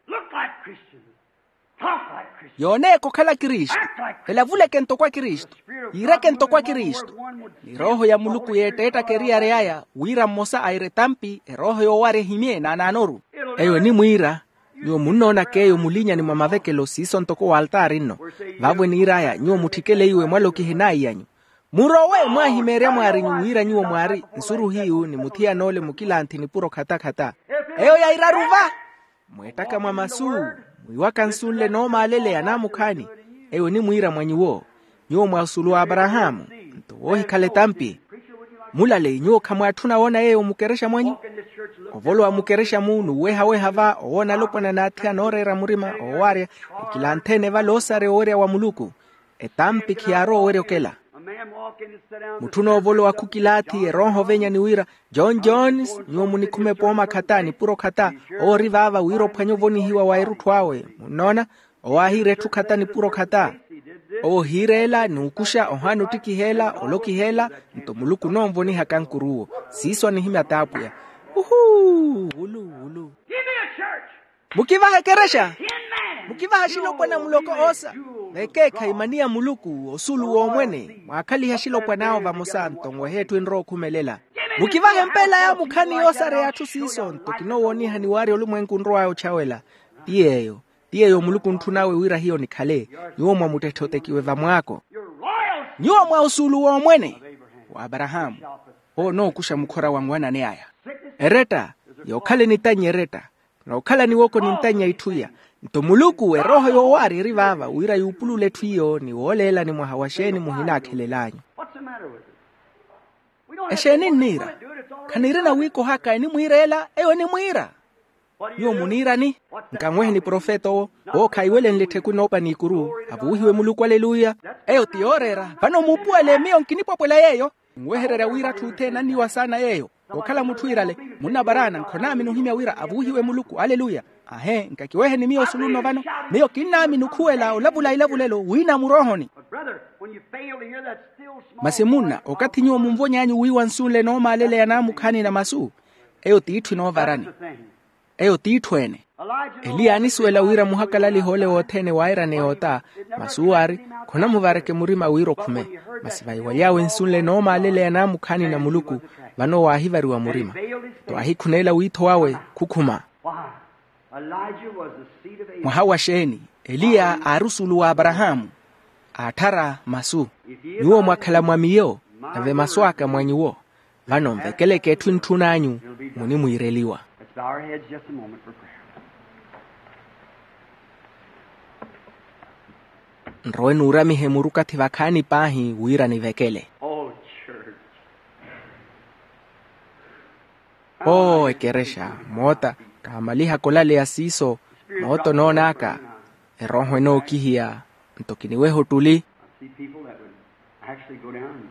Yooneeke okhala kristu. Elavuleke ntoko akristu. Yiireke ntoko akristu. Ni rooho ya muluku yeetteettaka eriyari aya wira mmosa aire etampi erooho yoowarya ehimye naanaanoru. Eyo enimwiira. Nyuwo munnoonaka eyo mulinyani mwa mavekelo siiso ntoko waltaari nno. Vaavo eniir'aya nyuwo mutthikeleiwe mwalokihe naiy'anyu. Murowe mwaahimeerya mwaari nyuwo wira nyuwo mwaari nsuruhiyu ni muthiyan'ole mukilanthi nipuro khatakhata. Eyo yairaru va. Mweettaka mwa masu mwiiwaka nsu nle noomaaleleya naamukhaani. Eyo enimwiira mwa nyuwo. Nyuwo mwa osuulu w'aparahaamu nto woohikhala etampi. Mulale nyuwo khamwaatthuna woona yeeyo mukerexa mwanyu. Ovolowa mukerexa-mu n'uwehaweha va owoona alopwana n'athiyana ooreera murima oowaarya. Ekilanthene vale oosarya owerya wa muluku. Etampi khiyaarowa owerya okela. Mutthu onoovolowa khukilaathi erooho ovenya ni wira, john jones nyuwo munikhume pooma khata nipuro khata. Owo ori vaava wira ophwanye ovonihiwa wa erutthu awe munnoona. Owo aahiira etthu khata nipuro khata. Owo ohiira ela n'ukuxa ohaana ottikiha ela olokiha ela. Nto muluku onoonvonihaka nkuruwo. Siiso anihimya t'apwiya. Uhuu wulu wulu. Mukivahe ekerexa. Mukivahe axilopwana muloko oosa. Vekeekhayi mani ya muluku osuulu w'omwene mwaakhalihe axilopwana awo vamosa nto nwehe etthu enrowa okhumelela. Mukivahe mpeela yaamukhaani yoosareya atthu siiso nto kinoowoonihani waarya olumwenku onrow'aya otchawela. Ti yeeyo. Ti yeeyo muluku ontthun'awe wira hiyo nikhale. Nyuwo mwa muttetthe otekiwe vamwaako. Nyuwo mwa osuulu w'omwene w'aparahaamu. Owo onookuxa mukhora wa nwanani aya. Eretta. Yookhala enitannya eretta. Nookhala niwoko nintannya itthu iya. Nto muluku erooho yoowaari eri vaava wira yuupulule etthu iyo ni wooleelani mwaha wa xeeni muhinaakhelel'anyu. Exeeni nniira? Khaniirina wiikohaka enimwiira ela eyo enimwiira. Nyuwo muniirani? Nkanwehe ni profeta owo. Owo khaiwelenle ettheku enoopa n'ikuru. Avuwihiwe muluku aleluya. Eyo ti yooreera. Vano muupuwele miyo nkinipwapwela yeeyo. Nwehererya wira atthu othene anniwa saana yeeyo. Okhala mutthu iirale. Munnaparaana nkhonaamini ohimya wira avuwihiwe muluku aleluya. Ahe nkakiweheni miyo osulu nno vano. Miyo kinnaamini okhuwela olavula ilavulelo wiina muroohoni. Masi munna okathi nyuwo munvony'anyu wiiwa nsu nle noomaaleleya naamukhaani na masu. Eyo t'itthu enoovarani. Eyo t'itthu ene. Eliya anisuwela wira muhakalaliha ole wothene waairane yoota. Masi uwo aari, khonamuvareke murima wira okhume. Masi vaiwaly'awe nsu nle noomaaleleya naamukhaani na muluku. Vano waahivariwa murima. Nto aahikhuneela wiitho wawe khukhuma. Mwaha wa xeeni? Eliya aari osuulu w'aparahaamu. Aatthara masu. Nyuwo mwakhala mwa miyo, nave masu aka mwa nyuwo. Vano nvekeleke etthu entthun'anyu. Munimwiireliwa. Nrowe nuuramihe murukathi vakhaani paahi wira nivekele. Oo ekerexa, moota. Kaamalihaka olaleya siiso. Moota onoon'aka. Erooho enookihiya. Nto kiniweha ottuli. See people that would actually go down in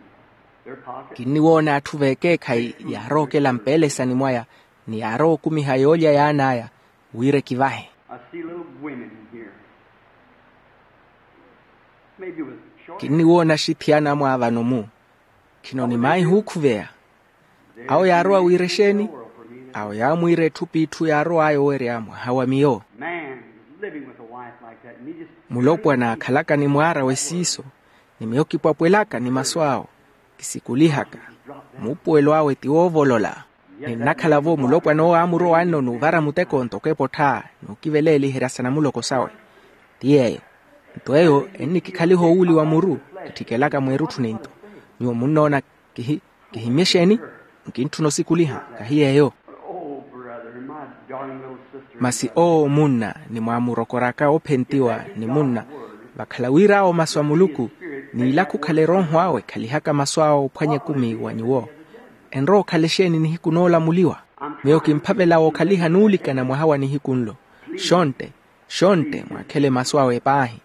their pocket. Kinniwoona atthu veekeekhayi yaarowa okela mpeelesani mwaya, ni yaarowa okumiha yoolya yaan'aya, wira ekivahe. I see little women here. Maybe with short. Kinniwoona axithiyana amwaavano-mu. Khino ni maahi huukhuveya. Awo yaarowa wira exeeni? Awo yaamwiira etthu p'itthu yaarow'aya owerya mwaha wa miyo. Man living with a wife like that, and he just. Mulopwana akhalaka ni mwaar'awe siiso, ni miyo kipwapwelaka ni masu awo, kisikulihaka, muupuwelo awe ti woovolola. Ninnakhala-vo mulopwana owo aamurowa nno n'uvara muteko ntoko epottha, n'ukiveleeliherya sa namuloko sawe. Ti yeeyo. Nto eyo ennikikhaliha owuuliwa muru, kitthikelaka mweerutthu ni nto. Nyuwo munnoona kihi kihimmye exeeni? Nkintthuna osikuliha. Kahi yeeyo. Oh, brother, my darling little sister. Masi owo munna ni mwaamurokoraka ophentiwa ni munna, vakhala wira awo masu a muluku, n'ilakhu okhala erooho awe ekhalihaka masu awe ophwanya ekumi wa nyuwo. Enrowa okhala exeeni nihiku noolamuliwa? Miyo kimphavela wookhaliha nuulikana mwaha wa nihiku nlo. Xontte, xontte mwaakhele masu awe paahi.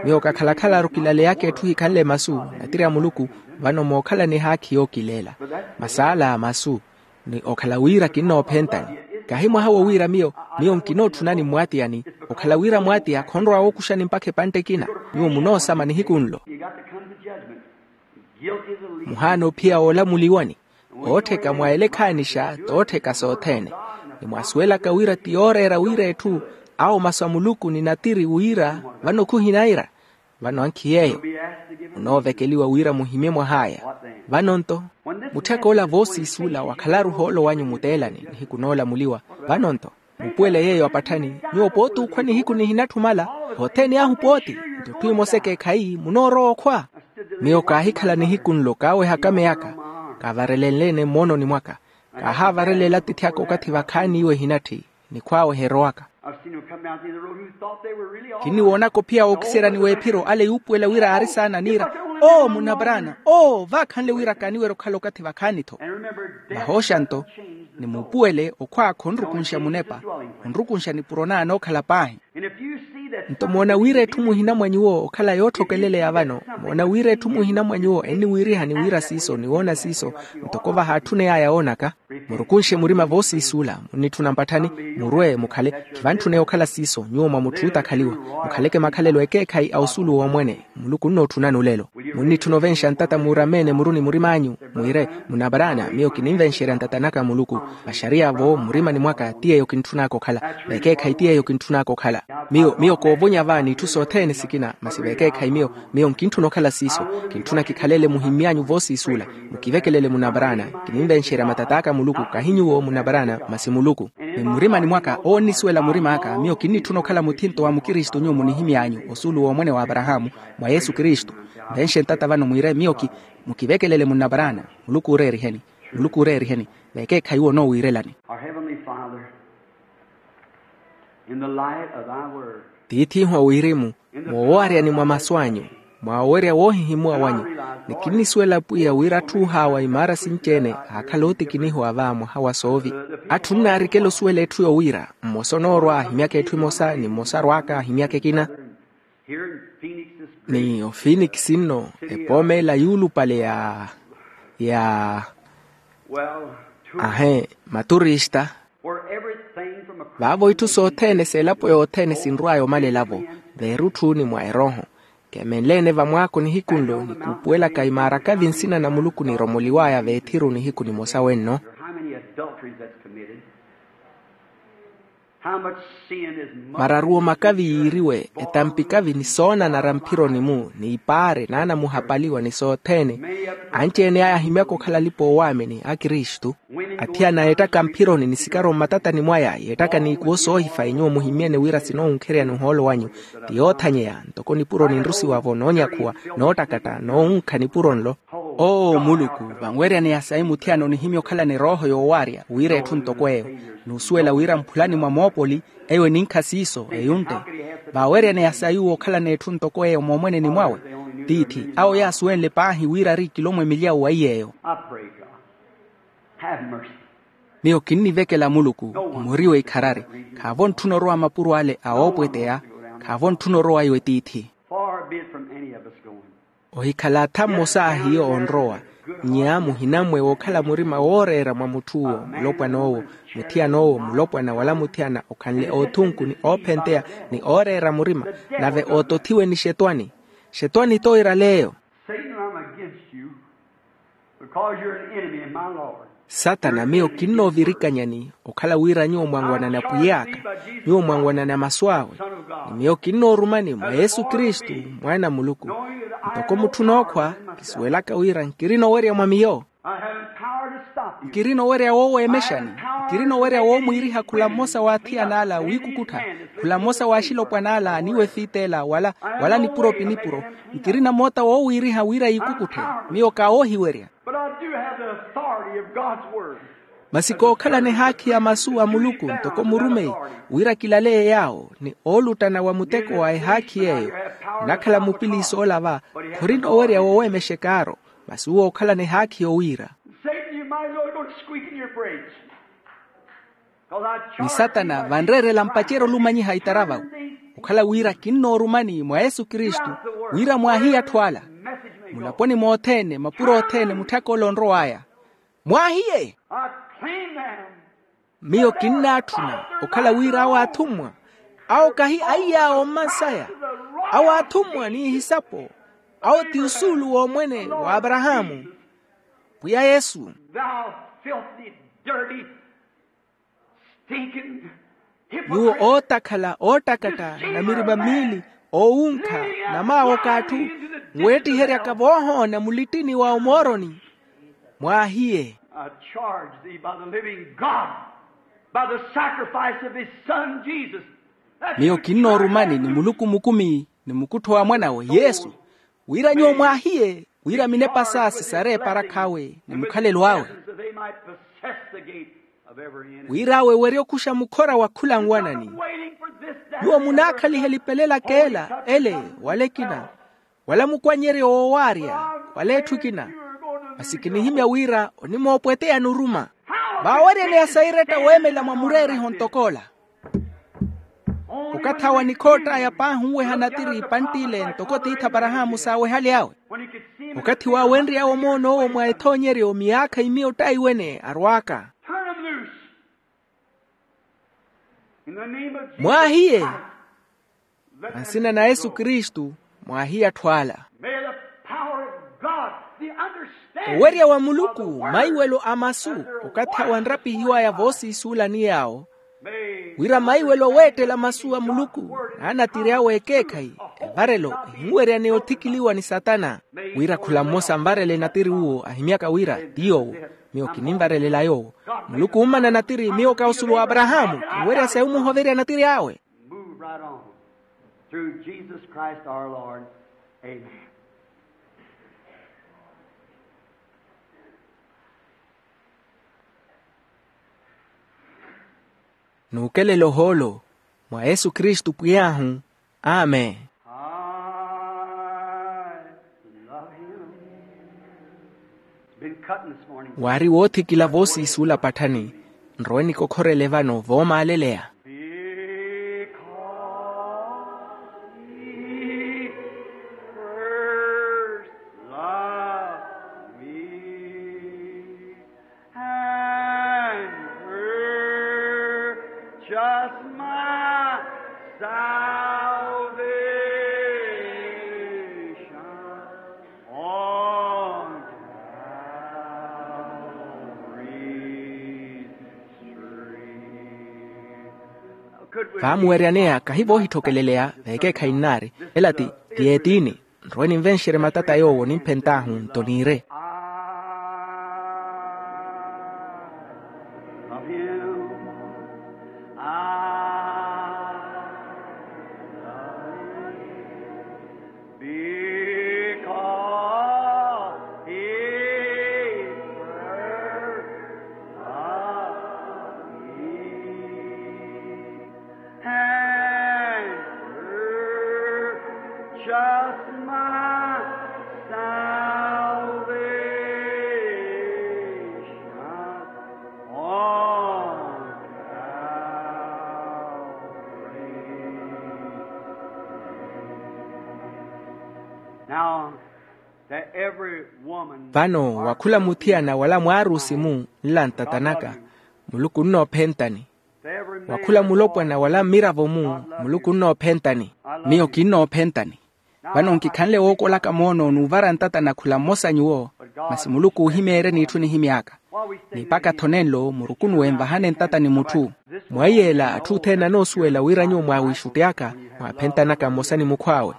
Miyo kakhala-khalaru kilaleyaka etthu hikhanle masu, natiri a muluku, vano mookhalani ehaakhi yookileela. Masi ala masu, ni okhala wira kinnoophentani. Kahi mwaha wowiira miyo, miyo nkinootthunani mmwaatiyani. Okhala wira mwatiya khonrowa wookuxani mpakha epantte ekina. Nyuwo munoosama nihiku nlo. Muhaana ophiya woolamuliwani. Oottheka mwa elekhaanixa toottheka sothene. Ni mwaasuwelaka wira ti yooreera wira etthu, awo masu a muluku ni natiri wira, vano khuhinaira. Vano ankhi yeeyo munoovekeliwa wira muhimye mwah'aya. Vano-nto, mutthek'ola voosiisuula wakhalaru ohoolo wanyu muteelani nihiku noolamuliwa. Vano-nto, mupuwele yeeyo apatthani. Nyuwo pooti okhwa nihiku nihinatthumala. Othene ahu pooti. Nto etthu emosa ekeekhayi munoorowa okhwa. Miyo kaahikhala nihiku nlo kaawehaka meyaka, kaavarelenle-ene mmoononi mwaka. Kaahaavareleela atiithi aka okathi vakhaani iwo ehinatthi, nikhw'awe eherowaka. Kinniwoonaka ophiya wookiseryani w'ephiro ale yuupuwela wira aari saana niira, oo munna brana oo vaakhanle wira kaaniwerya okhala okathi vakhaani-tho. Vahooxa-nto, ni muupuwele okhwa khonrukunxa munepa, onrukunxa nipuro na anookhala paahi. Nto moona wira etthu muhina mwa nyuwo okhala yootthokeleleya vano, moona wira etthu muhina mwa nyuwo enniwiirihani wira siiso ni woona siiso, ntoko vahaatthuney'aya woonaka. Murukunxe murima voosiisuula munnitthuna mpatthani, murwe mukhale, khivantthuneya okhala siiso nyuwo mwa mutthu ootakhaliwa. Mukhaleke makhalelo ekeekhayi a osuulu w'omwene. Muluku onnootthunani olelo. Munnitthuna ovenxa ntata muurameene muru ni murim'anyu, mwiire, munna brana miyo kininvenxerya ntata naka a muluku. Vaxariya-vo mmurimani mwaka ti yeeyo kintthun'aka okhala. Vekeekhayi ti yeeyo kintthun'aka okhala. Miyo miyo koovonya va n'itthu sothene sikina masi vekeekhayi miyo miyo nkintthuna okhala siiso. Kintthuna kikhalele muhimmy'anyu voosiisuula. Mukivekelele munna brana. Kininvenxerya matat'aka muluku kahi nyuwo munna brana masi muluku. Ni mmurimani mwaka owo onnisuwela murim'aka miyo kinnitthuna okhala muthinto wa mukristu nyuwo munihimy'anyu osuulu w'omwene w'aparahaamu, mwa yesu kristu. Nvenxe ntata vano mwiire miyo ki mukivekelele munna brana. Muluku ooreeriheni. Muluku ooreeriheni. Vekeekhayi onoowiirelani. Our heavenly father, in the light of thy word. Tiith'ihu a wirimu, moowaryani mwa masu anyu, mwa owerya woohihimuwa wanyu, ni kinnisuwela pwiya wira atthu oohaawa imaara sinci-ene aakhala ootikinihiwa va mwaha wa soovi. Atthu onnaarikela osuwela etthu yowiira mmosa onoorwa ahimyaka etthu emosa ni mmosa arw'aka ahimyaka ekina. Ni ofinikisi nno, epooma ela yuulupale ya ya ahe maturista. Vaavo itthu sothene s'elapo yothene sinrw'aya omalela-vo, veerutthu ni mwa erooho. Kemenle-ene vamwaako nihiku nlo ni kuupuwelaka imaarakavi nsina na muluku niromoliw'aya veethiru nihiku nimosa wenno. Mararuwo makavi yiiriwe etampi kavi ni soonanara mphironi-mu ni ipaare n'anamuhapaliwa ni sothene. Anci-ene aya ahimyaka okhala alipa-oowaamini a kristu. Athiyana yeettaka mphironi ni sikaro mmatatani mwaya yeettaka n'ikuwo soohifa inyuwo muhimmyene wira sinowunkheryani ohoolo wanyu. Ti yoothanyeya ntoko nipuro ninrusiwa-vo noonyakhuwa noottakatta noowunkha nipuro nlo. Oo muluku, vanweryaneya sayi muthiyana onihimya okhalani erooho yoowaarya wira etthu ntoko eyo. N'usuwela wira mphulani mwa moopoli eyo eninkha siiso eyuntte. Vaaweryaneya sayi uwo okhalani etthu ntoko eyo moomweneni mwawe. Tiithi awo yaasuwenle paahi wira ari ikilomwe milyawu wa iy'eyo. Miyo kinnivekela muluku mmuriwe ikharari. Khaavo ntthuna orowa mapuro ale a oopweteya. Khaavo ntthuna orowa iwe tiithi. Far be it from any of us going. Ohikhala atha mmosa a hiyo onrowa, nnya muhinamwe wookhala murima wooreera mwa mutth'uwo, mulopwan'owo, muthiyan'owo, mulopwana wala muthiyana okhanle oothunku ni oophenteya, ni ooreera murima, nave ootothiwe ni xetwani. Xetwani t'oiraleeyo. Satan, I'm against you, because you're an enemy of my Lord. Satana, miyo kinnoovirikanyani okhala wira nyuwo mwanwanani apwiy'aka, nyuwo mwanwanani a masu awe. Ni miyo kinnoorumani mwa yesu kristu, mwaana a muluku, ntoko mutthu nookhwa, kisuwelaka wira nkirina owerya mwa miyo. Nkirina owerya wooweemexani, nkirina owerya woomwiiriha khula mmosa w'athiyan'ala wiikukuttha, khula mmosa w'axilopwan'ala aniwefit'ela wala, wala nipuro pi nipuro. Nkirina moota woowiiriha wira yiikukutthe. Miyo kaawoohiwerya. But I do have the authority of God's word. Masi kookhalana ehaakhi ya masu a muluku ntoko murumeyi, wira kilaleye yaawo ni ooluttana wa muteko wa ehaakhi yeeyo. Nnakhala mupiliisi ola va, khorina owerya wooweemexek'aro. Masi uwo ookhalana ehaakhi yowiira. Satan, you might as well go to squeaking your brakes. Ni satana vanreerela mpacerya olumanyiha itaravawu. Okhala wira kinnoorumani mwa yesu kristu, wira mwaahiye atthu ala. Mulaponi mothene mapuro othene mutthaka ole onrow'aya. Mwaahiye. Miyo kinnaatthuna okhala wira awo athummwa, awo kahi aiy'awo mmansaya, awo athummwa n'ihisapo, awo ti usuulu w'omwene w'aparahaamu, pwiya yesu. Thou filthy, dirty, stinking, nyuwo ootakhala oottakatta na mirima miili, oowunkha, na maawoka atthu, nweettiheryaka voohoona mulittini wa omooroni. Mwaahiye. I charge thee by the living God, by the sacrifice of his son Jesus. Miyo kinnoorumani ni muluku mukumi, ni mukuttho wa mwan'awe yesu, wira nyuwo mwaahiye, wira minepa saa sisare eparakh'awe ni mukhalelo awe. Wira awe werye okuxa mukhora wa khula nwanani. Nyuwo munaakhaliha elipelelaka ela ele, wala ekina, wala mukwannyeryo woowaarya, wala etthu ekina. Masi kinihimya wira onimoopweteya nuruma. Vaaweryaneya sairetta weemela mwa mureeriho ntok'ola. Okathi awo anikhoott'aya paahi onweha natiri pantt'ile ntoko tiithi aparahaamu saawehale awe. Okathi waawenry'awe omoon'owo mwa ethoonyeryo miyaakha imiyo ottaiwene arwaaka. Mwaahiye. Mansina na yesu kristu, mwaahiye atthu ala. Owerya wa muluku, maiwelo a masu, okathi awo anrapihiw'aya voosiisuula ni yaawo, wira maiwelo weettela masu a muluku, n'anatiri awe ekeekhayi, evarelo ehinweryaneya othikiliwa ni satana. Wira khula mmosa anvarele natiri uwo ahimyaka wira ti yoowo, miyo kininvarelela yoowo. Muluku ummana natiri miyo ka osulu w'aparahaamu, kinwerya sayi omuhoverya natiri awe. Move right on. Through Jesus Christ our Lord. Amen. Nuukelela ohoolo mwa yesu kristu pwiy'ahu. Amen. I love him. It's been cutting this morning. Waari woothikila voosiisuula patthani. Nrowe nikokhorele vano voomaaleleya. Because he first loved me and purchased my salvation on Calvary's tree. Vaamuweryaneya kahi voohitthokeleleya veekeekhayi nnaari. Ela ti, ti etiini. Nrowe ninvenxerye matata yoowo nimphent'ahu nto niire. Because he first loved me and purchased my salvation on Calvary. Now, Vano wa khula muthiyana wala mwaarusi-mu nla ntatanaka, muluku onnoophentani. Wa khula mulopwana wala mmiravo-mu, muluku onnoophentani. Miyo kinnoophentani. Vano nkikhanle wookolaka moono n'uvara ntatana khula mmosa nyuwo, masi muluku oohimeeryeni itthu nihimy'aka. Ni mpakha-tho nenlo murukunuwe nvahane ntata ni mutthu. Mwaiy'ela atthu othene anoosuwela wira nyuwo mwaawiixutty'aka, mwaaphentanaka mmosa ni mukhw'awe.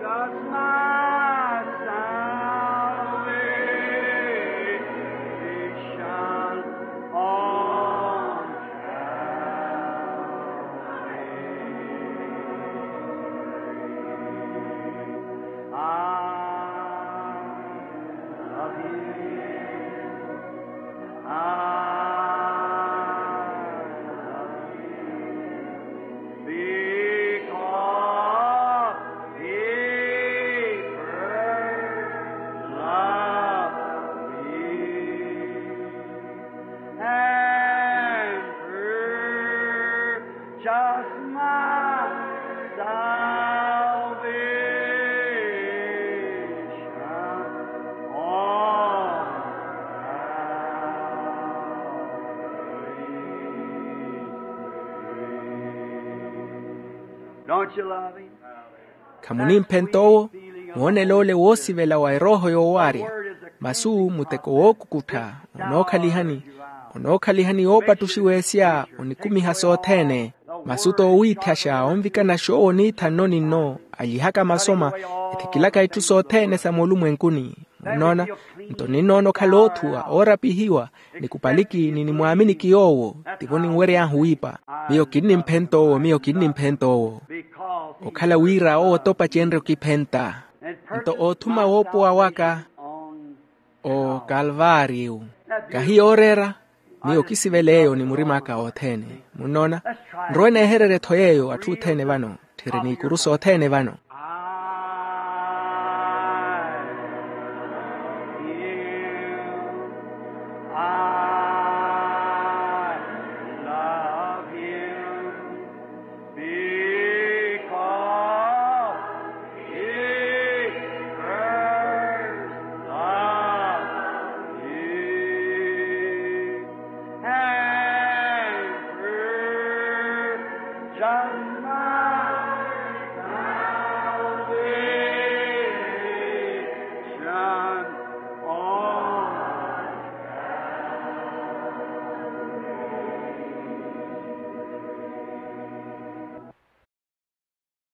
Just my salvation on Calvary. I love you. I love you because he first loved me. And purchased my salvation on Calvary's tree. Don't you love him? Khamunimphenta owo? Woonela ole woosivela wa erooho yoowaarya. Masu muteko wookukuttha. Onookhalihani, onookhalihani woopattuxiwa esya onikumiha sothene. Masu t'owiithaxa onvikana xoowo oniitha nno ni nno, alyihaka masoma, ethikilaka itthu sothene sa moolumwenkuni. Munnoona? Nto ninnoona okhala oothuwa oorapihiwa, nikupaliki ni nimwaaminiki yoowo. Tivo ninwery'ahu wiipa. Miyo kinnimphenta owo, miyo kinnimphenta owo. Okhala wira owo t'opacenrye okiphenta. Nto oothuma woopowa waka okalvaariyu. Kahi yooreera. Miyo kisivela eyo ni murim'aka othene. Munnoona? Nrowe neehererye-tho yeeyo atthu othene vano. Tthiri n'ikuru sothene vano.